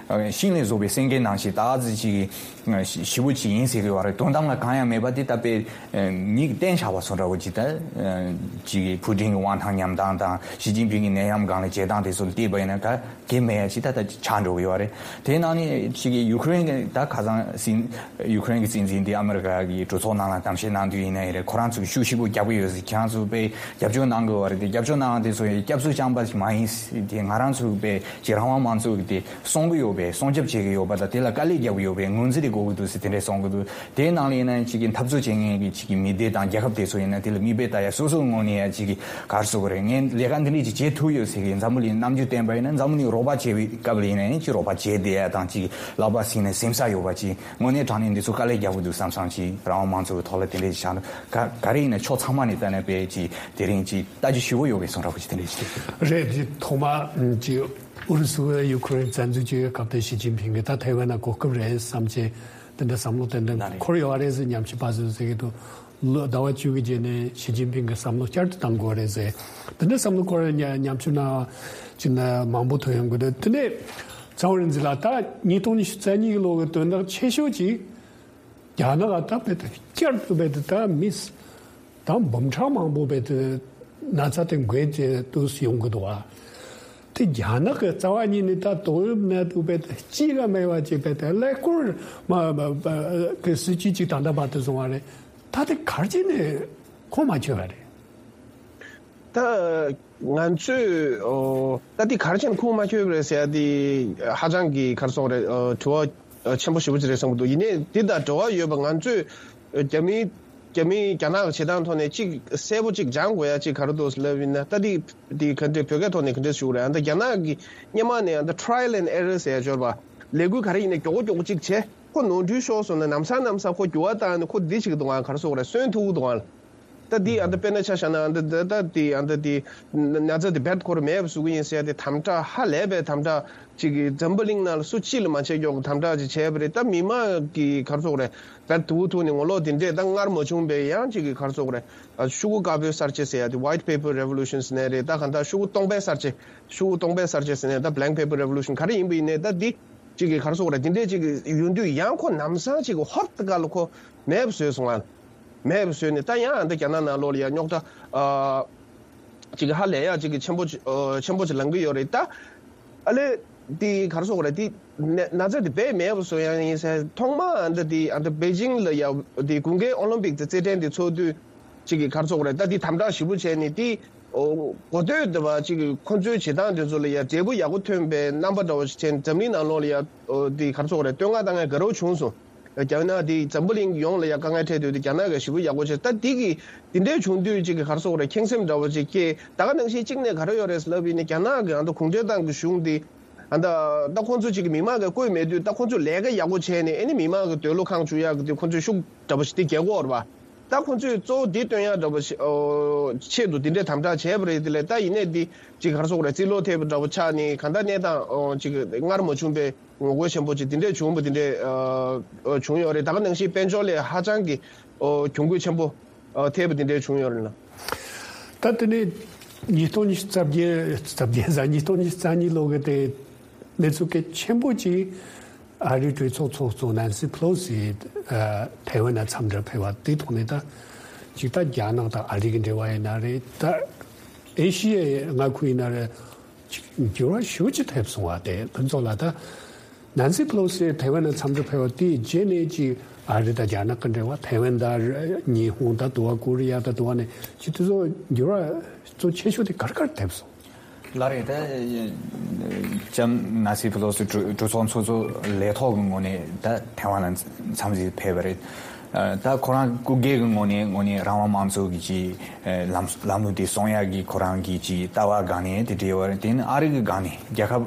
ཤིང་ལས་བཟོ་བའི་སེང་གེ་ནང་བཞིན་ད་ག་ཚོད་ཅིག་གི་ཞེ་པོ་ཅིག་ཡིན་ཟེར་གི་ཡོད་རེད། དོན་དམ་ལ་གང་ཡང་མེད་པ་དེ་ད་དཔེ་མིག་གིས་བསྟན་བཞག་པ་བཟོ་འདྲ་བོ་ཅིག་ད་ཅིག་གི་ཕུ་ཀྲིན་གྱི་དབང་ཐང་ཉམས་སྟངས་དང་ཞི་ཅིན་ཕིང་གི་ནད་ཡམས་སྒང་ལ་བྱེད་སྟངས་དེ་ཚོ་ལ་བལྟས་པ་ཡིན་ན་ག་གེ་མེད་ཡ་ཅིག་ད་ལྟ་ཆགས་འགྲོ་གི་ཡོད་རེད། དེའི་ནང་ནས་ཅིག་གི་ཡུ་ཁུ་རེན་གྱི་ད་ཁ་སང་སྲིད་ཡུ་ཁུ་རེན་གྱི་སྲིད་འཛིན་དེ་ཨ་མི་རི་ཀ་གི་གྲོས་ཚོགས་ནང་ལ་གཏམ་བཤད་གནང་དུས་ཡིན་ན་ཡིན་རེད། ཁོ་རང་ཚོས་ཤུགས་ཆེ་པོ་རྒྱག་གི་ཡོད་ཟེར། ཁྱེད་རང་ཚོས་དཔེ་རྒྱབ་སྐྱོར་གནང་གི་ཡོད་རེད་དེ་རྒྱབ་སྐྱོར་གནང་དེ་ཚོ་སྐྱབས་སུ་བཅངས་པ་ཞིག་མ་ཡིན་ཟེར། དེ་ང་རང་ཚོས་དཔེ་ཅིག་རང་དབང་དམངས་གཙོ་གི་དེ་སྲུང་གི་ཡོད་པས་སྲུང་སྐྱོབ་བྱེད་ཀྱི་ཡོད་པ་དང་དེ་ལ་དཀའ་ལས་རྒྱག་གི་ཡོད་པས་ངོས་འཛིན་དེ་དགོས་ཀྱི་འདུག་ཟེར་དེ་འདྲས་གསུང་གི་འདུག་དེའི་ནང་ལ་ཡིན་ན་ཅིག་གི་འཐབ་རྩོད་བྱེད་མཁན་གྱི་ཅིག་གི་མི་སྡེ་དང་རྒྱལ་ཁབ་དེ་ཚོ་ཡིན་ན་དེ་ལ་མིག་དཔེ་ལྟ་ཡ་སོ་སོའི་ངོས་ནས་ཡ་ཅིག་གི་ག་རེ་ཟེར་དགོས་རེད། ངས་ལས་ཀ་འདི་འདྲས་ཅིག་བྱེད་ཐུབ་ཡོད་ཟེར་གི་འཛམ་བུ་གླིང་རྣམ་འགྱུར་བསྟན་པ་ཡིན་ན་འཛམ་བུ་གླིང་རོགས་པ་བྱེད་པའི་སྐབས་ལ་ཡིན་ན་ཡང་ཅིག་རོགས་པ་བྱེད་བསྡད་ཡ་དང་ཅིག་ལག་པ་བཟིངས་ནས་ཟིང་ས་ཡོད་པ་ཅིག་དངོས་གནས་དྲང་གནས་འདི་ཚོ་དཀའ་ལས་རྒྱག་གི་འདུག་བསམ་བསམ་ཅིག་རང་དབང་དམངས་གཙོ་གི་ཐོག་ལ་དེ་འདྲས་ཅིག་བཞག་ན་ག་ག་རེ་ཡིན་ན་ཕྱོགས་ཚང་མ་ནས་ལྟ་ན་དཔེ་ཅིག་དེ་རིང་ཅིག་ལྟ་རྒྱུ་ཞེ་པོ་ཡོད་པའི་བཟོ་འདྲ་པོ་ཅིག་དེ་འདྲས་ཅིག་རེད། འདི་ཐོག་མ་ཅིག་ཨུ་རུ་སུ་ཡུ་ཁུ་རེན་བཙན་འཛུལ་བྱེད་ཡོད་སྐབས་དེ་ཞི་ཅིན་ཕིང་གིས་ད་ཐའེ་ཝན་ན་གོ་སྐབས་རེད་བསམ་བྱས་དེ་འདྲ་བསམ་བློ་ཏན་ཏན་ན་རེད། འཁོར་ཡོད་རེད་ཟེར་ཉམས་ཞིབ་པ་ཚོས་ཟེར་གྱི་འདུག་ལོ་ཟླ་བ་བཅུ་གི་རྗེས་ནས་ཞི་ཅིན་ཕིང་གི་བསམ་བློ་བསྐྱར་དུ་བཏང་དགོས་རེད་ཟེར། དེ་འདྲ་བསམ་བློ་འཁོར་ཡ་ཉམས་ཞིབ་གནང་བ་ཅིག་ན་མང་པོ་ཐོན་ཡོང་གི་འདུག་དེ་ནས་ཚང་རིན་འཛིན་ལགས་ད་ཉིས་སྟོང་ཉི་ཤུ་རྩ་གཉིས་ལོ་གི་དོན་དག་ཆེ་ཤོས་ཅིག་རྒྱ་ནག་ད་བེད་བསྐྱར་དུ་བེད་ད་མིས་ད་འབུམ་ཕྲག་མང་པོ་བེད་ན་ཚ་དེ་འགོས་ཏེ་དུས་སུ་ཡོང་གི་འདུག་བ། དེ་རྒྱ་ནག་གི་རྩ་བ་ཉིད་ནས་ད་དོ་དབྱིབས་ནད་དུ་བེད་གཅིག་ལ་མེད་པ་ཅིག་བེད་ཀླད་ཀོར་མ་གི་སྲིད་ཇུས་ཅིག་ད་ལྟ་བར་དུ་བཟུང་བ་རེད། ད་དེ་གར་ཅིག་ནས་ཁོང་མ་ཆོད་པ་རེད། ད་ང་ཚོས་ཨོ་ད་འདི་ག་རེ་བྱས་ནས་ཁུངས་མ་འཁྱོལ་བ་རེད་ཟེར་ཡ་འདི་ཧ་ཅང་གི་ག་རེ་ཟེར་དགོས་རེད། ཨོ་དྲི་བ་ཨོ་ཆེན་པོ་ཞེ་པོ་ཅིག་རེད་བསམ་གྱི་འདུག་ཡིན་ནའི་འདི་དང་འབྲེལ་བ་ཡོད་པ་ང་ཚོས་ཨོ་རྒྱ་མི་རྒྱ་མི་རྒྱ་ནག་གི་བྱེད་སྟངས་ཐོག་ནས་གཅིག་གསལ་པོ་གཅིག་སྦྱང་དགོས་ཡ་གཅིག་ག་རེ་འདུག་ལབ་ཡིན་ན། ད་འདི་འདི་ག་འདྲ་བོད་སྐད་ཐོག་ནས་ག་འདྲ་ཞུ་དགོས་རེད། ཨ་ད་རྒྱ་ནག་གི་སྔོན་མ་ནས་ཨ་ད་trial and error་ཟེར་ཡ་འབྱོར་པ་ལས་འགུལ་ག་རེ་ཡིན་ནའི་མགྱོགས་པོ་མགྱོགས་པོ་གཅིག་བྱས་ཁོ་ནོར་འཁྲུལ་ཤོར་སོང་ན་ལམ་སང་ལམ་སང་ཁོ་འགྱུར་བ་བཏང་ནས་ཁོ་འདི་བྱེད་ཀྱི་འདུག་ཨ་ག་རེ་ཟེར་དགོས་རེད། སོན་ཐུབ་ཀྱི་འདུག་ཨ། ད་འདི་ཨ་ད་དཔེར་ན་ཆ་བཞག་ན་ཨ་ད་ད་ད་འདི་ཨ་ད་འདི་ན་ཚ་འདི་རྦད་ཁོ་རང་མེད་པ་བཟོ་གི་ཡིན་ཟེར་ཡ་དེ་དམ་དྲག་ཧ་ལས་པའི་དམ་དྲག་ཅིག་གིས་འཛམ་བུ་གླིང་ནང་ལ་སུ་གཅིག་ལ་མ་བྱེད་མགྱོགས་ཀྱི་དམ་དྲག་ཅིག་བྱས་པ་རེད། ད་མི་མང་གི་ག་རེ་ཟེར་དགོས་རེད། རྦད་དུ་ཐུག་ནས་ངོ་ལོག་དེ་འདྲས་ད་སྔར་མ་བྱུང་བའི་ཡང་ཅིག་གི་ག་རེ་ཟེར་དགོས་རེད། ཤོག་གུ་དཀར་པོའི་གསར་བརྗེ་ཟེར་ཡ་དེ་white paper revolution ཟེར་ནའི་རེད། ད་གང་ལྟར་ཤོག་གུ་སྟོང་པའི་གསར་བརྗེ་ཤོག་གུ་སྟོང་པའི་གསར་བརྗེ་ཟེར་ནའི་ད་blank paper revolution ག་རེ་ཡིན་པ་ཡིན་ནའི་ད་འདི་ཅིག་གི་ག་རེ་ཟེར་དགོས་རེད། དེ་འདྲས་ཅིག་གི་ཡོང་དུས་ཡང་ཁོ་ལམ་སང་ཅིག་གི་ཧོབ་ཏེ་ག་ལ་ཁོ་མེད་པ་བཟོས་སོང་ང་། མེད་པ་བཟོས་ནས་ད་ཡང་ཨ་ད་རྒྱ་ནག་ནང་ལོགས་ལ་ཡང་རྙོག་དྲ་ཨ་ཅིག་གི་ཧ་ལས་ཡག་ཅིག་གི་ཆེན་པོ་ཅིག་ཨ་ཆེན་པོ་ཅིག་ལངས་ཀྱི་ཡོད་རེད། ད་ཨ་ལས་དེ་ག་རེ་ཟེར་དགོས་རེད། དེ་ན་ན་ཚ་དེ་རྦད་མེད་པ་བཟོ་ཡག་ཡིན་ཟེར། ཐོག་མ་ཨ་ད་དེ་ཨ་ད་པེ་ཅིང་ལ་ཡ་དེ་དགུན་ཁའི་ཨོ་ལིམ་པིག་དེ་རྩེད་འགྲན་དེ་ཚོགས་དུས་ཅིག་གི་ག་རེ་ཟེར་དགོས་རེད། ད་དེ་དམ་དྲག་ཞེ་པོ་བྱས་ནས་དེ་ཨོ་གོ་ཐོས་འདི་བ་ཅིག་གི་ཁོ་ཚོའི་བྱེད་སྟངས་དེ་ཚོ་ལ་ཡ་འབྲས་བུ་ཡག་པོ་ཐོན་པའི་རྣམ་པ་འདྲ་བོ་ཞིག་བྱས་ནས་འཛམ་གླིང་ནང་ལོགས་ལ་ཡ་ཨོ་དེ་ག་རེ་ཟེར་དགོས་རེད། བསྟོད་བསྔགས་བཏང་ཡ་དགའ་རབ་བྱུང་སོང་། རྒྱ་ནག་དེ་འཛམ་བུ་གླིང་ཡོངས་ལ་ཡ་དཀའ་ངལ་འཕྲད་དུས་དེ་རྒྱ་ནག་གིས་ཞེ་པོ་ཡག་པོ་བྱས། ད་འདི་གི་འདི་འདྲའི་བྱུང་དུས་ཅིག་གི་ག་རེ་ཟེར་དགོས་རེད། ཁེངས་སེམས་འདྲ་བོ་ཅིག་སྐྱེས། ད་ག་ནང་བཞིན་གཅིག་ནས་ག་རེ་ཡོད་རེད་ལབ་ཡིན་ན་རྒྱ་ནག་གི་ཨ་ད་གུང་ཁྲན་ཏང་གི་གཞུང་འདི་ཨ་ད་ད་ཁོང་ཚོ་ཅིག་གི་མི་མང་གིས་བསྐོས་མེད་དུས་ད་ཁོང་ཚོས་ལས་ཀ་ཡག་པོ་བྱས་ནས་ཨ་ནི་མི་མང་གི་འདོད་བློ་ཁེངས་བཅུག་ཡག་གི་དུས་ཁོང་ཚོས་ཤུགས་འདྲ་བོ་ཞིག་དེ་རྒྱག་གི་ཡོད་རེད་པ། ད་ཁོང་ཚོས་གཙོ་བོ་འདི་སྟོན་ཡག་འདྲ་པོ་ཞིག་ཨོ་ཆེད་དུ་འདི་འདྲའི་དམ་དྲག་བྱས་པ་རེད། དེ་ལས་ད་ཡིན་ནའི་འདི་ཅིག་ག་རེ་ཟེར་དགོས་རེད། རྩིས་ལོ་ཐེབས་པ་འདྲ་པོ་ཆགས་ནས་གང་ལྟར་གནས་སྟངས་ཨོ་ཅིག་སྔར་མ་བྱུང་པའི་ངོ་རྒོལ་ཆེན་པོ་ཅིག་འདི་འདྲས་བྱུང་བ་འདི་འདྲས་ཨོ་བྱུང་ཡོད་རེད། ད་ག་ནང་བཞིན་དཔལ་འབྱོར་ལ་ཧ་ཅང་གི་ཨོ་གྱོང་གུད་ཆེན་པོ་ཨོ་ཐེབས་པ་འདི་འདྲས་བྱུང་ཡོད་རེད་ལ། ད་དེ་ནས་ཉིས་སྟོང་ཉི་ཤུ་རྩ་བརྒྱད་རྩ་བརྒྱད་ཟེར་ཉིས་སྟོང་ཉི་ཤུ་རྩ་གཉིས་ལོ་གི་དེ་གནས་ཚུལ་གལ་ཆེན་པོ་ཅིག་ཨ་རིའི་གྲོས་ཚོགས་ཚོགས་གཙོ་ནན་སི་ཕེ་ལོ་སི་ཨ་ཐའེ་ཝན་ལ་འཚམས་འདྲིར་ཕེབས་པ་དེའི་ཐོག་ནས་ད་ཅིག་ད་རྒྱ་ནག་དང་ཨ་རི་གི་འབྲེལ་བ་ཡིན་ན་རེད། ད་ཨེ་ཤི་ཡའི་མངའ་ཁུལ་ཡིན་ན་རེད། ཅིག་འགྱུར་བ་ཞེ་པོ་ཅིག་ཐེབས་སོང་བ་དེ་ཕུན་ཚོགས་ལགས། ད་ནན་སི་ཕེ་ལོ་སི་ཐའེ་ཝན་ལ་འཚམས་འདྲིར་ཕེབས་པ་དེའི་རྗེས་ནས་ཅིག་ཨ་རི་དང་རྒྱ་ནག་གི་འབྲེལ་བ། ཐའེ་ཝན་དང་ཉི་ཧོང་དང་དུ་བ་ཀོ་རི་ཡ་དང་དུ་བ་ནས་ཅིག་དེ་ཚོ་འགྱུར་བ་གཙོ་ཆེ་ཤོས་དེ་ག་རེ་ག་རེ་ཐེབས་སོང་། ལགས་རེད། ད་ལྕམ་ནན་སི་ཕེ་ལོ་སི་གྲོས་གྲོས་ཚོགས་ཚོགས་གཙོ་ལས་ཐོག་གི་ངོས་ནས་ད་ཐའེ་ཝན་ལ་འཚམས་གཟིགས་ཕེབས་པ་རེད། ད་ཁོ་རང་སྐུ་སྒེར་གྱི་ངོས་ནས་ངོས་ནས་རང་དབང་དམངས་གཙོ་གི་ཅིག་ལམ་ལམ་ལུགས་དེ་སྲུང་ཡག་གི་ཁོ་རང་གི་ཅིག་ལྟ་བ་སྒང་ནས་དེ་འདྲ་ཡོད་རེད། དེ་ནི་ཨ་རི་གི་སྒང་ནས་རྒྱལ་ཁབ་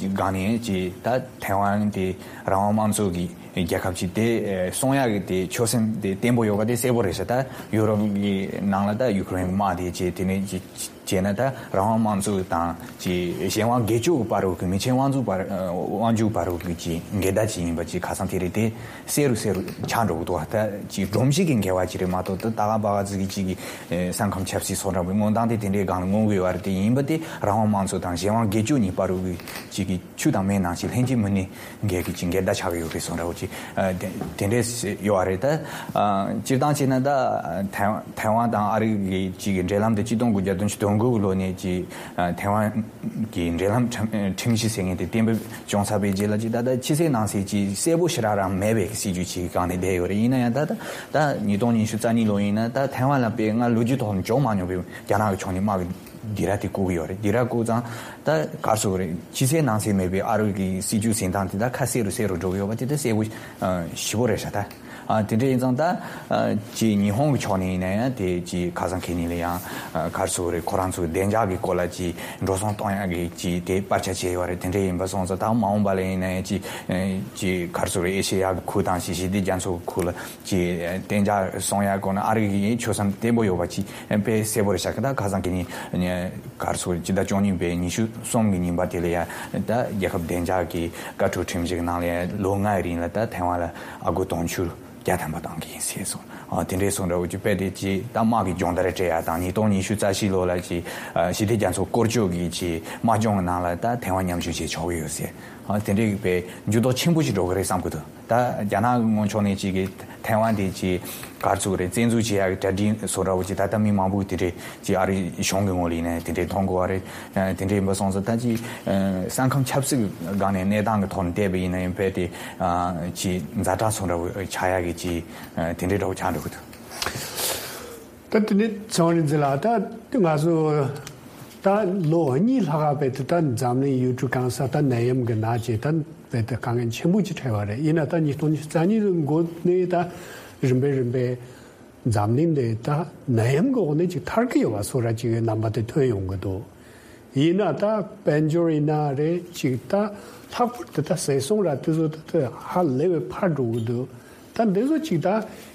སྒང་ནས་ཅིག་ད་ཐའེ་ཝན་དེ་རང་དབང་དམངས་གཙོ་གི་རྒྱལ་ཁབ་ཅིག་དེ་སྲུང་ཡག་གི་དེ་ཆོད་སེམས་དེ་བརྟན་པོ་ཡོད་པ་དེ་གསལ་པོ་རེད་ཤག་ད་ཡུ་རོབ་ཀྱི་ནང་ལ་ད་ཡུ་ཀེ་རེན་དམག་དེ་བྱས། དེ་ནས་ཅིག་བྱས་ན་ད་རང་དབང་དམངས་གཙོ་དང་ཅིག་གཞན་དབང་སྒེར་གཅོད་ཀྱི་བར་དུ་གི་མི་ཆེན་དབང་འཛུགས་བར་དབང་འཛུགས་བར་དུ་གི་ཅིག་འགལ་ཟླ་ཅིག་ཡིན་པ་ཅིག་ཁ་སང་དེ་རིང་དེ་གསལ་རུ་གསལ་རུ་ཆགས་འགྲོ་གི་འདུག་ད་ཅིག་སྒྲོམ་གཞི་གི་འགལ་བ་ཅིག་རེད་མ་གཏོགས། ད་ད་ག་པ་ག་ཙི་གི་ཅིག་གི་ས་ཁམས་ཆབ་སྲིད་སོགས་འདྲ་པོའི་མངོན་སྟངས་དེ་དེ་འདྲའི་སྒང་ལ་མངོན་གི་ཡོད་རེད། དེ་ཡིན་པ་དེ་རང་དབང་དམངས་གཙོ་དང་གཞན་དབང་སྒེར་གཅོད་གཉིས་བར་དུ་གི་ཅིག་གི་ཆུ་དང་མེའི་ནང་བཞིན་ལྷན་ཅིག་མི་གནས་འགལ་གི་ཅིག་འགལ་ཟླ་ཆགས་ཀྱི་ཡོད་རེད་སོགས་འདྲ་པོ་ཅིག་དེ་འདྲས་ཡོད་རེད། ད་སྤྱིར་བཏང་བྱས་ན་ད་ཐའེ་ཐའེ་ཝན་དང་ཨ་རི་གི་ཅིག་གི་འབྲེལ་ལམ་དེ་གཅིག་སྟོང་དགུ་བརྒྱ་བདུན་ཅུ་དོན་དགུ་གི་ལོ་ནས་ཅིག་ཐའེ་ཝན་གྱི་འབྲེལ་ལམ་ཁྲིམས་ཁྲིམས་གཞི་ཟེར་མཁན་དེ་གཏན་འབེབས་བྱུང་ཚར་བའི་རྗེས་ལ་ཅིག་ད་ལྟ་ཕྱི་གསལ་ནང་གསལ་ཅིག་གསལ་པོ་ཞེ་དྲག་རང་མེད་པའི་སྲིད་ཇུས་ཅིག་གི་སྒང་ནས་བསྡད་ཡོད་རེད། ཡིན་ན་ཡང་ད་ད་ད་ཉིས་སྟོང་ཉི་ཤུ་རྩ་གཉིས་ལོ་ཡིན་ན་ད་ཐའེ་ཝན་ལ་དཔེ་སྔར་ལོ་རྒྱུས་ཐོག་ནས་བྱུང་མ་མྱོང་བའི་རྒྱ་ནག་གི་ཕྱོགས་ནས་དམག་གི་སྡིགས་ར་དེ་བསྐུལ་གྱི་ཡོད་རེད། སྡིགས་ར་བསྐུལ་ཙང་ད་ག་རེ་ཟེར་དགོས་རེད། ཕྱི་གསལ་ནང་གསལ་མེད་པའི་ཨ་རི་གི་སྲིད་ཇུས་འཛིན་སྟངས་དེ་ད་ཁ་གསལ་རུ་གསལ་རུ་འགྲོ་གི་ཡོད་པ་དེ་ད་གསལ་པོ་ཞེ་པོ་རེད་ཤག་ད་ཨ་དེ་འདྲ་ཡིན་ཙང་ད་ཨ་ཅིག་ཉི་ཧོང་གི་ཕྱོགས་ནས་ཡིན་ན་ཡང་དེ་ཅིག་ཁ་སང་ཁེ་ཉིན་ལ་ཡང་ཨ་ག་རེ་ཟེར་དགོས་རེད། ཁོ་རང་ཚོའི་བདེ་འཇགས་ཀྱི་སྐོར་ལ་ཅིག་འགྲོ་སོང་གཏོང་ཡག་གི་ཅིག་དེ་བར་ཆད་བྱས་ཡོད་རེད། དེ་འདྲ་ཡིན་པ་སོང་ཙང་ད་མ་འོངས་པ་ལ་ཡིན་ན་ཡང་ཅིག་ཨ་ཅིག་ག་རེ་ཟེར་དགོས་རེད། ཨེ་ཤེ་ཡ་གི་ཁུལ་དང་ཅིག་ཞི་བདེ་རྒྱ་མཚོ་གི་ཁུལ་ལ་ཅིག་བདེ་འཇགས་སྲུང་ཡག་སྐོར་ན་ཨ་རི་གི་ཆོད་སེམས་བརྟན་པོ་ཡོད་པ་ཅིག་དཔེ་གསལ་པོ་རེད་ཤག་ད་ཁ་སང་ཁེ་ཉིན་གར་སོང་སྤྱི་ཟླ་བཅུ་གཉིས་པའི་ཉི་ཤུ་གསུམ་གྱི་ཉིན་པ་དེ་ལ་ཡང་ད་རྒྱལ་ཁབ་བདེ་འཇགས་ཀྱི་བཀའ་འཁྲོལ་ཁྲིམས་གཞི་གི་ནང་ལ་ཡང་ལོ་ལྔའི་རིང་ལ་ད་ཐའེ་ཝན་ལ་ཨ་སྒོར་དུང་ཕྱུར་བརྒྱ་ཐམ་པ་གཏོང་གི་ཡིན་ཟེར་སོང་། ཨ་དེ་འདྲའི་སོང་འདྲ་བོ་ཅིག་དཔེ་དེ་ཅིག་ད་དམག་གི་སྦྱོང་བརྡར་སྤྲད་ཡག་དང་ཉིས་སྟོང་ཉི་ཤུ་རྩ་བཞི་ལོ་ལ་ཅིག་ཞི་བདེ་རྒྱ་མཚོ་སྐོར་སྐྱོད་ཀྱི་ཅིག་དམག་སྦྱོང་གི་ནང་ལ་ད་ཐའེ་ཝན་མཉམ་ཞུགས་བྱེད་ཆོག་གི་ཡོད་ཟེར། ཨ་དེ་འདྲའི་དཔེ་འགྱུར་ལྡོག་ཆེན་པོ་ཞིག་འགྲོ་གི་རེད་བསམ་གི་འདུག་ད་རྒྱ་ནག་གི་ངོས་ཕྱོགས་ནས་ཅིག་གི་ཐའེ་ཝན་དེ་ཅིག་གར་ཚུགས་རེད། བཙན་འཛུལ་བྱེད་ཡག་གི་གྲ་སྒྲིག་བཟོ་འདྲ་བོ་ཅིག་ད་ལྟ་མི་མང་པོས་དེ་འདྲས་ཅིག་ཨ་རི་གཞུང་གི་ངོས་ལ་ཡིན་ན་དེ་འདྲས་མཐོང་གི་ཡོད་རེད། དེ་འདྲས་ཡིན་པ་སོང་ཙང་ད་ཅིག་ས་ཁམས་ཆབ་སྲིད་ཀྱི་སྒང་ནས་གནས་སྟངས་ཀྱི་ཐོག་ནས་བལྟས་པ་ཡིན་ན་ཡང་དཔེ་དེ་ཅིག་ཛ་དྲག་བཟོ་འདྲ་བོ་ཆགས་ཡག་གི་ཅིག་དེ་འདྲས་འདྲ་བོ་ཆགས་འགྲོ་གི་འདུག་ད་དེ་ནས་ཚེ་དབང་རིག་འཛིན་ལགས། ད་ང་ཚོ་ད་ལོ་གཉིས་ལྷག་ག་བལ་དུ་ད་འཛམ་གླིང་ཡུལ་གྲུ་གང་སར་ད་ནད་ཡམས་ཀྱི་ནད་ཅིག་ད་བལ་དུ་དཀའ་ངལ་ཆེན་པོ་ཅིག་འཕྲད་པ་རེད། ཡིན་ན་ད་ཉིས་སྟོང་ཉི་ཤུ་རྩ་གཉིས་ལོའི་འགོ་ནས་ད་རིམ་པས་རིམ་པས་འཛམ་གླིང་འདི་ད་ནད་ཡམས་ཀྱི་འོག་ནས་ཅིག་ཐར་གྱི་ཡོད་པ་བཟོ་འདྲ་ཅིག་གི་རྣམ་པ་དེ་ཐོན་ཡོང་གི་འདུག་ཡིན་ན་ད་དཔལ་འབྱོར་ཡིན་ན་རེད། ཅིག་ད་ལྷག་པར་དུ་ད་ཟས་སོང་ར་དེ་ཚོ་ད་ད་ཧ་ལས་པའི་འཕར་འགྲོ་གི་འདུག་ད་འདི་ཚོ་ཅིག་ད་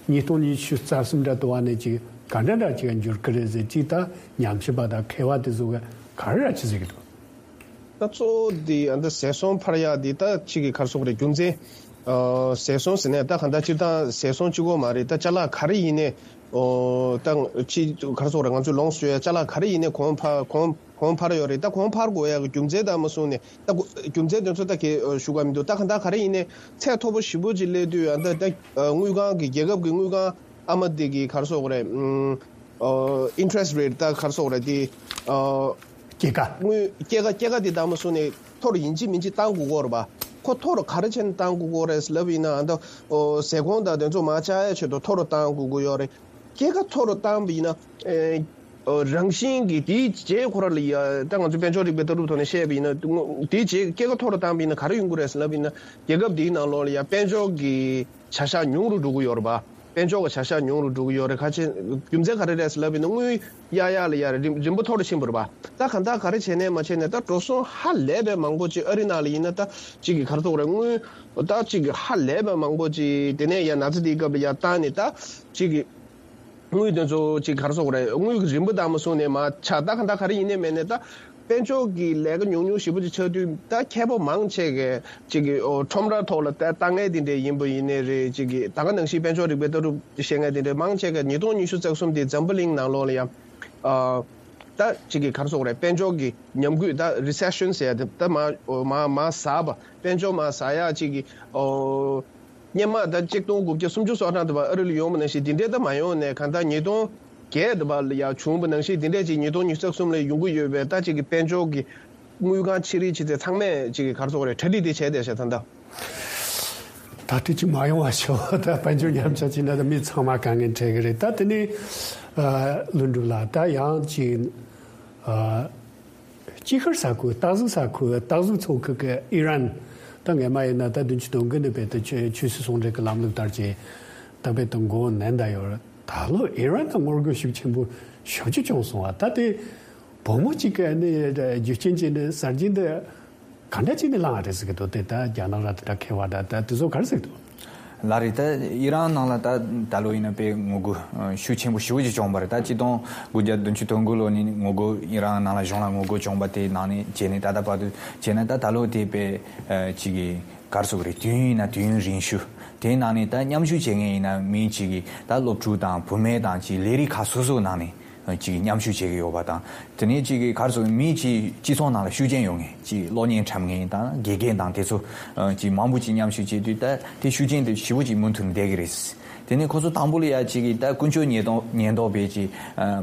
ཉིས་སྟོང་ཉི་ཤུ་རྩ་གསུམ་འདྲ་དུ་བ་ནས་ཅིག་ག་འདྲ་འདྲ་ཅིག་འགྱུར་གི་རེད་ཟེར། ཅིག་ད་ཉམས་ཞིབ་པ་དང་མཁས་པ་དེ་ཚོ་ག་ག་རེ་འདྲ་ཅིག་ཟེར་གི་འདུག་ད་གཙོ་བོ་འདི་ཨ་ད་ཟས་སོང་འཕར་ཡག་འདི་ད་ཅིག་གི་ག་རེ་ཟེར་དགོས་རེད། རྒྱུ་མཚན། ཨ་ཟས་སོང་ཟེར་ནས་ད་གང་ལྟར་སྤྱིར་བཏང་ཟས་སོང་གཅིག་པོ་མ་རེད། ད་ཅ་ལག་ག་རེ་ཡིན་ནའི། ཨོ་ད་ཅི་ག་རེ་ཟེར་དགོས་རེད། ང་ཚོས་ལོངས་སུ་སྤྱོད་ཡག་ཅ་ལག་ག་རེ་ཡིན་ནའི་གོང་འཕར་གོང་གོང་འཕར་ཡོད་རེད། ད་གོང་འཕར་དགོས་ཡག་གི་རྒྱུ་མཚན་དང་མ་སོང་ནས་ད་གོ་རྒྱུ་མཚན་དེ་ཚོ་ད་གས་ཞུ་ག་མི་འདུག་ད་གང་ལྟར་ག་རེ་ཡིན་ནའི་ཚད་མཐོ་པོ་ཞེ་པོ་ཅིག་སླེབས་དུས་ཨ་ད་ད་དངུལ་ཁང་གི་རྒྱལ་ཁབ་ཀྱི་དངུལ་ཁང་ཨ་མ་དེ་གི་ག་རེ་ཟེར་དགོས་རེད། ཨ་interest rate ད་ག་རེ་ཟེར་དགོས་རེད། དེ་ཨ། སྐྱེད་ཀ་དངུལ་སྐྱེད་ཀ་སྐྱེད་ཀ་དེ་ད་མ་སོང་ནས་མཐོ་རུ་ཡིན་གཅིག་མིན་གཅིག་བཏང་དགོས་ཀྱི་ཡོད་རེད་པ། ཁོ་མཐོ་རུ་ག་རེ་བྱས་ནས་བཏང་དགོས་ཀྱི་ཡོད་རེད་ལབ་ཡིན་ན་ཨ་ད་ཨོ་ཟས་གོང་དང་དེ་ཚོ་མར་ཆག་ཡག་ཆེད་དུ་མཐོ་རུ་བཏང་དགོས་ཀྱི་ཡོད་རེད། སྐྱེད་ཀ་མཐོ་རུ་བཏང་བ་ཡིན་ན་ཨེ་ཨོ་རང་བཞིན་གྱིས་དེའི་རྗེས་ཁོ་ར་ལ་ཡ་ད་ང་ཚོ་དཔལ་འབྱོར་རིག་པའི་ལྟ་གྲུབ་ཐོག་ནས་བཤད་པ་ཡིན་ན་དེའི་རྗེས་སྐྱེད་ཀ་མཐོ་རུ་བཏང་བ་ཡིན་ན་ག་རེ་ཡོང་གི་རེད་ལབ་ཡིན་ན་རྒྱལ་ཁབ་དེའི་ནང་ལོགས་ལ་ཡ་དཔལ་འབྱོར་གྱི་བྱ་གཞག་ཉུང་རུ་འགྲོ་གི་ཡོད་རེད་པ། དཔལ་འབྱོར་གྱི་བྱ་གཞག་ཉུང་རུ་འགྲོ་གི་ཡོད་རེད། ཁ་ཆེ་རྒྱུ་མཚན་ག་རེ་རེད་ཟེར་ལབ་ཡིན་ན་དངུལ་གཡར་ཡག་ལ་ཡ་རིམ་རིམ་པ་མཐོ་རུ་ཕྱིན་པ་རེད་པ། ད་གང་ལྟར་ག་རེ་བྱས་ནས་མ་བྱས་ནས་ད་འགྲོ་སོང་ཧ་ལས་པའི་མང་པོ་ཅིག་ཨ་རི་ནང་ལ་ཡིན་ན་ད་ཅིག་གི་ག་རེ་ཟེར་དགོས་རེད། དངུལ་ད་ཅིག་གི་ཧ་ལས་པའི་མང་པོ་ཅིག་དེ་ནས་ཡ་ན་ཚ་དེའི་སྐབས་ལ་ཡ་བཏང་ནས་ད་ཅིག་གི་ དངུལ་དེ་ཚོ་ཅིག་ག་རེ་ཟེར་དགོས་རེད། དངུལ་གྱི་རིན་པ་དང་མ་བཟུང་ནས་མར་ཆག་ད་ག་ད་ག་རེ་ཡིན་ནའི་མིན་ནའི་ད་དཔལ་འབྱོར་གྱི་ལས་ཀ་ཉུང་ཉུང་ཞེ་པོ་ཅིག་ཆགས་དུས། ད་མཁས་པ་མང་ཆེ་གིས་ཅིག་གི་ཨོ་ཁྲོམ་ར་ཐོག་ལ་ལྟ་ལྟ་མཁན་དེ་འདྲས་ཡིན་པ་ཡིན་ནའི་རེད། ཅིག་གི་ད་ག་ནང་བཞིན་དཔལ་འབྱོར་རིག་པའི་ལྟ་གྲུབ་བཤད་མཁན་དེ་འདྲས་མང་ཆེ་གིས་ཉིས་སྟོང་ཉི་ཤུ་རྩ་གསུམ་དེ་འཛམ་བུ་གླིང་ནང་ལོགས་ལ་ཡང་ཨ་ད་ཅིག་གི་ག་རེ་ཟེར་དགོས་རེད། དཔལ་འབྱོར་གྱི་ཉམས་རྒུད། ད་རི་སེ་ཤན་ཟེར་ཡ་དེ་ད་མར་མར་མར་ཟག་པ། དཔལ་འབྱོར་མར་ཟག་ཡ་ཅིག་གི་ཨོ། སྔོན་མ་ད་ཆིག་སྟོང་དགུ་བརྒྱ་སུམ་ཅུ་སོ་གྲངས་དུ་བ་ཨ་རི་ལ་ཡོང་བ་ནང་བཞིན་དེ་འདྲས་ད་མ་ཡོང་ནས། གང་ལྟར་ཉིས་སྟོང་བརྒྱད་དུ་བ་ལ་ཡང་བྱུང་བ་ནང་བཞིན་དེ་འདྲས་ཅིག་ཉིས་སྟོང་ཉི་ཤུ་རྩ་གསུམ་ལ་ཡོང་གི་ཡོད་པས། ད་ཅིག་གི་དཔལ་འབྱོར་གྱི་དངུལ་ཁང་ཆེ་རིགས་ཆེ་ཚད་ཚང་མས་ཅིག་གི་ག་རེ་ཟེར་དགོས་རེད། གྲ་སྒྲིག་དེ་བྱས་བསྡད་ཤག་ད་ལྟ། ད་དུས་ཅིག་མ་ཡོང་བ་ཤོག་ད་དཔལ་འབྱོར་ཉམས་ཆག་ཅིག་ན་ད་མི་ཚང་མ་དཀའ་ངལ་འཕྲད་གི་རེད། ད་དེ་ནས་ཨ་ལྷུན་གྲུབ་ལགས། ད་ཡང་ཅིག་ཨ། དཀྱིལ་ཤར་ས་ཁུལ། སྟག་གཟིག་ས་ཁུལ། སྟག་གཟིག་མཚོ་ཁུལ་གྱི་ཨི་རན། ད་སྔོན་མ་ཡིན་ན་ད་བདུན་ཅུ་དོན་དགུ་ནས་རྦད་དེ་ཆོས་ཆོས་སྲིད་ཟུང་འབྲེལ་གྱི་ལམ་ལུགས་ལྟར་གྱི་ད་རྦད་དེ་མགོ་མནན་བསྡད་ཡོད་རེད། ད་ལོ་ཨི་རན་ལ་ངོ་རྒོལ་ཤུགས་ཆེན་པོ་ཞེ་པོ་ཅིག་བྱུང་སོང་བ། ད་དེ་བུ་མོ་གཅིག་གི་ནི་རྒྱུ་རྐྱེན་གྱིས་ནི་གསར་བརྗེ་འདི་ག་འདྲ་བྱས་ནས་བསླངས་པ་རེད་ཟེར་གྱི་འདུག་དེ་ད་རྒྱ་ནག་ར་དེ་འདྲ་ཁེལ་བ་འདྲ། ད་དེ་ཚོ་ག་རེ་ཟེར་གྱི་འདུག་ལགས་རེད། ད་ཨི་རན་ནང་ལ་ད་ད་ལོ་ཡིན་ན་དཔེ་ངོ་རྒོལ་ཤུགས་ཆེན་པོ་ཞེ་པོ་ཅིག་བྱུང་བ་རེད། ད་ཆིག་སྟོང་དགུ་བརྒྱ་བདུན་ཅུ་དོན་དགུ་ལོ་ནས་ངོ་རྒོལ། ཨི་རན་ནང་ལ་གཞུང་ལ་ངོ་རྒོལ་བྱུང་བ་དེ་ནང་ནས་བྱས་ནས་ད་ལྟ་བར་དུ་བྱས་ན། ད་ད་ལོ་དེ་དཔེ་ཅིག་གི་ག་རེ་ཟེར་དགོས་རེད། དུས་ཡུན་ཡིན་ན་དུས་ཡུན་རིང་ཤོས་དེའི་ནང་ནས་ད་མཉམ་ཞུགས་བྱེད་མཁན་ཡིན་ན་མི་ཅིག་གི་ད་སློབ་ཕྲུག་དང་བུད་མེད་དང་ཅིག་ལས་རིགས་ཁག་སོ་སོའི་ནང་ནས་ཅིག་མཉམ་ཞུགས་བྱེད་ཀྱི་ཡོད་པ་དང་། དེ་ནས་ཅིག་གི་ག་རེ་ཟེར། མི་ཅིག་སྤྱི་ཚོགས་ནང་ལ་ཤུགས་རྐྱེན་ཡོད་མཁན་ཅིག་གློག་བརྙན་འཁྲབ་མཁན་དང་དགེ་རྒན་དང་དེ་ཚོ་ཅིག་མང་པོ་ཅིག་མཉམ་ཞུགས་བྱེད་དུས་ད་དེ་ཤུགས་རྐྱེན་དེ་ཞེ་པོ་ཅིག་མུ་མཐུད་བསྡད་ཀྱི་རེད། དེ་ནས་ཁོ་ཚོ་དང་པོ་ལ་ཡ་ཅིག་གི་ད་ཀུན་སྤྱོད་ཉེན་རྟོག་ཉེན་རྟོག་པས་ཅིག་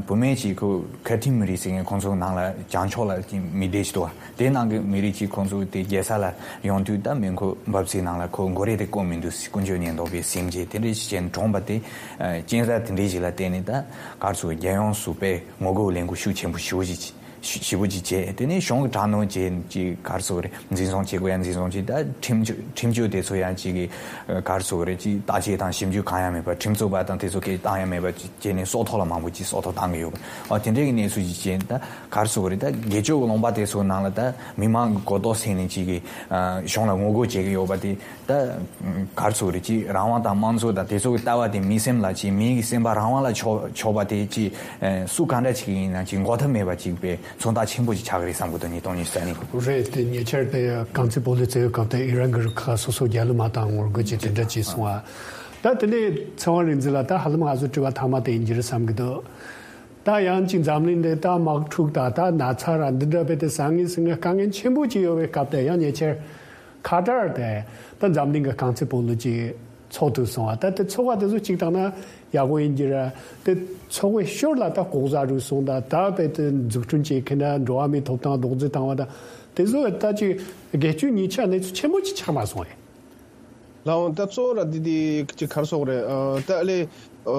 བུད་མེད་ཅིག་ཁོ་ཁ་ཐིམ་མི་རིགས་ཟེར་མཁན་ཁོང་ཚོ་ནང་ལ་བྱང་ཕྱོགས་ལ་ཅིག་མི་སྡེ་ཅིག་འདུག་བ། དེ་ནང་གི་མི་རིགས་ཀྱིས་ཁོང་ཚོ་དེ་རྒྱལ་ས་ལ་ཡོང་དུས་ད་མེ་འཁོར་འབབ་ཚིགས་ནང་ལ་ཁོ་མགོ་རས་དེ་བསྐོར་མི་འདུག་ཟེར། ཀུན་སྤྱོད་ཉེན་རྟོག་པས་ཟིན་བྱས་དེ་འདྲ་ཞིག་བྱས་ནས་གྲོངས་པ་དེ། ཨ། གཅན་གཟན་དེ་འདྲ་ཞིག་ལ་བརྟེན་ནས་ད་ག་རེ་ཟེར། རྒྱལ་ཡོངས་སུ་དཔེ་ངོ་རྒོལ་ལས་འགུལ་ཤུགས་ཆེན་པོ་ཞེ་པོ་ཅིག་ཞེ་པོ་ཅིག་བྱས། དེ་ནས་གཞུང་གི་དྲག་གནོན་བྱས་ཅིག་ག་རེ་ཟེར་རེད། འཛིན་བཟུང་བྱེད་དགོས་ཡ་འཛིན་བཟུང་བྱས། ད་ཁྲིམས་གཅོད་ཁྲིམས་གཅོད་དེ་ཚོ་ཡང་ཅིག་གི་ག་རེ་ཟེར་རེད། ཅིག་བརྟག་དཔྱད་དང་ཞིབ་འཇུག་གང་ཡང་མེད་པར། ཁྲིམས་རྩོད་པ་དང་དེ་ཚོ་སྐད་བཏང་ཡ་མེད་པར་བྱས་ནས་སྲོག་ཐོག་ལ་མང་པོ་ཅིག་སྲོག་ཐོག་བཏང་གི་ཡོད་པ། ཨ། དེ་འདྲའི་གི་གནས་ཚུལ་ཅིག་བྱས། ད་ག་རེ་ཟེར་དགོས་རེད། ད་སྒེར་གཅོད་ཀྱི་ལུང་པ་དེ་ཚོའི་ནང་ལ་ད་མི་མང་གི་གོ་རྟོགས་སད་ནས་ཅིག་གི་ཨ་གཞུང་ལ་ངོ་རྒོལ་བྱེད་ཀྱི་ཡོད་པ་དེ། ད་ག་རེ་ཟེར་དགོས་རེད། ཅིག་རང་དབང་དང་དམངས་གཙོ་དང་དེ་ཚོ་གི་ལྟ་བ་དེ་མི་སེམས་ལ། ཅིག་མི་གི་སེམས་པ་རང་དབང་ལ་ཕྱོགས་ཕྱོགས་པ་དེ་ཅིག་ཨ་སུ་གང་འདྲ་ཅིག་ཡིན་ན་ཅིག་འགོག་ཐབས་མེད་པ་ཅིག་དཔེ་མཚོན་རྟགས་ཆེན་པོ་ཅིག་ཆགས་ཀྱི་རེད་བསམ་གྱི་འདུག་ཉིས་སྟོང་ཉི་ཤུ་རྩ་གཉིས། རེད། དེ་ཉེ་ཆར་དེ་རྐང་རྩེད་སྤོ་ལོ་རྩེ་བའི་སྐབས་དེ་ཨི་རན་གྱི་རུ་ཁག་སོ་སོ་རྒྱལ་གླུ་མ་བཏང་ངོ་རྒོལ་བྱས་དེ་འདྲ་བྱས་སོང་བ། ད་དེ་ནས་ཚེ་དབང་རིག་འཛིན་ལགས། ད་ཧ་ལམ་ང་ཚོ་དྲི་བ་མཐའ་མ་དེ་ཡིན་གྱི་རེད་བསམ་གྱི་འདུག་ད་ཡང་ཅིག་འཛམ་གླིང་འདི་ད་དམག་འཁྲུག་དང་ད་ན་ཚ་ར་འདི་འདྲ་རྦད་དེ་བཟང་ངན་ཟེར་མཁན་དཀའ་ངལ་ཆེན་པོ་ཅིག་ཡོད་པའི་སྐབས་དེ། ཡང་ཉེ་ཆར་ཁ་ཏར་དེ་ད་འཛམ་གླིང་གི་རྐང་རྩེད་སྤོ་ལོ་ཅིག་ཚོགས་ཐུབ་སོང་བ། ད་དེ་ཚོགས་པ་དེ་ཚོ་གཅིག་བཏང་ན་ཡག་པོ་ཡིན་གྱི་རེད། དེ་ཚོགས་པའི་ཞོར་ལ་ད་ལྐོག་ཟ་རུལ་སུངས་དང་། ད་རྦད་དེ་འཛུགས་སྐྲུན་བྱེད་མཁན་ན་འགྲོ་བ་མིའི་ཐོབ་ཐང་རྡོག་རྫིས་བཏང་བ་དང་། དེ་ཚོ་ད་ཅིག་སྒེར་གཅོད་ཉེས་ཆད་གནས་ཚུལ་ཆེན་པོ་ཅིག་ཆགས་མ་སོང་ཨེ། ལགས་འོང་། ད་གཙོ་བོ་ར་འདི་འདི་ཅིག་ག་རེ་ཟེར་དགོས་རེད། ཨ་ད་ཨ་ལས་ཨ་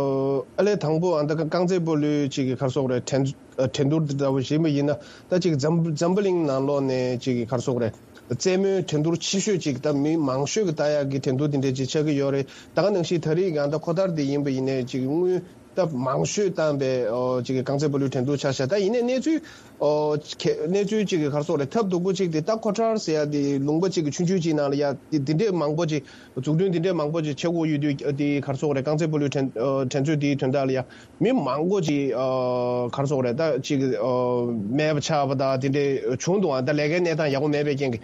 ཨ་ལས་དང་པོ་ཨ་ད་རྐང་རྩེད་སྤོ་ལོའི་ཅིག་གི་ག་རེ་ཟེར་དགོས་རེད། འགྲན་ཨ་འགྲན་བསྡུར་འདི་འདྲ་བོ་ཞིག་ཡིན་པ་ཡིན་ན། ད་ཅིག་འཛམ་འཛམ་བུ་གླིང་ནང་ལོགས་ནས་ཅིག་གི་ག་རེ་ཟེར་དགོས་རེད། རྩེད་མོའི་འགྲན་བསྡུར་ཆེ་ཤོས་ཅིག་ད་མི་མང་ཤོས་ཀྱིས་ལྟ་ཡག་གི་འགྲན་བསྡུར་འདི་འདྲ་ཅིག་ཆགས་ཀྱི་ཡོད་རེད། ད་ག་ནང་བཞིན་ད་རེས་ཀྱི་ཨ་ད་ཁ་ཏར་འདི་ཡིན་པ་ཡིན་ནའི་ཅིག་དངུལ་ད་མང་ཤོས་བཏང་པའི་ཨོ་ཅིག་གི་རྐང་རྩེད་སྤོ་ལོའི་འགྲན་བསྡུར་ཆགས་ཤག་ད་ཡིན་ནའི་གནས་ཚུལ་ཨོ་ཁེ་གནས་ཚུལ་ཅིག་གི་ག་རེ་ཟེར་དགོས་རེད། ཐབས་སྡུག་པོ་ཅིག་དེ་ད་ཁ་ཏར་ཟེར་ཡ་དེ་ལུང་པ་ཅིག་གི་ཆུང་ཆུང་ཅིག་ནང་ལ་ཡ་དེ་དེ་འདྲས་མང་པོ་ཅིག་འཛུགས་སྐྲུན་དེ་འདྲས་མང་པོ་ཅིག་བྱེད་དགོས་ཡོད་དུས། དེ་ག་རེ་ཟེར་དགོས་རེད། རྐང་རྩེད་སྤོ་ལོའི་འགྲན་ཨོ་འགྲན་རྩོད་དེའི་དོན་དག་ལ་ཡ་མི་མང་པོ་ཅིག་ཨོ་ག་རེ་ཟེར་དགོས་རེད། ད་ཅིག་ཨོ་མེད་པ་ཆགས་པ་དང་དེ་འདྲས་བྱུང་འདུག་ཨ་ད་ལས་ཀའི་གནས་སྟངས་ཡག་པོ་མེད་པའི་རྐྱེན་གྱིས།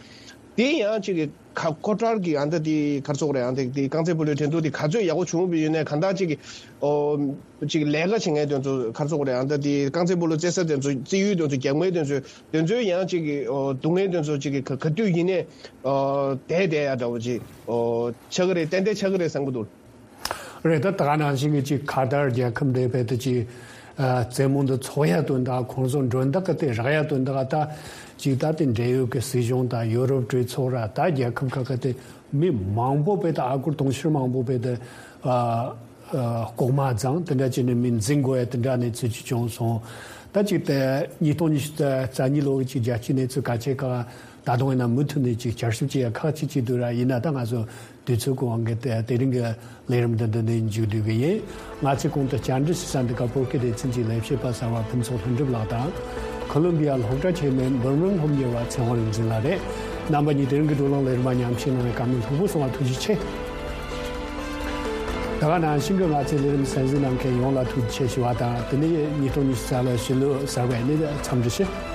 དེ་ཡང་ཅིག་གི་ཁ་ཁ་ཏར་གྱི་ཨ་ད་དེ་ག་རེ་ཟེར་དགོས་རེད། ཨ་ད་དེ་རྐང་རྩེད་སྤོ་ལོའི་འགྲན་བསྡུར་དེ་ག་ཚོད་ཡག་པོ་བྱུང་བ་ཡིན་ནའི་གང་ལྟར་ཅིག་གི་ཨོ་ཅིག་ལས་ཀ་བྱེད་མཁན་དེ་ཚོ་ག་རེ་ཟེར་དགོས་རེད། ཨ་ད་དེ་རྐང་རྩེད་སྤོ་ལོ་རྩེ་ས་དེ་ཚོ་རྩེ་ཡུལ་དེ་ཚོ་རྒྱག་མཁན་དེ་ཚོ་དེ་ཚོའི་ཡང་ཅིག་གི་ཨོ་སྡུག་བསྔལ་དེ་ཚོ་ཅིག་གི་ག་ག་དུས་ཡིན་ནའི་ཨོ་བསྡད་བསྡད་ཡ་འདྲ་བོ་ཅིག་ཨོ་ཆགས་ཀྱི་རེད། ཏན་ཏན་ཆགས་ཀྱི་རེད་བསམ་གྱི་འདུག་རེད། ད་ད་ག་ནང་བཞིན་གྱི་ཅིག་ཁ་ཏར་རྒྱལ་ཁབ་འདི་རྦད་དེ་ཅིག་ཨ་རྩེད་མོ་འདི་ཚོགས་ཡ་དོན་དག་ཁོང་ཚོ་མགྲོན་བདག་གི་དེ་རག་ཡ་དོན་དག་ད་ཅིག་ད་དེ་འབྲེལ་ཡོད་ཀྱི་སྲིད་གཞུང་དང་ཡུ་རོབ་གྲོས་ཚོགས་ར་ད་རྒྱལ་ཁབ་ཁག་གི་དེ་མི་མང་པོ་རྦད་དེ་ཨ་སྒོར་དུང་ཕྱུར་མང་པོ་རྦད་དེ་ཨ་ཨ་ལྐོག་མ་བརྫངས། དེ་འདྲ་བྱས་ནས་མི་འཛིན་དགོས་ཡ་དེ་འདྲ་གནས་ཚུལ་ཅིག་བྱུང་སོང་། ད་ཅིག་དེ་ཉིས་སྟོང་ཉི་ཤུ་རྩ་གཉིས་ལོ་གི་ཅིག་རྒྱལ་སྤྱིའི་གནས་ཚུལ་གལ་ཆེ་ཁག་ད་དུང་ཡིན་ན་མུ་མཐུད་ནས་ཅིག་བསྐྱར་ཞིབ་བྱེད་ཡ་ཁག་ཅིག་ཅིག་འདུག་ར། ཡིན་ན་ད་ང་ཚོ་དུས་ཚོད་ཀྱི་དབང་གིས་དེ་དེ་རིང་གི་ལས་རིམ་འདི་འདི་ནས་མཇུག་བསྡུ་གི་ཡིན། ང་ཚོས་གོང་དུ་བཅར་འདྲི་ཞུ་ས་འདི་ག་བོད་སྐད་སྡེ་ཚན་གྱི་ལས་བྱེད་པ་གསར་པ་ཕུན་ཚོགས་ལྷུན་གྲུབ་ལགས་དང་། ཁོ་ལོམ་བི་ཡ་སློབ་གྲྭ་ཆེན་མོའི་འབུམ་རམས་སློབ་གཉེར་བ་ཚེ་དབང་རིག་འཛིན་ལགས་རེད། རྣམ་པ་གཉིས་དེ་རིང་གི་བགྲོ་གླེང་ལས་རིམ་མ་ཉམས་ཞིབ་གནང་བའི་བཀའ་མོལ་ལྷུག་པོ་གསུང་བ་ཐུགས་རྗེ་ཆེ། ད་ག་ནང་བཞིན་གྱི་ང་ཚོའི་ལས་རིམ་གསན་གཟིགས་གནང་མཁན་ཡོངས་ལ་ཐུགས་རྗེ་ཆེ་ཞུ་བ་དང་། དེ་ནས་ཉིས་སྟོང་ཉི་ཤུ་རྩ་ལོའི་ཕྱི་ལོ་གསར་པའི་ནི་འཚམས་འདྲི་ཞུ།